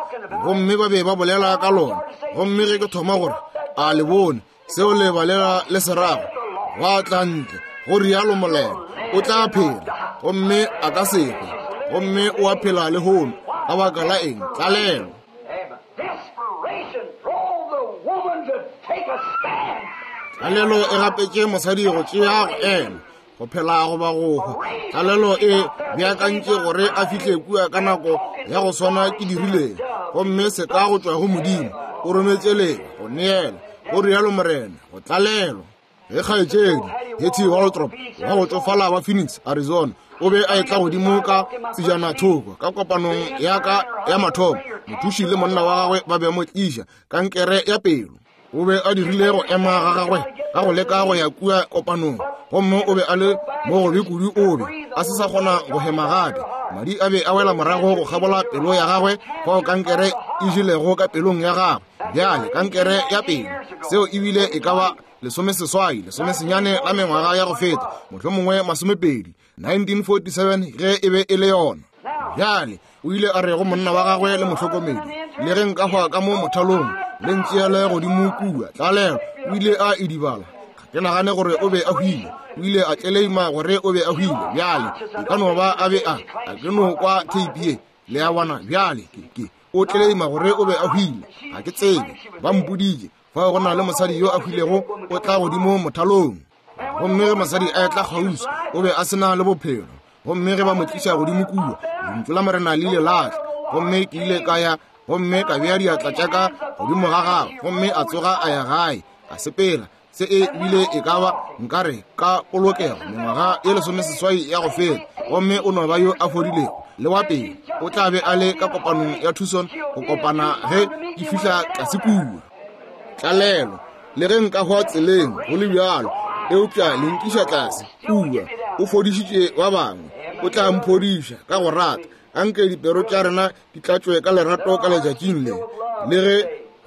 gomme ba be ba bolela ka lona. Gomme ge ke thoma gore a le bone seo leeba lela le se rago, gwa tla ntle go rialo Morena, o tla phela gomme a ka se hwe, gomme o a phela lehono. Ka baka la eng? Tlalelo. Tlalelo e gapetše mosadi go tšea go ema, go phela goba go hwa. Tlalelo e beakantše gore a fihle kua ka nako ya go swana ke dirileng, gomme se ka go tšwa go Modimo o rometše leba go neela, go rialo Morena, go tlalelwa. Ge kgaetšedi Hetty Waldrop wa go tšofala wa Phoenix, Arizona, o be a etla godimo ka tsejana thoko ka kopanong ya ka ya mathomo, mothuši le monna wa gagwe ba be mo tliša kankere ya pelo. O be a dirile go ema ga gagwe ka go leka go ya kua kopanong, gomme o be a le mo gobe kudu, o be a se sa kgona go hema gape. Madi a be a wela morago go kgabola pelo ya gagwe fao kankere e jelego ka pelong ya gagwe. Bjale kankere ya pelo, seo ebile e ka ba lesomeseswai lesomesenyane la mengwaga ya go feta, mohlomongwe masomepedi, nineteen forty-seven ge e be e le yona. Bjale o ile a re go monna wa gagwe le mohlokomedi, le ge nka hwa ka mo mothalong le ntšeele godimo kua. Tlalelo, o ile a idibala. Ga ke nagane gore o be a hwile. O ile a tleleima gore o be a hwile. Bjale e ka no ba a be a a ke no kwa tape ye, le a bona. Bjale ke ke O tleleima gore o be a hwile. Ga ke tsebe, ba mpoditše fao go na le mosadi yo a hwilego o tla godimo mothalong. Gomme ge mosadi a etla kgauswi, o be a se na le bophelo. Gomme ge ba mo tliša godimo kua, lentšu la Morena le ile la tla. Gomme ke ile ka ya gomme ka bea diatla tša ka godimo ga gagwe, gomme a tsoga a ya gae, a sepela. Se e bile e ka ba nkare ka polokego mengwaga ye lesomeseswai ya go feta, gomme o no ba yo a fodilego le wa pele. O tla be a le ka kopanong ya Tucson go kopana ge ke fihla tlase kua. Tlalelo, le ge nka hwa tseleng go le bjalo, eupša le nkiša tlase kua. O fodišitše ba bangwe, o tla mphodiša ka go rata. Anke dipero tša rena di tlatšwe ka lerato ka letšatšing le, le ge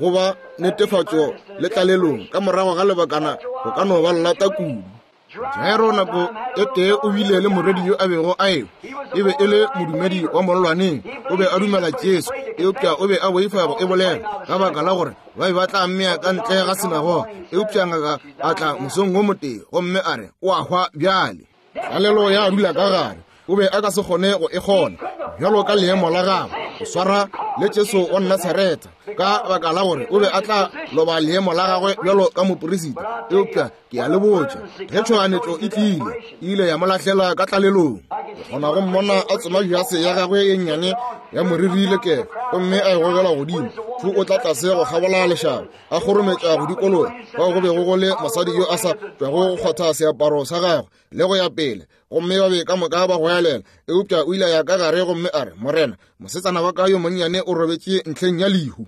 go ba netefatšo le tlalelong ka morago ga lebakana go ka no ba lata kudu. Jairo nako e tee o bile le morwedi yo a bego a ewa. E be e le modumedi wa mollwaneng, o be a dumela Jesu, eupša o be a boifa go e bolela ka baka la gore ba be ba tla mmea ka ntle ga sinagoga. Eupša ngaka a tla mosong wo motee gomme a re o a hwa bjale. Tlalelo ya dula ka gare, o be a ka se kgone go e kgona bjalo ka leemo la gagwe go swara le Jesu wa Nasaretha, ka baka la gore o be a tla loba leemo la gagwe bjalo ka moperisita. Eupša ke a le botša, ge tšhoganetšo e tlile, e ile ya mo lahlela ka tlalelong. Ke kgona go mmona a tsoma jase ya gagwe ye nnyane ya moriri le kefa, gomme a e gogela godimo. Thu o tla tlase go kgabola lešaba, a kgorometša go dikologa fao go bego go le mosadi yo a sa tšwago go kgwatha seaparo sa gagwe le go ya pele, gomme ba be ka moka ba goelela. Eupša o ile ya ka gare gomme a re, Morena, mosetsana wa ka yo monnyane o robetše ntlheng ya lehu.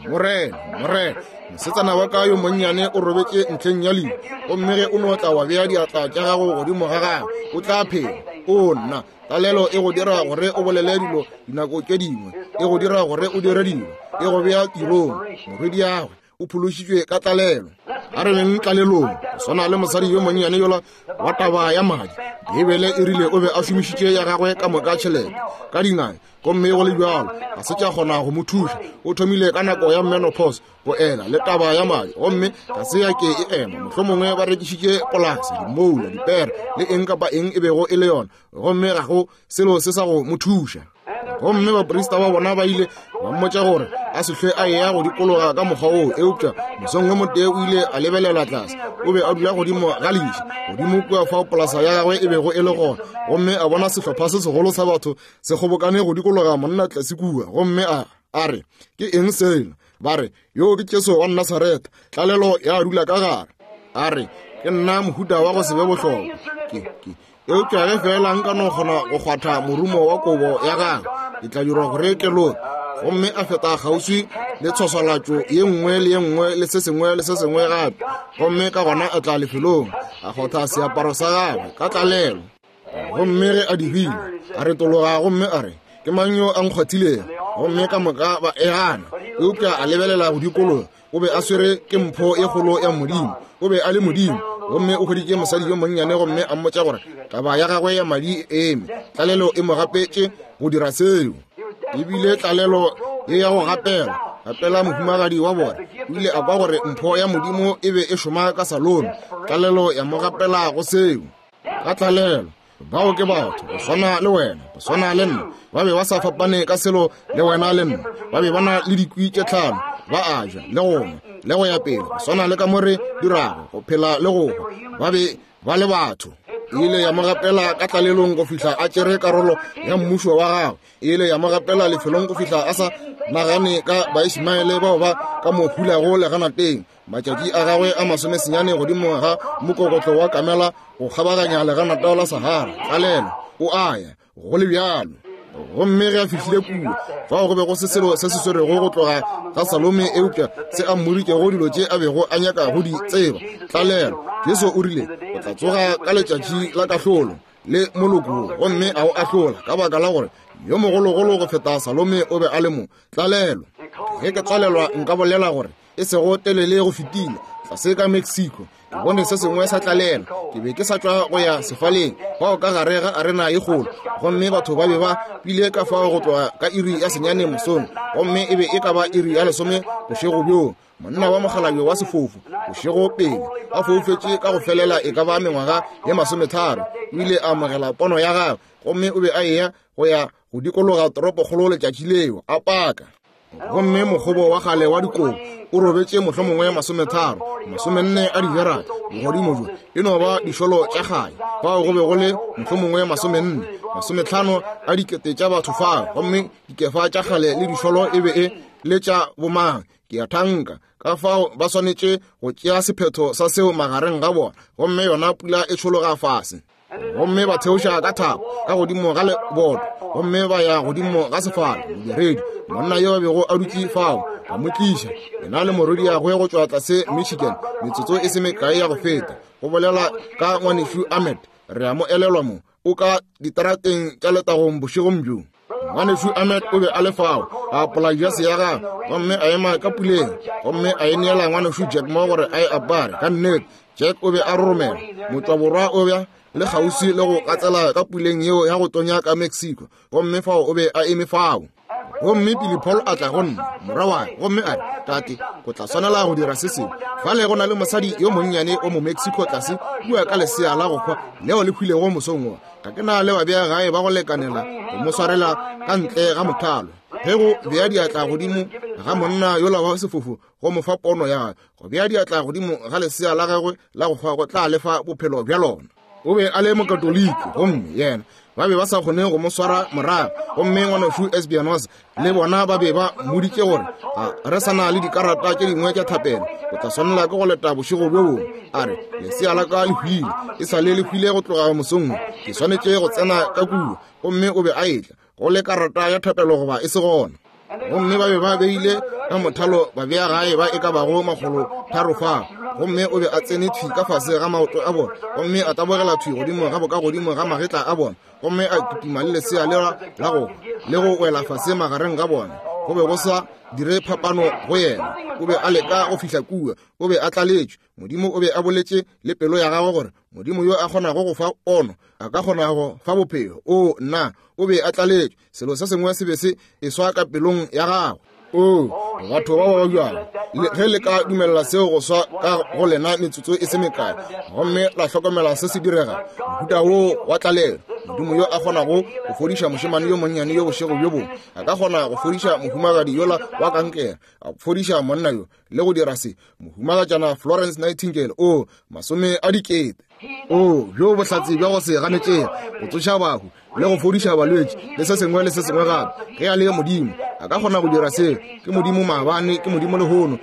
Morena, Morena, mosetsana wa ka yo monnyane o robetše ntlheng ya lehu, gomme ge o no tla wa bea diatla tša gago godimo ga gagwe, o tla phela. O nna, tlalelo e go dira gore o bolele dilo dinako tše dingwe, e go dira gore o dire dilo, e go bea tirong. Morwediagwe o phološitšwe ka tlalelo. A re beng tlalelong, go swana le mosadi yo monnyane yola wa taba ya madi. Beibele e rile o be a šomišitše ya gagwe ka moka tšhelete ka dingaka, gomme go le bjalo ga se tša kgona go mo thuša. O thomile ka nako ya menopause go ela le taba ya madi, gomme ga se ya ke e ema. Mohlomongwe ba rekišitše polase, dimoula, dipere le eng kapa eng e bego e le yona, gomme ga go selo se sa go mo thuša. Gomme baprista ba bona ba ile ba mmotša gore a se hlwe a eya go dikologa ka mokgwa woo. Eupša mosong wo motee o ile a lebelela tlase. O be a dula godimo ga leši, godimo kua fao polasa ya gagwe e bego e le gona, gomme a bona sehlopha se segolo sa batho se kgobokane go dikologa monna tlase kua, gomme a a re, ke eng sela? Ba re, yo ke Jesu wa Nasaretha. Tlalelo ya dula ka gare. A re, ke nna mohuta wa go se be bohlokwa. Ke ke eupša ge fela nka no kgona go kgwatha morumo wa kobo ya gagwe, ke tla dirwa gore ke loke. Gomme a feta kgauswi le tshwaswalatšo ye nngwe le ye nngwe le se sengwe le se sengwe gape, gomme ka gona a tla lefelong, a kgotha seaparo sa gagwe ka tlalelo. Gomme ge a dirile, a retologa gomme a re, ke mang yo a nkgwathilego? Gomme ka moka ba e gana. Eupša a lebelela go dikologa, o be a swere ke mpho e kgolo ya Modimo. O be a le Modimo, gomme o hweditše mosadi yo monnyane gomme a mmotša gore taba ya gagwe ya madi e eme. Tlalelo e mo gapetše go dira seo. Ebile tlalelo ye ya go gapela, gapela mohumagadi wa bona. O ile a kwa gore mpho ya Modimo e be e šoma ka Salome. Tlalelo ya mo gapela go seo. Ka tlalelo, bao ke batho go swana le wena, go swana le nna. Ba be ba sa fapane ka selo le wena le nna. Ba be ba na le dikwi tše tlhano, ba a ja le go nwa le go ya pele, go swana le ka mo re dirago go phela le go hwa. Ba be ba le batho. E ile ya mo gapela ka tlalelong go fihla a tšere karolo ya mmušo wa gagwe. E ile ya mo gapela lefelong go fihla a sa nagane ka Baismaele bao ba ka mo hulago leganateng. Matšatši a gagwe a masomesenyane godimo ga mokokotlo wa kamela go kgabaganya leganata la Sahara. Tlalelo, o a ya go le bjalo. Gomme ge a fihlile kua, fao go be go se selo se se swerego go tloga ga Salome, eupša se a mmoditšego dilo tše a bego a nyaka go di tseba. Tlalelo, Jesu o rile o tla tsoga ka letšatši la kahlolo le moloko, gomme a o ahlola ka baka la gore yo mogologolo go feta Salome o be a le mo. Tlalelo, ge ke tlalelwa nka bolela gore e sego telele go fetile tlase ka Mexico, ke bone se sengwe sa tlalelo. Ke be ke sa tšwa go ya sefaleng fao ka gare ga arena ye kgolo, gomme batho ba be ba pile ka fao go tloga ka iri ya senyane mosong, gomme e be e ka ba iri ya lesome bošego bjoo. Monna wa mokgalabje wa sefofu bošego pele a foufetše ka go felela e ka ba mengwaga ye masometharo, o ile a amogela pono ya gagwe, gomme o be a eya go ya go dikologa toropokgolo letšatši leo a paka. Gomme mokgobo wa kgale wa dikobo o robetše mohlomongwe masometharo, masomenne a dijarata bogodimo bjo, e no ba dišolo tša kgale. Fao go be go le mohlomongwe masomenne, masometlhano a dikete tša batho fao, gomme dikefa tša kgale le dišolo e be e le tša bomang. Ke a thanka ka fao ba swanetše go tšea sephetho sa seo magareng ga bona, gomme yona pula e tšhologa fase. Gomme ba theoša ka thapo ka godimo ga leboto, gomme ba ya godimo ga sefala. Modiredi, monna yo a bego a dutše fao, ba mo tliša, yena le morwediagwe go tšwa tlase Michigan, metsotso e se mekae ya go feta. Go bolela ka ngwanešu Ahmed, re a mo elelwa mo, o ka diterateng tša letagong bošegong bjo. Ngwanešu Ahmed o be a le fao, a apola jase ya gagwe, gomme a ema ka puleng, gomme a e neela ngwanešu Jack Moore gore a e apare. Ka nnete, Jack o be a roromela, motšwaborwa o bja le kgauswi le go gatsela ka puleng yeo ya go tonya ka Mexico, gomme fao o be a eme fao. Gomme Billy Paul a tla go nna, morwa wa ka, gomme a re, tate, go tla swanela go dira se sengwe. Fale go na le mosadi yo monnyane o mo Mexico tlase kua ka lesea la go hwa leo le hwilego mosong wo. Ga ke na le babea gae ba go lekanela go mo swarela ka ntle ga mothalo. Ge go bea diatla godimo ga monna yola wa sefofu go mo fa pono ya gagwe, go bea diatla godimo ga lesea la gagwe la go hwa go tla lefa bophelo bja lona. O be a le mokatoliki, gomme yena ba be ba sa kgone go mo swara morago. Gomme ngwanešu Esbianos le bona ba be ba mmoditše gore ga re sa na le dikarata tše dingwe tša thapelo, o tla swanela ke go leta bošego bjo bongwe. A re, lesea la ka le hwile, e sa le le hwile go tloga mosong, ke swanetše go tsena ka kua. Gomme o be a etla go le karata ya thapelo goba e se gona. Gomme ba be ba beile ka mothalo ba bea gae ba e ka bago makgolo tharo fao. Gomme o be a tsene thwi ka fase ga maoto a bona, gomme a tabogela thwi godimo ga boka godimo ga magetla a bona, gomme a kitima le lesea lela la go le go wela fase magareng ga bona. Go be go sa dire phapano go yena, o be a leka go fihla kua, o be a tlaletšwe. Modimo o be a boletše le pelo ya gagwe gore Modimo yo a kgonago go fa pono a ka kgona go fa bophelo. O nna, o be a tlaletšwe, selo se sengwe se be se eswa ka pelong ya gagwe. O batho ba ba bjalo, ge le ka dumelela seo go swa ka go lena metsotso e se mekae, gomme la hlokomela se se direga, mohuta wo wa tlalelo. Modimo yo a kgonago go fodiša mošemane yo monnyane yo bošego bjo bongwe, a ka kgona go fodiša mohumagadi yola wa kankere, a fodiša monna yo le go dira se. Mohumagatšana Florence Nightingale, o masome a dikete. O bjo bohlatse bja go se ganetšege, go tsoša bahu le go fodiša balwetši le se sengwe le se sengwe gape. Ge a le Modimo, a ka kgona go dira seo. Ke Modimo maabane, ke Modimo lehono.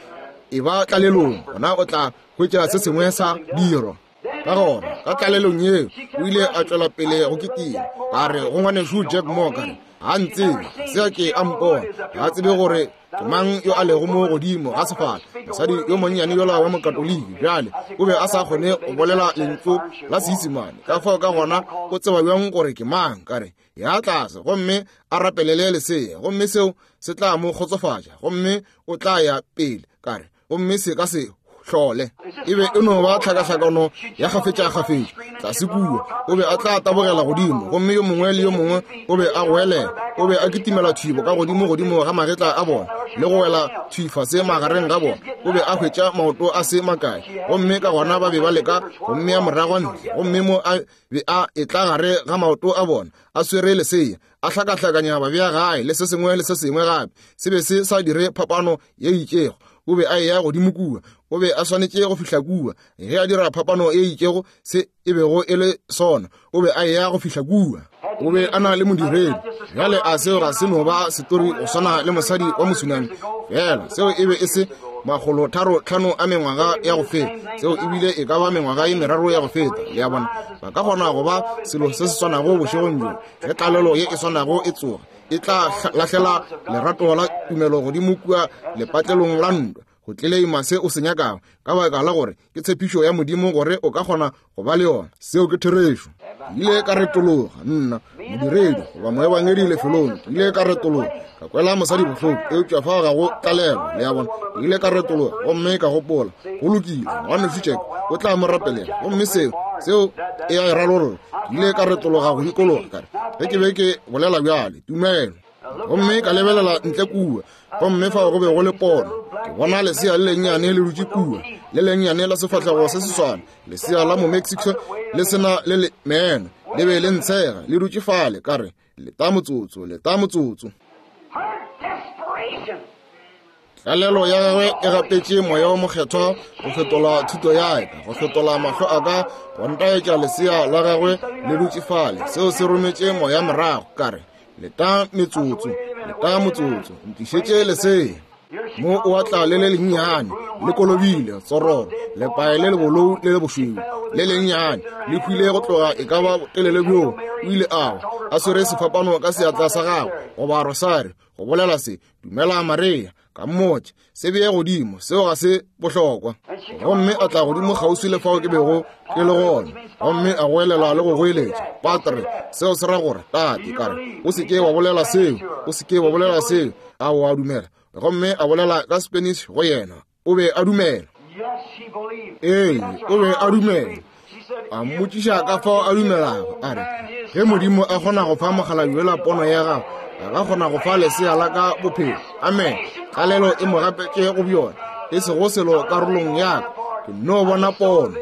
E ba tlalelong, gona o tla hwetša se sengwe sa dirwa. Ka gona, ka tlalelong yeo, o ile a tšwela pele go kitima. A re go ngwanešu Jack Moore, ka re, ga ntsebe, se a ke a mpona, ga a tsebe gore ke mang yo a lego mo godimo ga sefala. Mosadi yo monnyane yola wa mokatoliki bjale o be a sa kgone go bolela lentšu la Seisemane, ka fao ka gona o tseba bjang gore ke mang? Ka re, ya tlase gomme a rapelele lesea, gomme seo se tla mo kgotsofatša, gomme o tla ya pele. Ka re, gomme se ka se hlole. E be e no ba tlhakahlakano ya kgafetša-kgafetša tlase kua. O be a tla tabogela godimo, gomme yo mongwe le yo mongwe o be a goelela. O be a kitimela thwi ka godimo godimo ga magetla a bona le go wela thwi fase magareng ga bona. O be a hwetša maoto a se makae, gomme ka gona ba be ba leka go mmea morago ntle, gomme mo a be a etla gare ga maoto a bona a swere lesea, a hlakahlakanya ba bea gae le se sengwe le se sengwe gape. Se be se sa dire phapano ye itšego. O be a eya godimo kua, o be a swanetše go fihla kua. Ge a dira phapano e itšego se e bego e le sona, o be a eya go fihla kua. O be a na le modiredi. Bjale a seo ga se no ba setori go swana le mosadi wa mosunami fela. Seo e be e se makgolo tharo tlhano a mengwaga ya go feta, seo ebile e ka ba mengwaga ye meraro ya go feta. Le a bona, ba ka kgona go ba selo se se swanago bošegong bjo. Ge tlalelo ye e swanago e tsoga, e tla lahlela lerato la tumelo godimo kua lepatlelong la ntwa go tleleima se o se nyakago, ka baka la gore ke tshepišo ya Modimo gore o ka kgona go ba le yona. Seo ke therešo. Ke ile ka retologa, nna modiredi goba moebangedi lefelong, ke ile ka retologa, ka kwela mosadi bohloko, eupša fao ga go tlalelo. Le a bona, ke ile ka retologa gomme ka gopola, go lokile, ngwanešu Jack o tla mo rapelela, gomme seo seo e a e ralolla. Ke ile ka retologa go dikologa, ka re, ge ke be ke bolela bjale, tumelo. Gomme ka lebelela ntle kua, gomme fao go be go le pono. Ke bona lesea le lennyane le dutše kua, le lennyane la sefahlego se seswana, lesea la mo Mexico le sena le le meno, le be le ntshega, le dutše fale. Ka re, leta motsotso, leta motsotso. Her desperation Tlalelo ya gagwe e gapetše Moya wo Mokgethwa go fetola thuto ya ka, go fetola mahlo a ka, go ntaetša lesea la gagwe le dutše fale. Seo se rometše moya morago. Ka re, leta metsotso, leta motsotso, ntlišetše lesea. Mo o a tla le le lennyane, le kolobile, tsororo, lepae le lebolou le le bošweu, le lennyane, le hwile go tloga e ka ba botelele bjoo. O ile a wa, a swere sefapano ka seatla sa gagwe, goba rosari, go bolela se, dumela Maria. Ka mmotša, se bee godimo, seo ga se bohlokwa. Gomme a tla godimo kgauswi le fao ke bego ke le gona, gomme a goelela le go goeletša, Patre, seo se ra gore tate. Ka re, o se ke wa bolela seo, o se ke wa bolela seo. A o a dumela? Gomme a bolela ka Spanish go yena. O be a dumela. Ee, o be a dumela. A mmotšiša ka fao a dumelago. A re, ge Modimo a kgona go fa mokgalabje yola pono ya gago, a ka kgona go fa lesea la ka bophelo. Amen. Tlalelo e mo gapetše go bjona, e sego selo karolong ya ka. Ke no bona pono.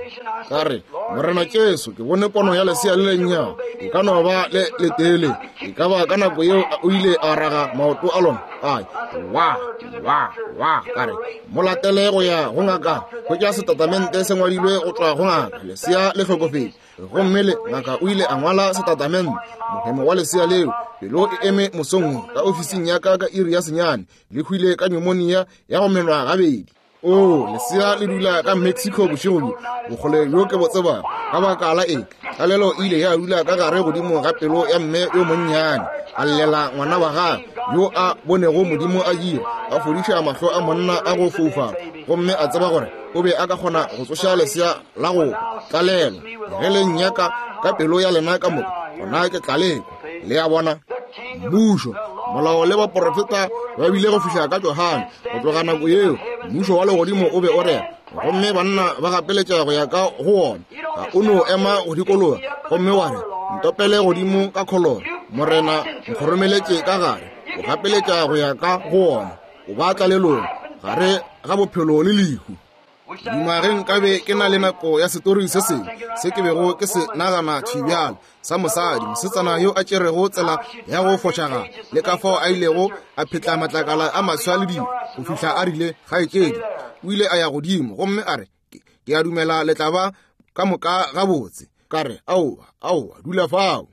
Ka re, Morena Jesu, ke bone pono ya lesea le lennyane. E ka no ba le letele. E ka ba ka nako yeo o ile a raga maoto a lona. Ai, wa, wa, wa. Ka re, mo latele go ya go ngaka. Hwetša setatamente se ngwadilwe go tšwa go ngaka. Lesea le hlokofetše. Gomme le ngaka o ile a ngwala setatamente. Mohemo wa lesea leo, pelo e eme mosong ka ofising ya ka ka iri ya senyane, le hwile ka pneumonia ya go menwa gabedi. O, lesea le dula ka Mexico bošego bjo, bokgole bjo ke bo tsebago. Ka baka la eng? Tlalelo e ile ya dula ka gare godimo ga pelo ya mme yo monnyane, a llela ngwana wa gagwe yo a bonego Modimo a dira, a fodiša mahlo a monna a go foufala, gomme a tseba gore o be a ka kgona go tsoša lesea la go tlalelo. Ge le nnyaka ka pelo ya lena ka moka, gona ke tlaleko. Le a bona? Mmušo, molao le baprofeta ba bile go fihla ka Johane. Go tloga nako yeo, mmušo wa legodimo o be o rera, gomme banna ba gapeletša go ya ka go wona. Ga o no ema go dikologa gomme wa re, ntopele godimo ka kholoro, Morena nkgoromeletše ka gare. O gapeletša go ya ka go wona. O ba tlalelong gare ga bophelo le lehu. Duma ge nkabe ke na le nako ya setori se sengwe se ke bego ke se nagana thibjalo, sa mosadi, mosetsana yo a tšerego tsela ya go fošagala, le ka fao a ilego a phetla matlakala a maswa le dilo go fihla a rile, kgaetšedi. O ile a ya godimo gomme a re, ke a dumela le tla ba ka moka gabotse. Ka re, aowa, aowa, dula fao.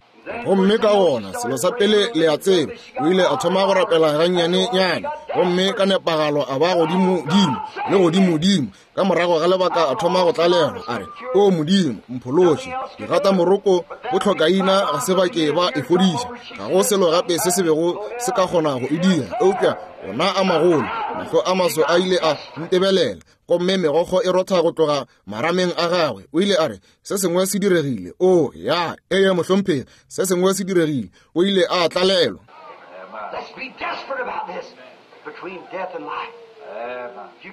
Gomme ka gona selo sa pele le a tseba, o ile a thoma go rapela gannyane-nyane, gomme ka nepagalo a ba godimo-dimo le godimo-dimo. Ka morago ga lebaka a thoma go tlalelwa, a re, o Modimo, mphološe. Digata moroko bo tlhokaina ga se ba ke ba e fodiša. Ga go selo gape se se bego se ka kgona go e dira, eupša ona a magolo, mahlo a maso a ile a ntebelela, gomme megokgo e rotha go tloga marameng a gagwe. O ile a re, se sengwe se diregile. O, ya, ee mohlomphegi, se sengwe se diregile. O ile a tlalelwa.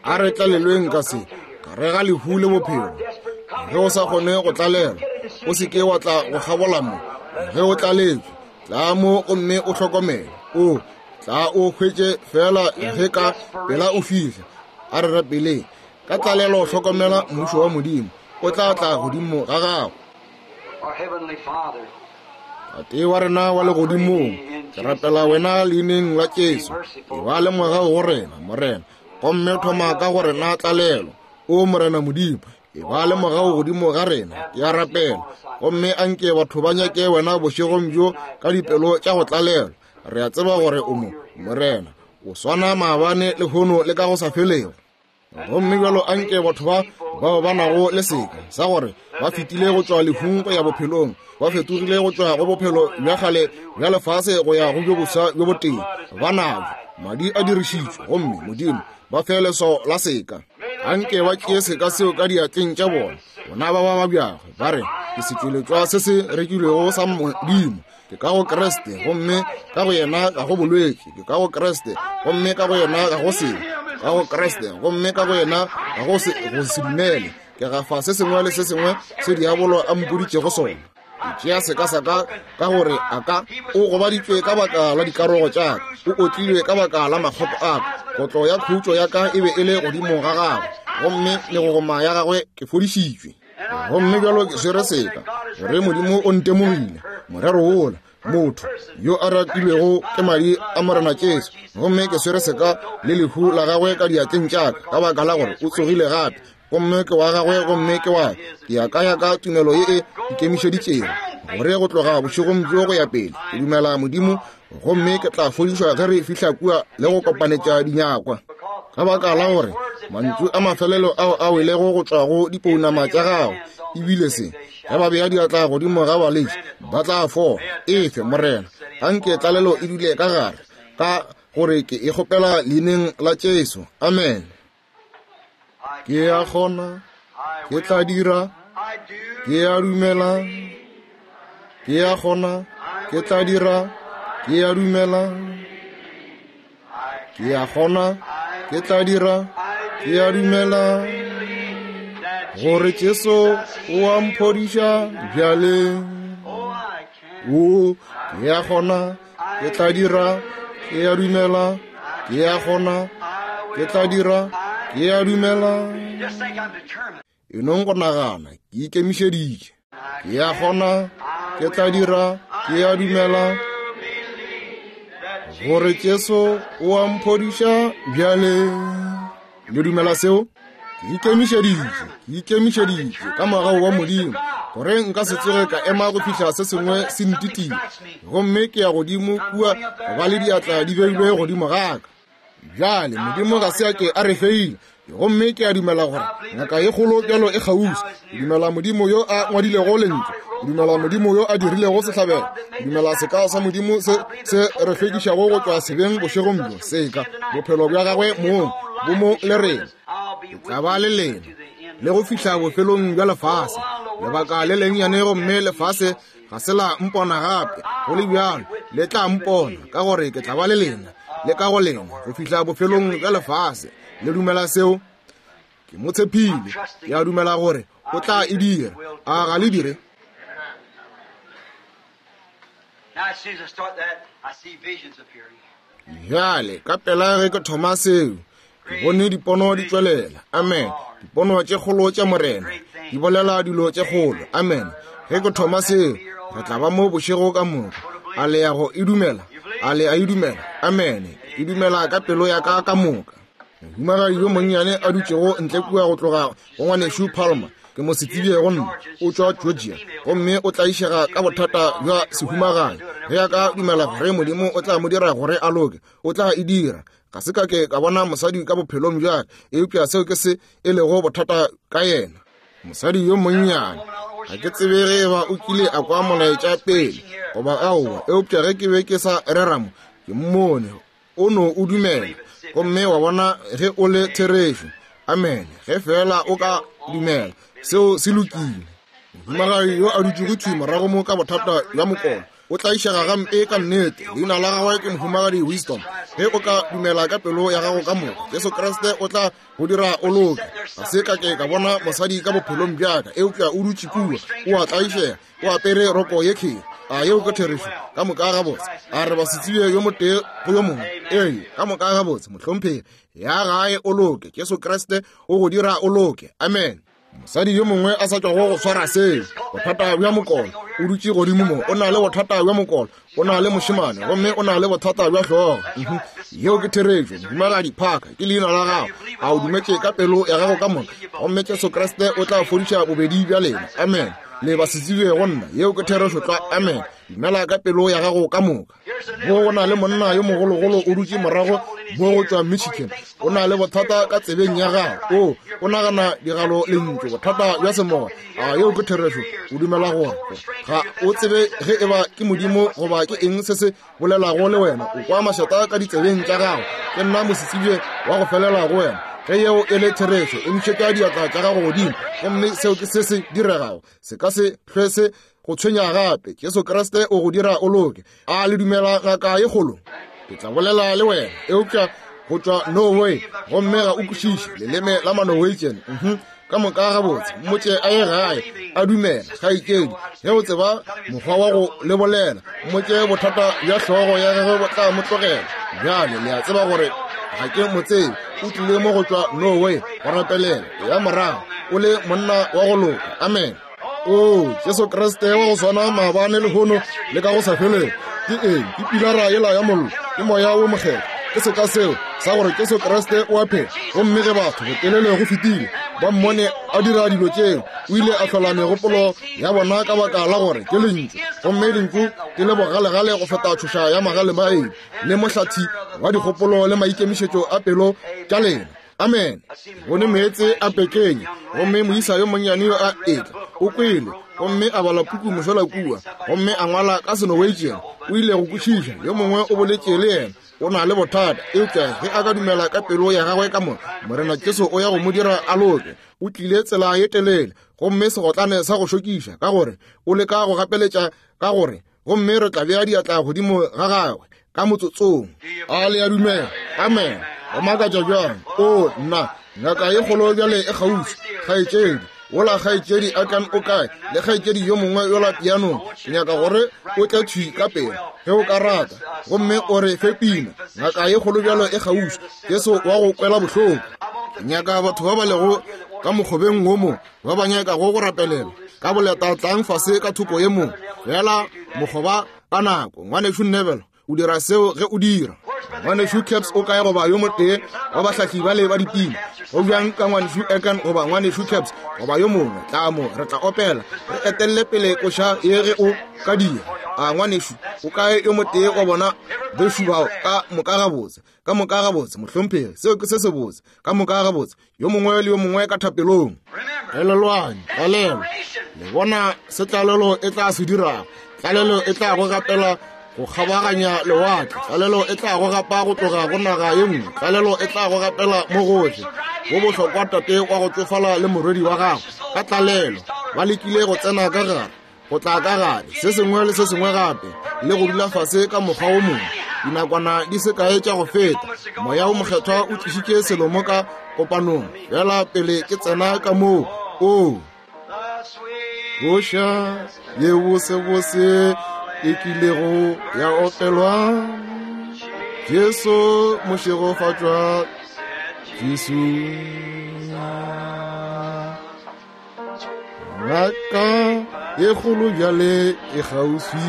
A re tlalelweng ka se, gare ga lehu le bophelo. Ge o sa kgone go tlalelwa, o se ke wa tla go kgabola mo. Ge o tlaletswe, tla mo gomme o hlokomele. O tla o hwetše fela ge ka pela o fihla. A re rapeleng. Ka tlalelo hlokomela mmušo wa Modimo, o tla tla godimo ga gago. Tate wa rena wa legodimong, ke rapela wena leineng la Jesu. Eba le mogau go rena, Morena, gomme thoma ka go rena tlalelo. O Morena Modimo, eba le mogau godimo ga rena, ke a rapela. Gomme anke batho ba nyake wena bošegong bjo ka dipelo tša go tlalelwa. Re a tseba gore o mo, Morena, o swana maabane lehono le ka go sa felego. Gomme bjalo anke batho ba bao ba nago le seka sa gore ba fetile go tšwa lehung go ya bophelong, ba fetogile go tšwa go bophelo bja kgale bja lefase go ya go bjo boswa bjo botee, ba nabo madi a dirišitšwe, gomme Modimo ba fe leswao la seka. Anke ba tšee seka seo ka diatleng tša bona, bona ba ba babjago, ba re, ke setšweletšwa se se rekilwego sa Modimo. Ke ka go Kriste, gomme ka go yena ga go bolwetši. Ke ka go Kriste, gomme ka go yena ga go sebe. Ka go Kriste, gomme ka go yena ga go se go se dumele. Ke gafa se sengwe le se sengwe se diabolo a mpoditšego sona. Ke tšea seka sa ka ka gore a ka o gobaditšwe ka baka la dikarogo tša ka, o otlilwe ka baka la makgopo a ka. Kotlo ya khutšo ya ka e be e le godimo ga gagwe, gomme megogoma ya gagwe ke fodišitšwe. Gomme bjalo ke swere seka gore Modimo o ntemogile morero wola motho yo a ratilwego ke madi a Morena Jesu, gomme ke swere seka le lehu la gagwe ka diatleng tša ka, ka baka la gore o tsogile gape, gomme ke wa gagwe gomme ke wa ke ya ka ya ka tumelo ye e ikemišeditšego gore go tloga bošegong bjo go ya pele ke dumela Modimo, gomme ke tla fodišwa ge re fihla kua le go kopanetša dinyakwa. Ka baka la gore mantšu a mafelelo ao a welego go tšwa go dipounama tša gago ebile se, ge ba bea diatla godimo ga balwetši ba tla fola. Efe Morena, anke tlalelo e dule ka gare, ka gore ke e kgopela leineng la Jesu. Amen. Ke a kgona, ke tla dira, ke a dumela. Ke a kgona, ke tla dira, ke a dumela. Ke a kgona, ke tla dira, ke a dumela gore Jesu o a mphodiša bjale. O, ke a kgona, ke tla dira, ke a dumela. Ke a kgona, ke tla dira, ke a dumela. E nong go nagana, ke ikemišeditše. Ke a kgona, ke tla dira, ke a dumela gore Jesu o a mphodiša bjale. Le dumela seo? Ke ikemišeditše, ke ikemišeditše ka mogau wa Modimo gore nka se tsoge ka ema go fihla se sengwe se ntitia, gomme ke ya godimo kua go ba le diatla di beilwe godimo ga ka. Bjale Modimo ga se a ke a re feile, gomme ke a dumela gore ngaka ye kgolo bjalo e kgauswi. Ke dumela Modimo yo a ngwadilego lentšu, ke dumela Modimo yo a dirilego sehlabelo, ke dumela seka sa Modimo se se re hlwekišago go tšwa sebeng bošegong bjo, seka bophelo bja gagwe mong bo mo le rena. Ke tla ba le lena le go fihla bofelong bja lefase. Lebaka le lennyane gomme lefase ga se la mpona gape, go le bjalo le tla mpona, ka gore ke tla ba le lena le ka go lena go fihla bofelong bja lefase. Le dumela seo? Ke mo tshepile, ke a dumela gore o tla e dira. A ga le dire? Bjale ka pela ge ke thoma seo, ke bone dipono di tšwelela. Amen. Dipono tše kgolo tša Morena di bolela dilo tše kgolo. Amen. Ge ke thoma seo, re tla ba mo bošego ka moka. A le ya go e dumela? A le a e dumela? Amen. E dumela ka pelo ya ka ka moka. Mohumagadi yo monnyane a dutšego ntle kua go tloga go ngwanešu Palmer, ke mo se tsebile go nna, o tšwa Georgia, gomme o tlaišega ka bothata bja sehumagadi. Ge a ka dumela gore Modimo o tla mo dira gore a loke, o tla e dira. Ga se ka ke ka bona mosadi ka bophelong bja ka, eupša seo ke se e lego bothata ka yena. Mosadi yo monnyane, ga ke tsebe ge eba o kile a kwa molaetša pele goba aowa, eupša ge ke be ke sa rera mo, ke mmone o no o dumela, gomme wa bona ge o le therešo. Amen. Ge fela o ka dumela, seo se lokile. Mohumagadi yo a dutšego thwi morago mo ka bothata bja mokolo, o tlaišega gampe ka nnete. Leina la gagwe ke Mohumagadi Wisdom. Ge o ka dumela ka pelo ya gago ka moka, Jesu Kriste o tla go dira o loke. Ga se ka ke ka bona mosadi ka bophelong bja ka, eupša o dutše kua, o a tlaišega, o apere roko ye kheri. A yeo ke therešo? Ka moka gabotse. A re ba se tsebe yo motee go yo mongwe? Ee, ka moka gabotse, mohlomphegi. Ya gae o loke, Jesu Kriste o go dira o loke. Amen. Mosadi yo mongwe a sa tšwago go swara seo, bothata bja mokolo, o dutše godimo mo, o na le bothata bja mokolo, o na le mošemane, gomme o na le bothata bja hlogo. Yeo ke therešo. Mohumagadi Parker ke leina la gago. A o dumetše ka pelo ya gago ka moka, gomme Jesu Kriste o tla fodiša bobedi bja lena. Amen. Le ba se tsebe go nna. Yeo ke therešo tlwa. Amen. Dumela ka pelo ya gago ka moka. Mo go na le monna yo mogologolo o dutše morago mo go tšwa Michigan, o na le bothata ka tsebeng ya gago. O o nagana digalo lentšu, bothata bja semoya. A yeo ke therešo? O dumela gore ga o tsebe ge eba ke Modimo goba ke eng se se bolelago le wena. O kwa mašata ka ditsebeng tša gago. Ke nna mosetsebje wa go felela go wena. Ge yeo e le therešo, emišetša diatla tša gago godimo, gomme seo ke se se diregago. Se ka se hlwe se go tshwenya gape. Jesu Kriste o go dira o loke. A le dumela ngaka ye kgolo? Ke tla bolela le wena, eupša go tšwa Norway, gomme ga o kwešiše leleme la Manorwegian. Mhm. Ka moka gabotse, mmotše a ye gae a dumela. Kgaetšedi, ge o tseba mokgwa wa go le bolela, mmotše bothata bja hlogo ya gagwe bo tla mo tlogela. Bjale le a tseba gore ga ke mo tsebe. O tlile mo go tšwa Norway go rapelela. Ya morago o le monna wa go loka. Amen. O Jesu Kriste wa go swana maabane lehono le ka go sa felego. Ke eng? Ke pilara yela ya mollo, ke Moya wo Mokgethwa. Ke seka seo sa gore Jesu Kriste o a phela. Gomme ge batho botelele go fetile ba mmone a dira dilo tšeo, o ile a hlola megopolo ya bona ka baka la gore ke lentšu, gomme lentšu ke le bogalegale go feta tšhoša ya magale maeng le mohlathi wa dikgopolo le maikemišetšo a pelo tša lena. Amen. Bone meetse a pekenya, gomme moisa yo monnyane yo a etla o kwele, gomme a bala puku mošola kua, gomme a ngwala ka Senorwegian. O ile go kwešiša, yo mongwe o boletše le yena, o na le bothata, eupša ge a ka dumela ka pelo ya gagwe ka moka, Morena Jesu o ya go mo dira a loke. O tlile tsela ye telele, gomme segotlane sa go šokiša, ka gore o leka go gapeletša ka gore, gomme re tla bea diatla godimo ga gagwe ka motsotsong. A le a dumela? Amen. Go makatša bjang! O nna, ngaka ye kgolo bjale e kgauswi. Kgaetšedi wola, kgaetšedi a kan o kae? Le kgaetšedi yo mongwe yola pianong, ke nyaka gore o tle thwi ka pele ge o ka rata, gomme o re fe pina. Ngaka ye kgolo bjalo e kgauswi, Jesu wa go kwela bohloko. Ke nyaka batho ba ba lego ka mokgobeng wo mo ba ba nyakago go rapelela ka boleta, tlang fase ka thoko ye mongwe fela mokgoba ka nako. Ngwanešu Neville, o dira seo ge o dira. Ngwanešu Caps o kae, goba yo motee wa bahlahli bale ba dipina? Go bjang ka ngwanešu Ekan goba ngwanešu Caps goba yo mongwe? Tla mo, re tla opela, re etelle pele koša ye ge o ka dira. A ngwanešu o kae yo motee wa bona bešu bao? Ka moka gabotse, ka moka gabotse, mohlomphegi, seo ke se sebotse. Ka moka gabotse, yo mongwe le yo mongwe ka thapelong. Elelwang tlalelo, le bona se tlalelo e tla se dirago. Tlalelo e tla go gapela go kgabaganya lewatle, tlalelo e tla go gapa go tloga go naga ye nngwe, tlalelo e tla go gapela mo gohle. Go bohlokwa tate wa go tsofala le morwedi wa gagwe ka tlalelo ba lekile go tsena ka gare, go tla ka gare, se sengwe le se sengwe gape, le go dula fase ka mokgwa wo mongwe. Dinakwana di se kae tša go feta, Moya wo Mokgethwa o tlišitše selo mo ka kopanong fela pele ke tsena ka moo. O koša ye bosebose e kilego ya opelwa, Jesu mošegofatšwa Jesu. Ngaka ye kgolo bjale e kgauswi,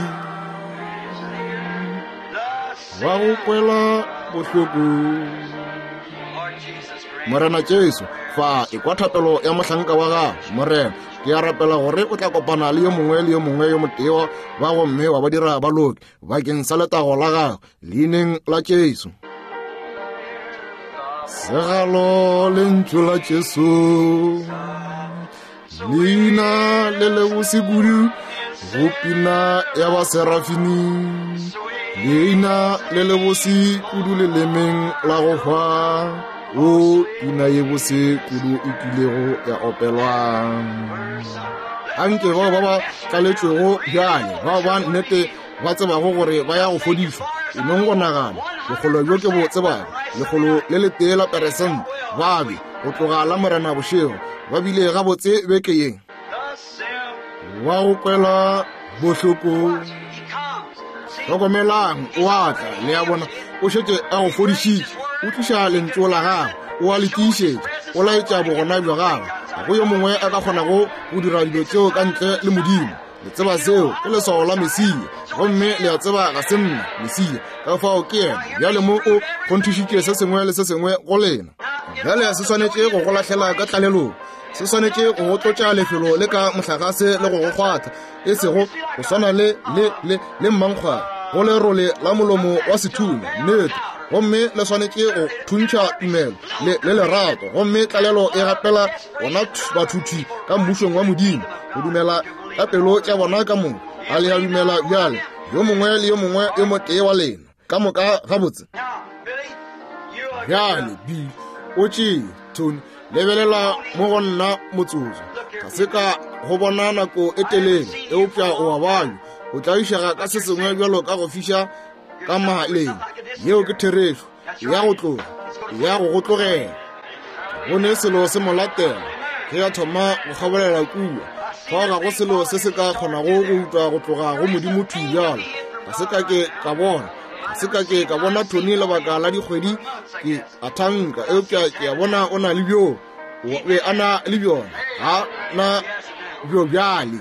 wa go kwela bohloko. Morena Jesu, fa e kwa thapelo ya mohlanka wa gago. Morena, ke a rapela gore o tla kopana le yo mongwe le yo mongwe yo motee ba, gomme wa ba dira ba loke bakeng sa letago la gago, leineng la Jesu. Segalo lentšu la Jesu, leina le lebose kudu go pina ya baserafini, leina le lebose kudu lelemeng la go hwa. O pina ye bose kudu e kilego ya opelwa. Anke bao ba ba tlaletšwego bjale, bao ba nnete ba tsebago gore ba ya go fodišwa, e nong go nagana bokgolo bjo ke bo tsebago, lekgolo le letee la peresente ba be go tloga la Morena bošego ba bile gabotse beke ye. Wa go kwela bohloko, hlokomelang, o a tla. Le a bona, o šetše a go fodišitše, o tliša lentšu la gagwe, o a le tiišetša, o laetša bogona bja gagwe. Ga go yo mongwe a ka kgonago go dira dilo tšeo ka ntle le Modimo. Le tseba seo ke leswao la Mesia, gomme le a tseba ga se nna Mesia, ka fao ke yena. Bjale mo o kgonthišitše se sengwe le se sengwe go lena. Bjale se swanetše go go lahlela ka tlalelong, se swanetše go go tlotša lefelo le ka mohlagase le go go kgwatha, e sego go swana le le le le mmankgwane go lerole la molomo wa sethunya, nnete. Gomme le swanetše go thuntšha tumelo le le lerato, gomme tlalelo e gapela bona bathuthi ka mmušong wa Modimo go dumela ka pelo tša bona ka moka. A le a dumela bjale, yo mongwe le yo mongwe yo motee wa lena ka moka gabotse? Bjale Bill, o tšee Tony, lebelela mo go nna motsotso. Ga se ka go bona nako e telele, eupša o a banywa, o tlaišega ka se sengwe bjalo ka go fiša ka maleng. Yeo ke therešo, ya go tloga, ya go go tlogela. Go ne selo se mo latela ge a thoma go kgabolela kua. Fao ga go selo se se ka kgonago go utwa go tloga go Modimo thwi bjalo. Ga se ka ke ka bona, ga se ka ke ka bona Tony lebaka la dikgwedi, ke a thanka, eupša ke a bona o na le bjo, o be a na le bjona. Ga na bjo bjale.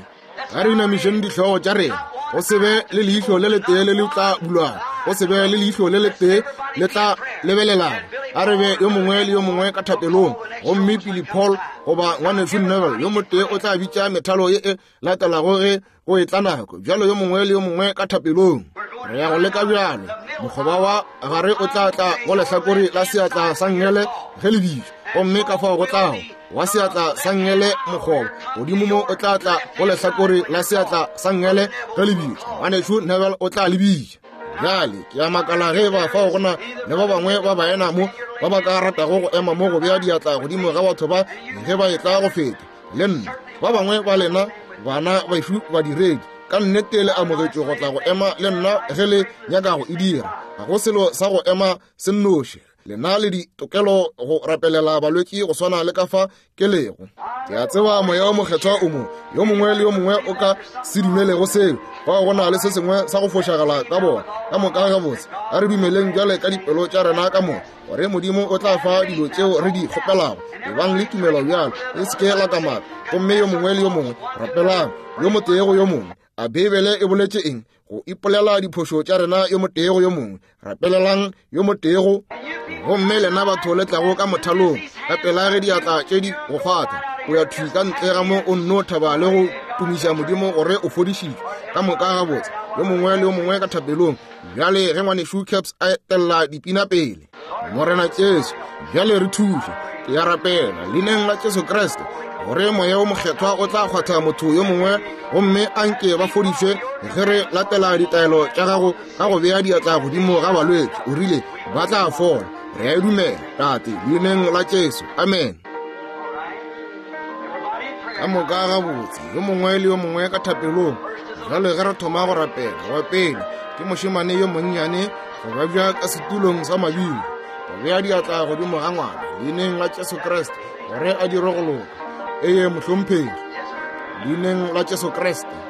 Ga re inamišeng dihlogo tša rena. Go se be le leihlo le letee le le tla bulwago, go se be le leihlo le letee le tla lebelelago. A re be yo mongwe le yo mongwe ka thapelong, gomme Billy Paul goba ngwanešu Neville yo motee o tla bitša methalo ye e latelago ge go etla nako. Bjalo yo mongwe le yo mongwe ka thapelong. Re ya go leka bjalo. Mokgoba wa gare o tla tla go lehlakore la seatla sa nngele ge le bitšwa, gomme ka fao go tlago wa seatla sa nngele mokgoba godimo mo o tla tla go lehlakore la seatla sa nngele ge le bitšwa. Ngwanešu Neville o tla le bitša. Bjale ke a makala ge ba fao gona le ba bangwe ba baena mo ba ba ka ratago go ema mo go bea diatla godimo ga batho ba ge ba etla go feta le nna. Ba bangwe ba lena bana bašu badiredi ka nnete le amogetšwe go tla go ema le nna ge le nyaka go e dira. Ga go selo sa go ema se nnoši. Lena le ditokelo go rapelela balwetši go swana le ka fa ke lego. Ke a tseba moya o mokgethwa o mo, yo mongwe le yo mongwe o ka se dumelego seo, fao go na le se sengwe sa go fošagala ka bona. Ka moka gabotse, a re dumeleng bjale ka dipelo tša rena ka moka gore Modimo o tla fa dilo tšeo re di kgopelago. Ebang le tumelo bjalo, le se ke la kamaka. Gomme yo mongwe le yo mongwe rapelang yo motee go yo mongwe. A Beibele e boletše eng? Go ipolela diphošo tša rena yo motee go yo mongwe. Rapelelang yo motee go. Gomme lena batho le tlago ka mothalong ka pela ge diatla tše di go kgwatha, o ya thwi ka ntle ga mo o nno thaba le go tumiša Modimo gore o fodišitšwe. Ka moka gabotse, yo mongwe le yo mongwe ka thapelong. Bjale ge ngwanešu Caps a etella dipina pele. Morena Jesu, bjale re thuše. Ke a rapela leineng la Jesu Kriste gore moya o mokgethwa o tla kgwatha motho yo mongwe, gomme a nke ba fodišwe ge re latela ditaelo tša gago ka go bea diatla godimo ga balwetši. O rile ba tla fola. Re a e dumela, Tate, leineng la Jesu. Amen. Ka moka gabotse, yo mongwe le yo mongwe ka thapelong. Bjale ge re thoma go rapela, wa pele ke mošemane yo monnyane go babja ka setulong sa mabilo, go bea diatla godimo ga ngwana leineng la Jesu Kriste gore a dire go loka. Eye mohlomphegi, leineng la Jesu Kriste.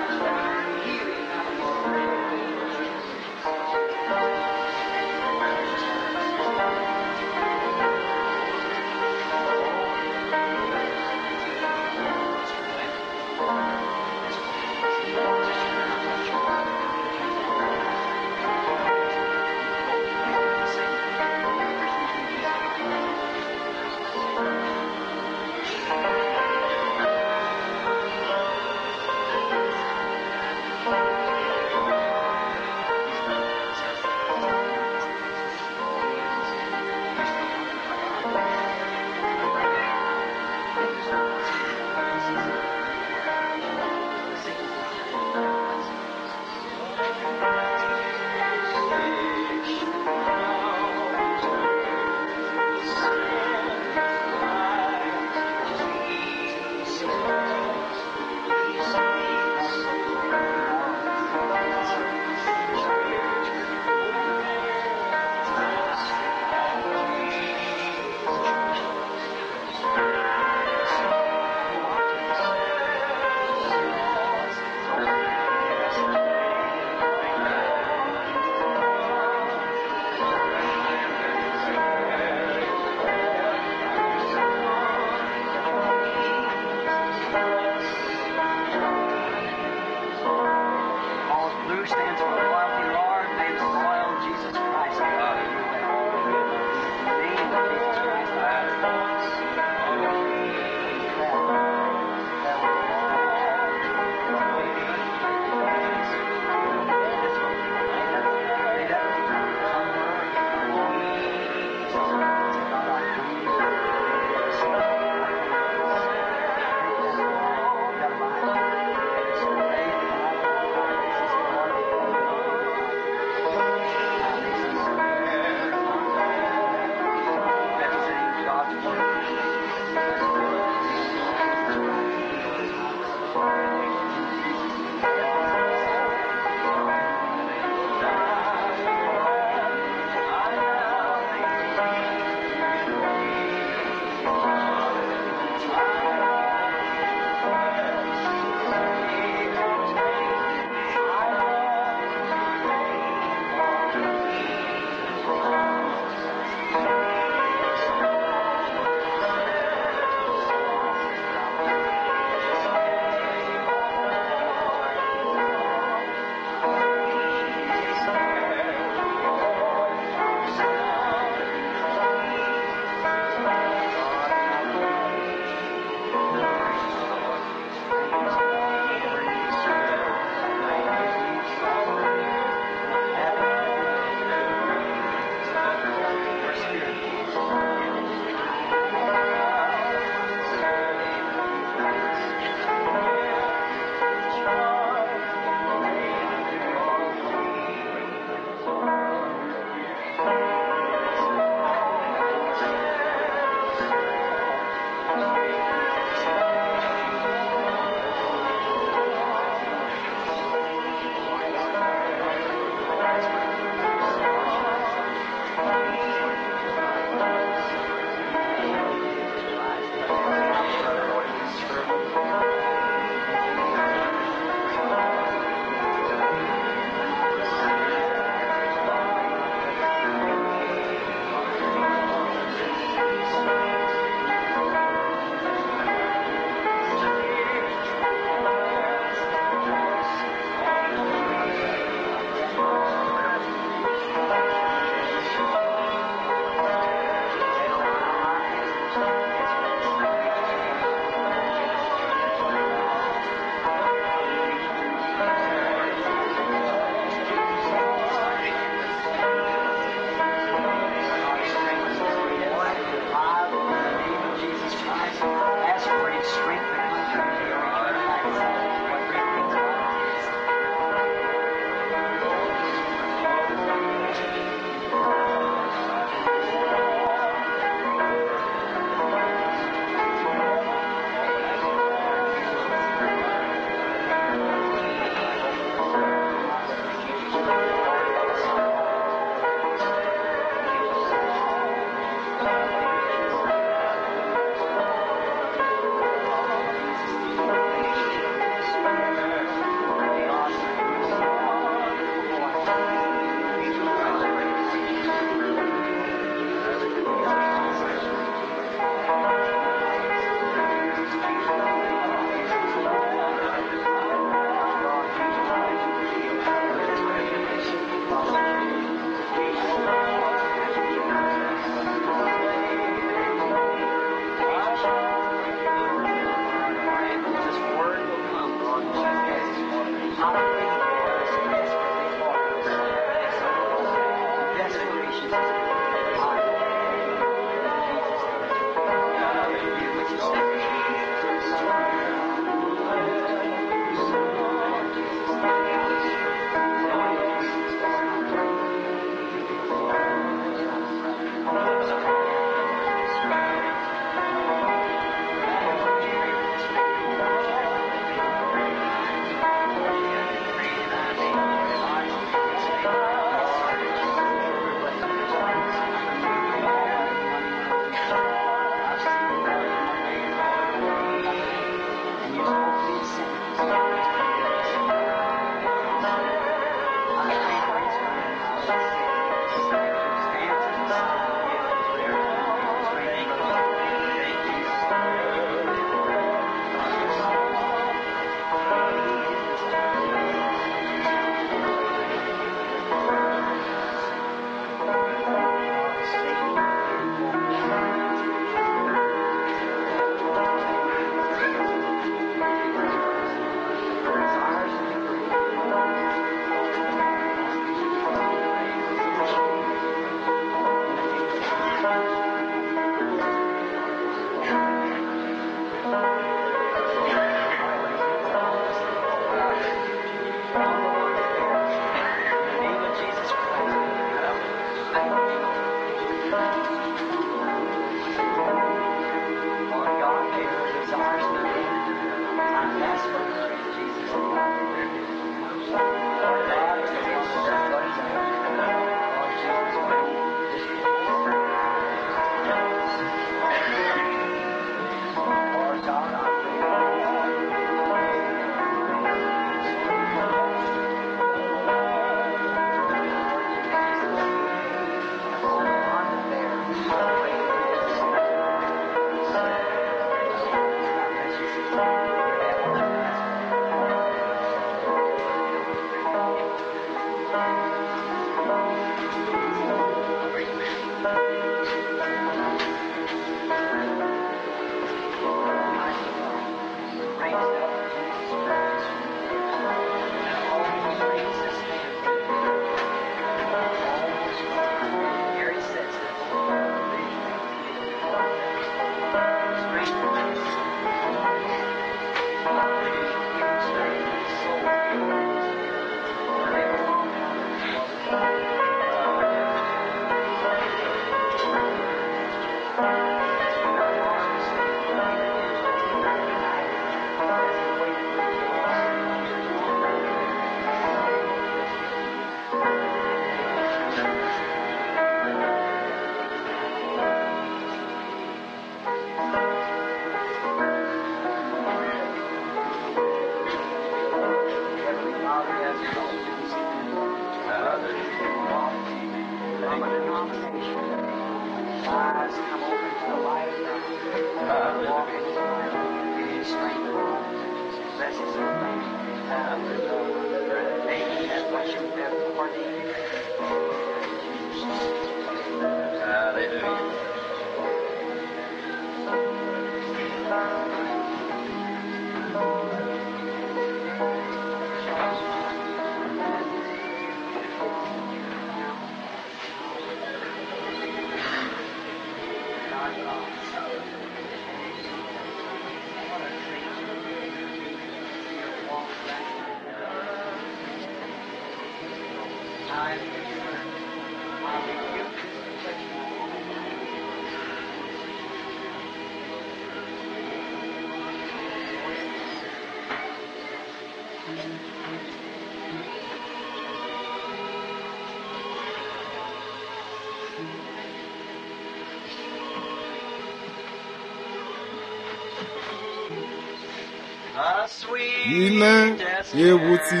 Pina ye botse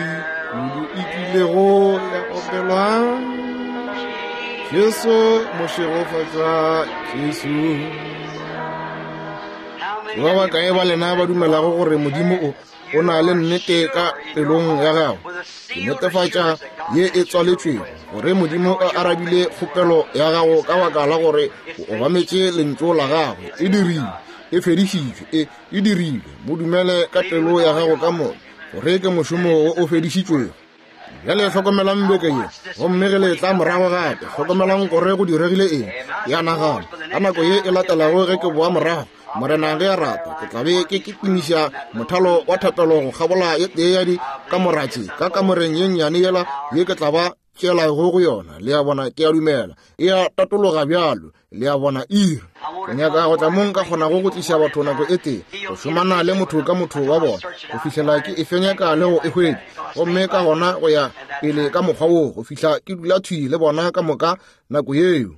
kudu e kilego ya opelwa, Jesu mošegofatša Jesu. Ba bakae ba lena ba dumelago gore Modimo o o na le nnete ka pelong ya gago? Ke netefatša ye e tswaletšwego gore Modimo o arabile kgopelo ya gago ka baka la gore o obametše lentšu la gagwe. E dirile, e fedišitšwe, e e dirilwe. Mo dumele ka pelo ya gago ka moka gore ke mošomo wo o fedišitšwego. Bjale hlokomelang beke ye, gomme ge le tla morago gape, hlokomelang gore go diregile eng. Ya nagana ka nako ye e latelago ge ke boa morago, Morena ge a rata, ke tla be ke kitimiša mothalo wa thapelo go kgabola ye tee ya dikamora tše ka kamoreng ye nnyane yela ye ke tla ba tšeelago go yona. Le a bona, ke a dumela e a tatologa bjalo. Le a bona, iri. Ke nyaka go tla mo nka kgonago go tliša batho nako e tee, go šomana le motho ka motho wa bona, go fihlela ke e fenyeka le go e hwetša, gomme ka gona go ya pele ka mokgwa woo go fihla ke dula thwi le bona ka moka nako yeo.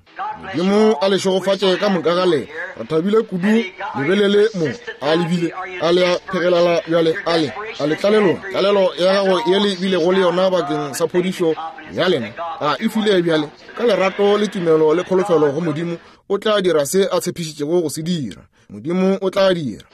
Modimo a le šegofatše ka moka ga lena. Re thabile kudu lebelele mo a lebile a le a phegelala bjale a le a le tlalelong tlalelo ya gago ye le bilego le yona bakeng sa phodišo ya lena a e file bjale ka lerato le tumelo le kholofelo go Modimo. O tla dira se a tshepišitšego go se dira. Modimo o tla dira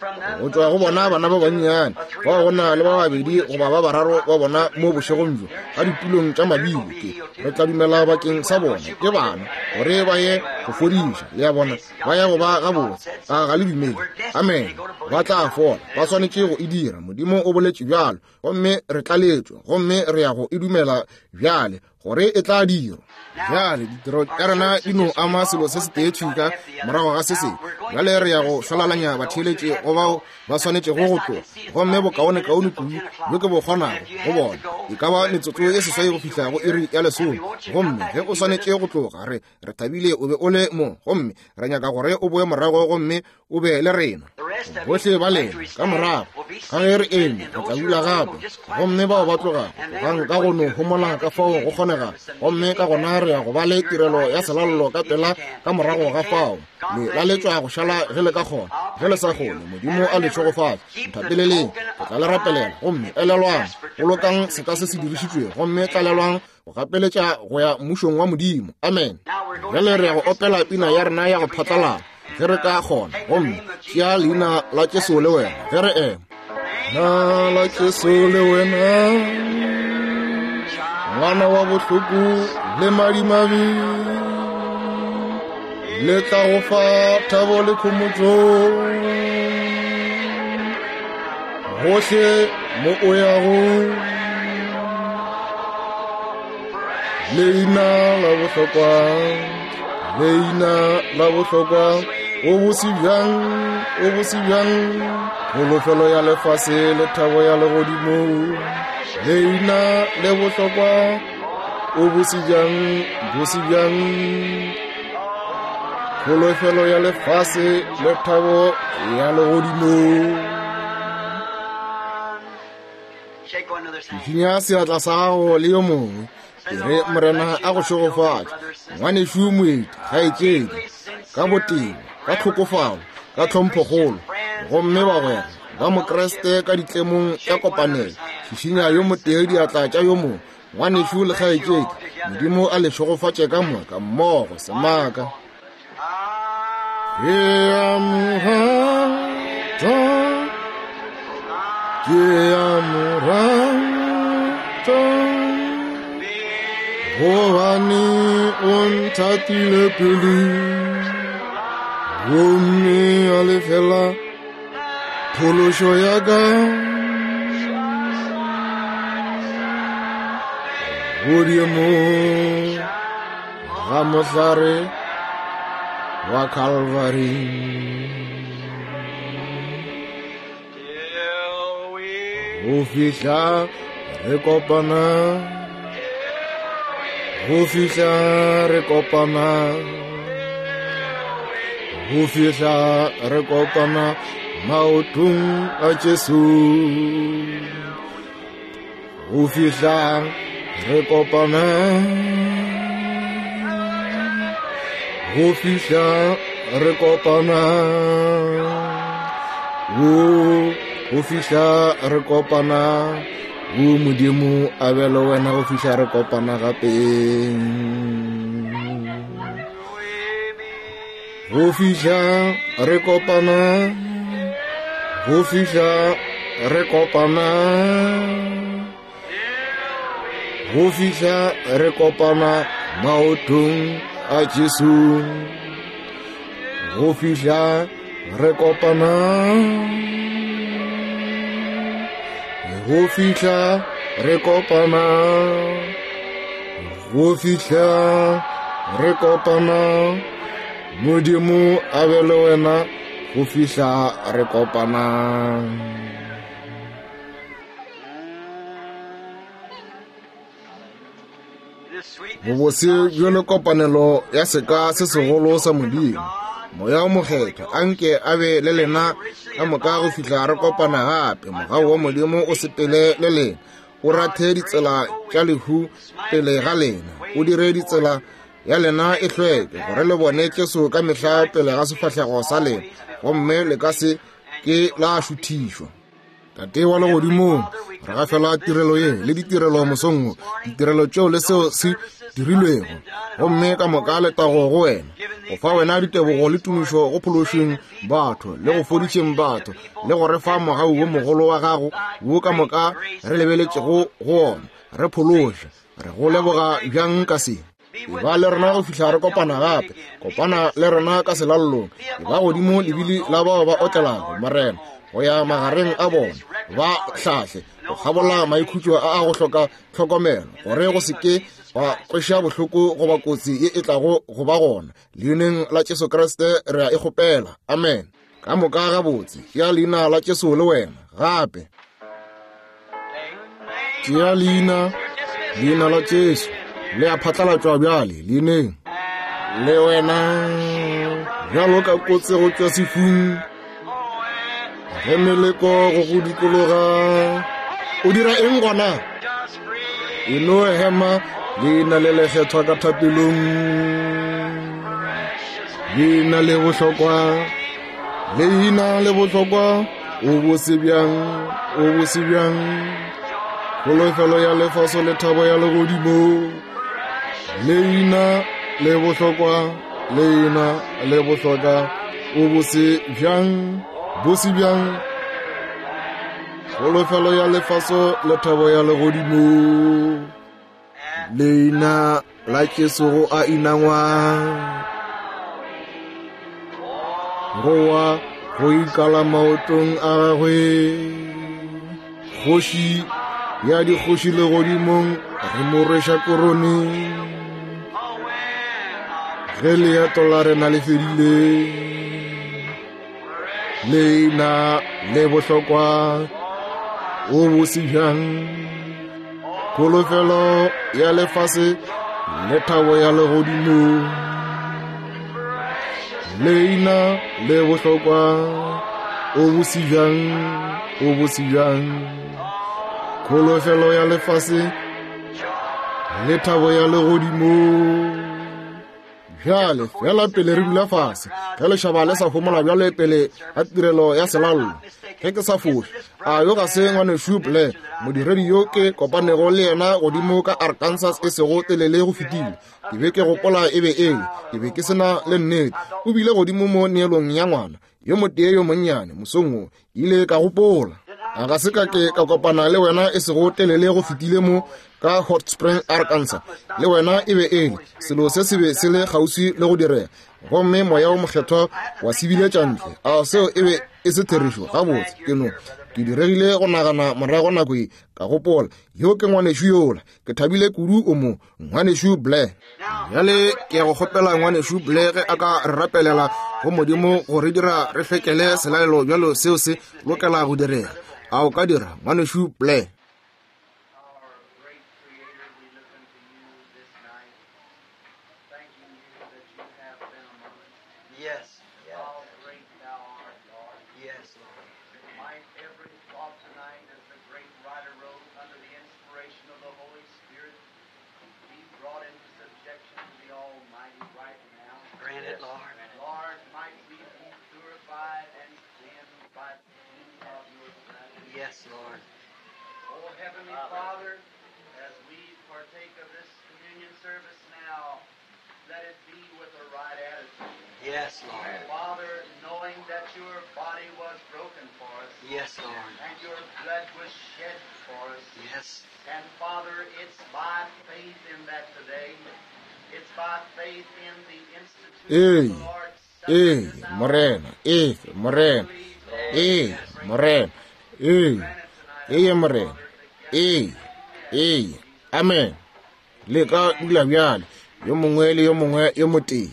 go tšwa go bona bana ba bannyane bao go na le ba babedi goba ba bararo ba bona mo bošegong bjo ka ditulong tša mabili. Ke re tla dumela bakeng sa bona ke bana gore ba ye go fodiša le ya bona ba ya go ba gabotse. A ga le dumele? Amen. Ba tla fola, ba swanetše go e dira. Modimo o boletše bjalo, gomme re tlaletšwe, gomme re ya go e dumela bjale gore e tla dirwa. Bjale ditiro tša rena di no ama selo se setee thwi ka morago ga se sengwe. Bjale re ya go šwalalanya batheeletše go bao ba swanetšego go tloga, gomme bokaonekaone kudu bjo ke bo kgonago go bona e ka ba metsotso e seswai go fihla go iri ya lesome. Gomme ge o swanetše go tloga, re re thabile o be o le mo, gomme re nyaka gore o boe morago gomme o be le rena. Bohle ba lena ka morago ka ge re eme re tla dula gape, gomme bao ba tlogago tlogang ka go no homola ka fao go kgonega, gomme ka gona re ya go ba le tirelo ya selallo ka pela ka morago ga fao. Le laletšwa go šala ge le ka kgona, ge le sa kgone Modimo a le šegofatše. Nthapeleleng, ke tla le rapelela. Gomme elelwang, bolokang seka se se dirišitšwego, gomme tlalelwang go gapeletša go ya mmušong wa Modimo. Amen. Bjale re ya go opela pina ya rena ya go phatlalala ge re ka kgona, gomme tšea leina la Jesu le wena ge re ema. Na la Jesu le wena, ngwana wa bohloko le madimabe, le tla go fa thabo le khomotšo gohle mo o yago. Leina la bohlokwa, leina la bohlokwa, o bose bjang, o bose bjang, kholofelo ya lefase le thabo ya legodimo. Leina le bohlokwa, o bose bjang, bose bjang, kholofelo ya lefase le thabo ya legodimo. Šišinya seatla sa gago le yo mongwe, e re Morena a go šegofatše. Ngwanešu moeti, kgaetšedi, ka botebo, ka tlhokofalo, ka tlhomphokgolo, gomme bagwera ba Mokreste ka ditlemong tša kopanelo, šišinya yo motee diatla tša yo mongwe. Ngwanešu le kgaetšedi, Modimo a le šegofatše ka moka mmogo semaka. Ke a mo rata, ke a mo rata, gobane o nthatile pele, gomme a lefela phološo ya ka. Godimo ga mohlare wa Calvary. Go fihla re kopana, go fihla re kopana, go fihla re kopana maotong a Jesu. Go fihla re kopana, go fihla re kopana, o go fihla re kopana. O Modimo a be le wena go fihla re kopana gape. Go fihla re kopana, go fihla re kopana, go fihla re kopana maotong a Jesu. Go fihla re kopana, go fihla re kopana, go fihla re kopana. Modimo a be le wena go fihla re kopana. Bobose bjo le kopanelo ya seka se segolo sa Modimo. Moya o Mokgethwa a nke a be le lena ka moka go fihla re kopana gape. Mogau wa Modimo o sepele le lena, o rathe ditsela tša lehu pele ga lena, o dire ditsela ya lena e hlweke, gore le bone Jesu ka mehla pele ga sefahlego sa lena, gomme le ka se ke la šuthišwa. Tate wa legodimong, re gafela tirelo ye le ditirelo mosong wo, ditirelo tšeo le seo se dirilwego, gomme ka moka letago go wena, go fa wena ditebogo le tumišo go phološeng batho le go fodišeng batho le go re fa mogau wo mogolo wa gago wo ka moka re lebeletšego go ona. Re phološe, re go leboga bjang ka se. Eba le rena go fihla re kopana gape, kopana le rena ka selallong, eba godimo lebili la bao ba otlelago, Morena, go ya magareng a bona, ba hlahle go kgabola maikhutšo a a go hloka tlhokomelo, gore go se ke gwa kweša bohloko goba kotsi ye e tlago go ba gona. Leineng la Jesu Kriste re a e kgopela, amen. Ka moka gabotse, tšea leina la Jesu le wena gape. Tšea leina, leina la Jesu le a phatlalatšwa bjale leineng le wena, bjalo ka kotse go tšwa sefung, ge meleko go go dikologa. O dira eng gona? E no hema leina le lekgethwa ka thapelong, leina le bohlokwa, leina le bohlokwa, o bose bjang, o bose bjang, kholofelo ya lefaso le thabo ya legodimo, leina le bohlokwa, leina le bohlokwa, o bose bjang, bose bjang, kholofelo ya lefaso le thabo ya legodimo, leina la Jesu go a inangwa, go wa go ikala maotong a gagwe, kgoši ya dikgoši legodimong re mo rweša korone, ge leeto la rena le fedile, leina le bohlokwa, o bose bjang, kholofelo ya lefase le thabo ya legodimo, leina le bohlokwa, o bose bjang, o bose bjang, kholofelo ya lefase le thabo ya legodimo. Bjale fela pele re dula fase, ge lešaba le sa homola bjale pele ga tirelo ya selallo, ge ke sa foše, a yo ga se ngwanešu Blair, modiredi yo ke kopanego le yena godimo ka Arkansas e sego telele go fetile. Ke be ke gopola e be ele, ke be ke sena le nnete. O bile godimo mo neelong ya ngwana yo motee yo monnyane mosong wo, ile ka gopola, a ga se ka ke ka kopana le wena e sego telele go fetile mo ka Hot Spring, Arkansas, le wena e be ele selo se se be se le kgauswi le go direga, gomme moya o mokgethwa wa se biletša ntle. A seo e be e se therešo? Gabotse, ke no ke diregile go nagana morago nako ye, ka gopola, yo ke ngwanešu yola, ke thabile kudu o mo, ngwanešu Blair. Bjale ke ya go kgopela ngwanešu Blair ge a ka re rapelela go Modimo go re dira re hlwekele selalelo bjalo seo se lokela go direga. A o ka dira, ngwanešu Blair? Yes. How great thou art, Lord. Yes, Lord. Might every thought tonight, as the great writer wrote, under the inspiration of the Holy Spirit, be brought into subjection to the Almighty right now. Grant it, Lord. Lord, might we be purified and cleansed by the shedding of your blood. Yes, Lord. O Heavenly Father, as we partake of this communion service now, let it be with the right attitude. Yes, Lord. Father, knowing that your body was broken for us, Yes, Lord. and your blood was shed for us. Yes. And Father, it's by faith in that today. It's by faith in the institution Ee, of the Lord's Supper ee, this hour. Morena, ee, Morena, ee, Morena, ee, ee, Morena, ee, ee, amen. Le ka dula bjale, yo mongwe le yo mongwe yo motee.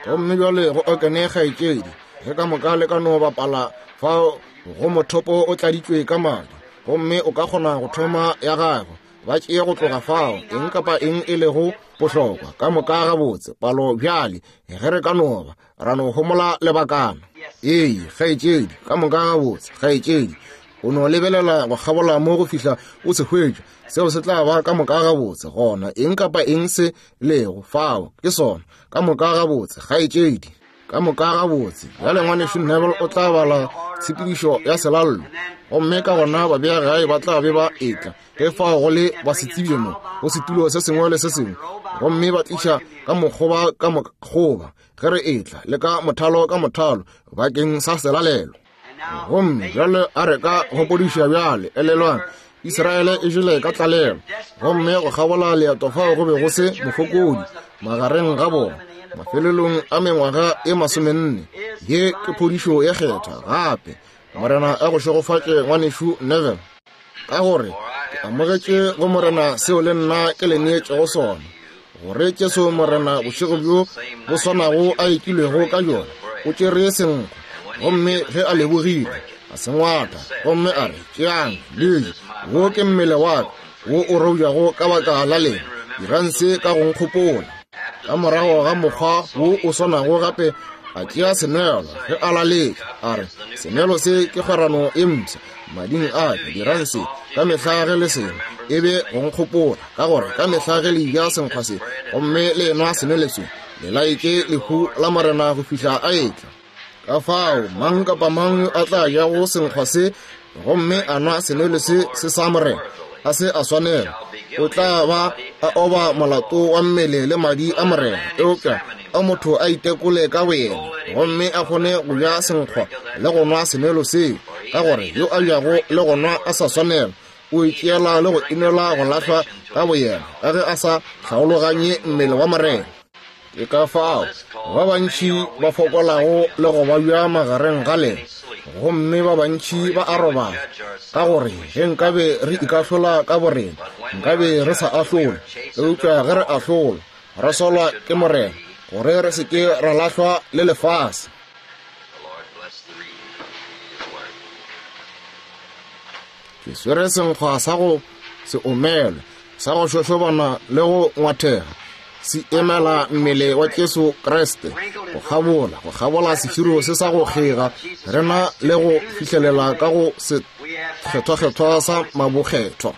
Gomme bjale go okene kgaetšedi, ge ka moka le ka no bapala fao go mothopo o tladitšwe ka madi, gomme o ka kgona go thoma ya gago. ba tšee go tloga fao eng kapa eng e lego bohlokwa ka moka gabotse palo bjale ge re ka noba ra no homola lebakana. Ee, kgaetšedi, ka moka gabotse, kgaetšedi, o no lebelela go kgabola mo go fihla o se hwetša, seo se tla ba ka moka gabotse. Gona eng kapa eng se lego fao ke sona, ka moka gabotse, kgaetšedi, ka moka gabotse. Bjale ngwanešu Neville o tla bala tshepedišo ya selallo, gomme ka gona babeagae ba tla be ba etla ge fao go le ba se tsebje mo go setulo se sengwe le se sengwe, gomme ba tliša ka mokgoba ka mokgoba ge re etla le ka mothalo ka mothalo bakeng sa selalelo. Gomme bjale a re ka gopodiša bjale, elelwang, Israele e jele ka tlalelo, gomme go kgabola leeto fao go be go se mofokodi magareng ga bona. Mafelelong a mengwaga e masomenne, ye ke phodišo ye kgetha gape. Morena a go šegofatše ngwanešu Neville, ka gore ke amogetše go Morena seo le nna ke le neetšego sona, gore Jesu Morena bošego bjo bo swanago a ekilwego ka bjona, o tšere senkgwa, gomme ge a lebogile a se ngwatha, gomme a re, tšeang le je, wo ke mmele wa ka wo o robjago ka baka la lena, dirang se ka go nkgopola. Ka morago ga mokgwa wo o swanago gape a tšea senwelo ge a laletša, a re, senwelo se ke kgwerano e mpsha mading a ka, dirang se ka mehla ge le sengwe e be go nkgopola, ka gore ka mehla ge le ja senkgwa se gomme le enwa senwelo se, le laetše lehu la Morena go fihla a etla. Ka fao mang kapa mang yo a tla jago senkgwa se gomme a nwa senwelo se se sa Morena a se a swanela, o tla ba a oba molato wa mmele le madi a Morena. Eupša a motho a itekole ka boyena, gomme a kgone go ja senkgwa le go nwa senwelo seo, ka gore yo a jago le go nwa a sa swanela o itšeela le go inela go lahlwa ka boyena, ka ge a sa hlaologanye mmele wa Morena. Ke ka fao ba bantši ba fokolago le go babja magareng ga lena, gomme ba bantši ba a robala, ka gore ge nkabe re ikahlola ka borena, nkabe re sa ahlole. Eupša ge re ahlola, re solwa ke Morena, gore re se ke ra lahlwa le lefase. Ke swere senkgwa sa go se omelwe, sa go šošobana le go ngwathega, se emela mmele wa Jesu Kriste, go kgabola go kgabola seširo se sa go kgega rena le go fihlelela ka go se kgethwa-kgethwa sa mabokgethwa.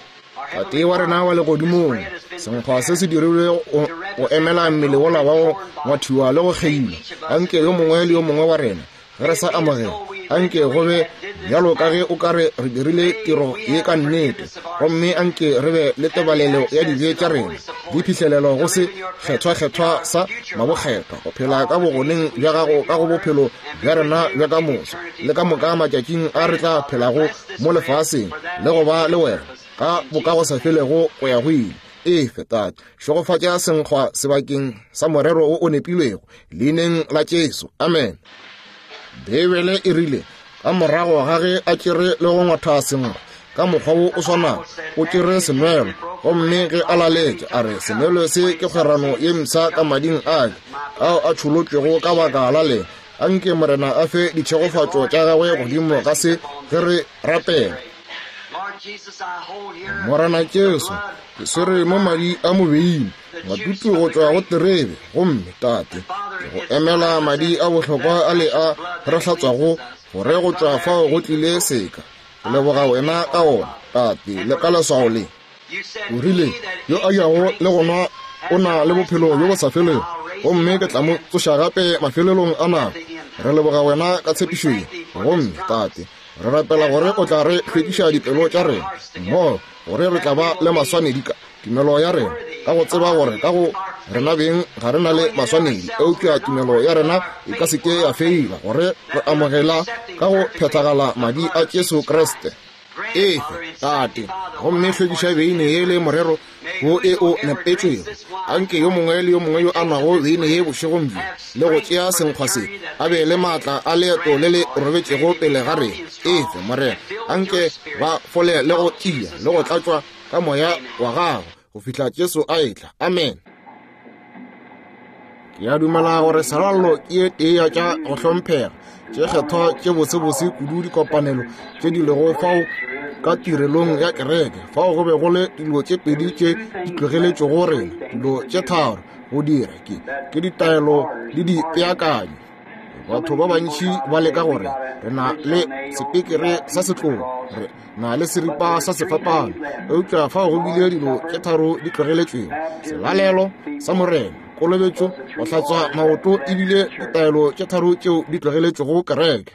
Tate wa rena wa legodimong, senkgwa se se dirilwe go emela mmele wola wa go ngwathiwa le go kgeiwa. Anke yo mongwe le yo mongwe wa rena ge re sa amogela, anke go be bjalo ka ge o ka re re dirile tiro ye ka nnete, gomme anke re be le tebalelo ya dibe tša rena di phihlelelo go se kgethwa-kgethwa sa mabokgethwa, go phela ka bogoneng bja gago ka go bophelo bja rena bja ka moso le ka moka matšatšing a re tla phelago mo lefaseng, le go ba le wena ka bokagosafelego go ya go ile. Efe Tate, šegofatša senkgwa sebakeng sa morero wo o nepilwego, leineng la Jesu, amen. Beibele e rile ka morago ga ge a tšere le go ngwatha senkgwa ka mokgwa wo o swanago, o tšere senwelo, gomme ge a laletša a re, senwelo se ke kgwerano ye mpsha ka mading a ka ao a tšholotšwego ka baka la lena. Anke Morena a fe ditšhegofatšo tša gagwe godimo ga se ge re rapela. Morena Jesu, ke swere mo madi a mobeine, matutu go tšwa go terebe, gomme Tate, ke go emela madi a bohlokwa a le a re hlatswago, gore go tšwa fao go tlile seka. Ke leboga wena ka ona, Tate, le ka leswao le. O rile, yo a jago le go nwa o na le bophelo bjo bo sa felego, gomme ke tla mo tsoša gape mafelelong a nako. Re leboga wena ka tshepišo ye, gomme Tate, re rapela gore o tla re hlwekiša dipelo tša rena mmogo, gore re tla ba le maswanedi ka tumelo ya rena, ka go tseba gore ka go rena beng ga re na le maswanedi, eupša tumelo ya rena e ka se ke ya feila, gore re amogela ka go phethagala madi a Jesu Kriste. Efe Tate, gomme hlwekiša beine ye le morero wo e o nepetšwego. Anke yo mongwe le yo mongwe yo a nwago beine ye bošegong bjo le go tšea senkgwa se a be le maatla a leeto le le robetšego pele ga rena. Efe Morena, anke ba fole le go tia le go tlatšwa ka moya wa gago go fihla Jesu a etla. Amen. Ke a dumela gore selallo ke ye tee ya tša go hlomphega tše kgethwa tše bosebose kudu dikopanelo tše di lego fao ka tirelong ya kereke, fao go be go le dilo tše pedi tše di tlogeletšego rena, dilo tše tharo go dira, ke ke ditaelo le dipeakanyo. Batho ba bantši ba leka gore re na le sepekere sa setlogo, re na le seripa sa sefapano, eupša fao go bile dilo tše tharo di tlogeletšwego: selalelo sa Morena, kolobetšo, go hlatswa maoto, ebile ditaelo tše tharo tšeo di tlogeletšwego kereke.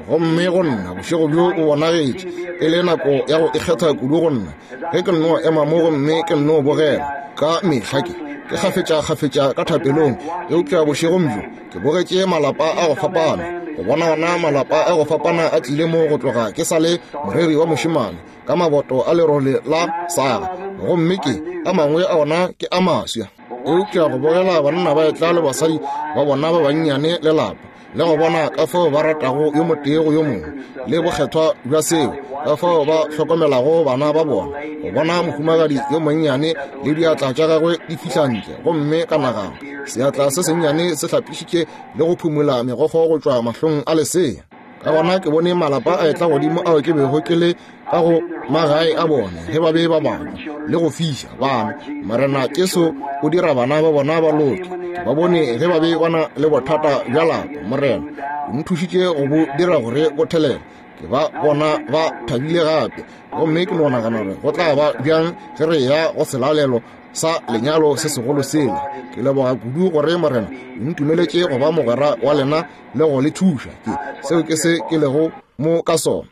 Gomme go nna bošego bjo o bonagetše e le nako ya go ikgetha kudu go nna, ge ke nno ema mo gomme ke nno bogela ka mehla ke ke kgafetša-kgafetša ka thapelong, eupša bošegong bjo ke bogetše malapa a go fapana, go bona ona malapa a go fapana a tlile mo go tloga ke sa le moreri wa mošemane ka maboto a lerole la saga, gomme ke a mangwe a ona ke a maswa. Eupša go bogela banna ba etla le basadi ba bona ba bannyane le lapa, le go bona ka fao ba ratago yo motee go yo mongwe, le bokgethwa bja seo, ka fao ba hlokomelago bana ba bona, go bona mohumagadi yo monnyane le diatla tša gagwe di fihla ntle, gomme ka nagana seatla se sennyane se hlapišitše le go phumula megokgo go tšwa mahlong a lesea. Ka gona ke bone malapa a etla godimo ao ke bego ke le ka go magae a bona ge ba be ba bana le go fiša bana. Morena Jesu o dira bana ba bona ba loke. Ke ba bone ge ba be ba na le bothata bja lapa. Morena o nthušitše go bo dira gore bo thelele. Ke ba bona ba thabile gape, gomme ke no nagana gore go tla ba bjang ge re ya go selalelo sa lenyalo se segolo sela. Ke leboga kudu gore Morena o ntumeletše go ba mogwera wa lena le go le thuša. Ke seo ke se ke lego mo ka sona.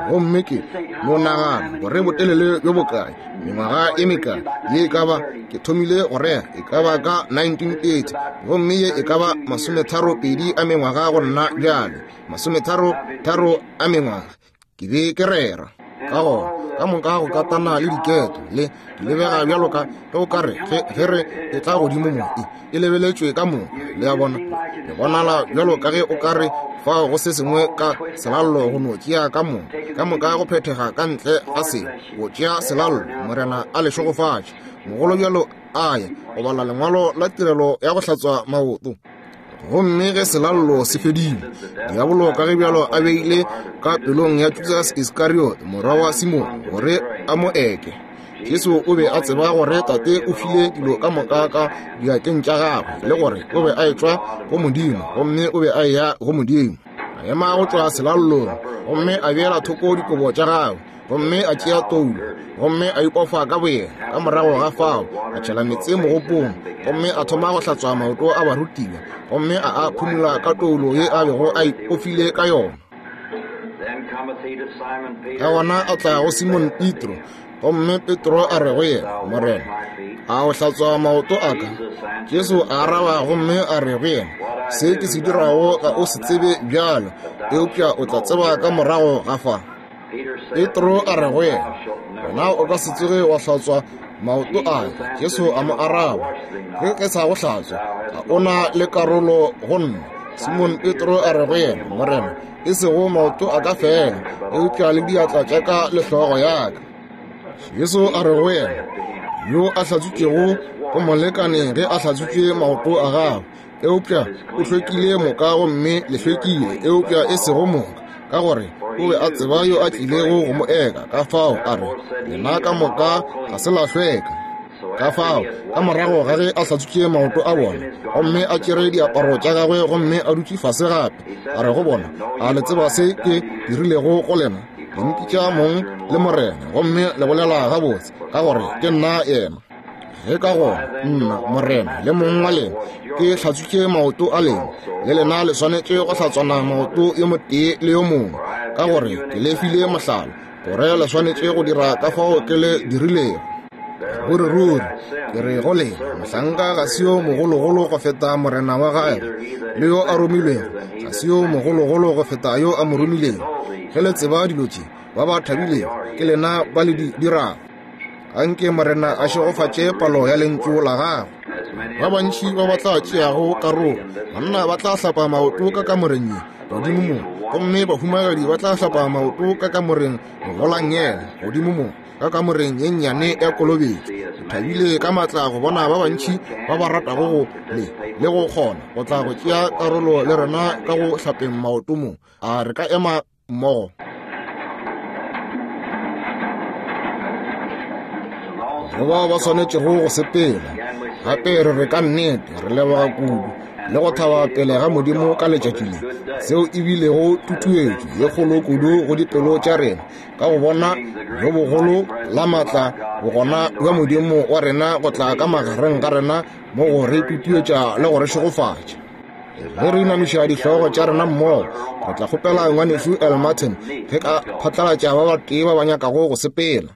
Gomme ke no nagana gore botelele bjo bokae, mengwaga e mekae ye e ka ba ke thomile go rea e ka ba ka nineteen thirty, gomme ye e ka ba masometharo pedi a mengwaga go nna bjale, masometharo tharo a mengwaga ke be ke rera. Ka gona ka moka go katana le diketo le di lebega bjalo ka ge o ka re ge re e tla godimo mo e e lebeletšwe ka moka, le a bona, le bonala bjalo ka ge o ka re fao go se sengwe ka selallo go no tšea ka moka, ka moka go phethega ka ntle ga se go tšea selallo. Morena a le šegofatše. Mogolo bjalo a ya go bala lengwalo la tirelo ya go hlatswa maoto. Gomme ge selallo se fedile, diabolo ka ge bjalo a beile ka pelong ya Judas Iskariot morwa wa Simone gore a mo eke. Jesu o be a tseba gore Tate o file dilo ka moka ka diatleng tša gagwe, le gore o be a etšwa go Modimo, gomme o be a eya go Modimo. A ema go tšwa selallong, gomme a beela thoko dikobo tša gagwe, gomme a tšea toulo, gomme a ipofa ka boyena. Ka morago ga fao a tšhela meetse mogopong, gomme a thoma go hlatswa maoto a barutiwa, gomme a a phumula ka toulo ye a bego a ipofile ka yona. Ka gona a tla go Simon Petro, gomme Petro a re go yena, Morena, a o hlatswa maoto a ka? Jesu a araba gomme a re go yena, se ke se dirago ga o se tsebe bjalo, eupša o tla tseba ka morago ga fa. Petro a re go yena, wena o ka se tsoge wa hlatswa maoto a ka. Jesu a mo araba, ge ke sa go hlatswa ga o na le karolo go nna. Simon Petro a re go yena, Morena, e sego maoto a ka fela, eupša le diatla tša ka le hlogo ya ka. Jesu a re go yena, yo a hlatswitšego go molekane ge a hlatswitše maoto a gagwe, eupša o hlwekile moka, gomme le hlwekile, eupša e sego moka, ka gore o be a tseba yo a tlilego go mo eka. Ka fao a re, lena ka moka ga se la hlweka. Ka fao ka morago ga ge a hlatswitše maoto a bona, gomme a tšere diaparo tša gagwe, gomme a dutše fase gape, a re go bona, a le tseba se ke dirilego go lena? Le mpitša mong le Morena, gomme le bolela gabotse, ka gore ke nna yena. Ge ka gona nna Morena le mong wa lena ke hlatswitše maoto a lena, le lena le swanetše go hlatswana maoto yo motee le yo mongwe, ka gore ke le file mohlala, gore le swanetše go dira ka fao ke le dirilego. Ruri ruri ke re go lena, mohlanka ga se yo mogologolo go feta morena wa gagwe, le yo a romilwego ga se yo mogologolo go feta yo a mo romilego. Ge le tseba dilo tše, ba ba thabilego ke lena ba le di dirago. Anke Morena a šegofatše palo ya lentšu la gagwe. Ba bantši ba ba tla tšeago karolo, banna ba tla hlapa maoto ka kamoreng ye godimo mo, gomme bahumagadi ba tla hlapa maoto ka kamoreng go la nngele godimo mo, ka kamoreng ye nnyane ya kolobetšo. Ke thabile ka maatla go bona ba bantši ba ba ratago go le le go kgona go tla go tšea karolo le rena ka go hlapeng maoto mo. A re ka ema mmogo? Go bao ba swanetšego go sepela, gape re re ka nnete re leboga kudu le go thaba pele ga Modimo ka letšatši le, seo e bilego tutuetšo ye kgolo kudu go dipelo tša rena ka go bona bjo bogolo la maatla bogona bja Modimo wa rena go tla ka magareng ga rena mo go re tutuetša le go re šegofatša. Ge re inamiša dihlogo tša rena mmogo, re tla kgopela ngwanešu El Martin ge ka phatlalatša ba batee ba ba nyakago go sepela.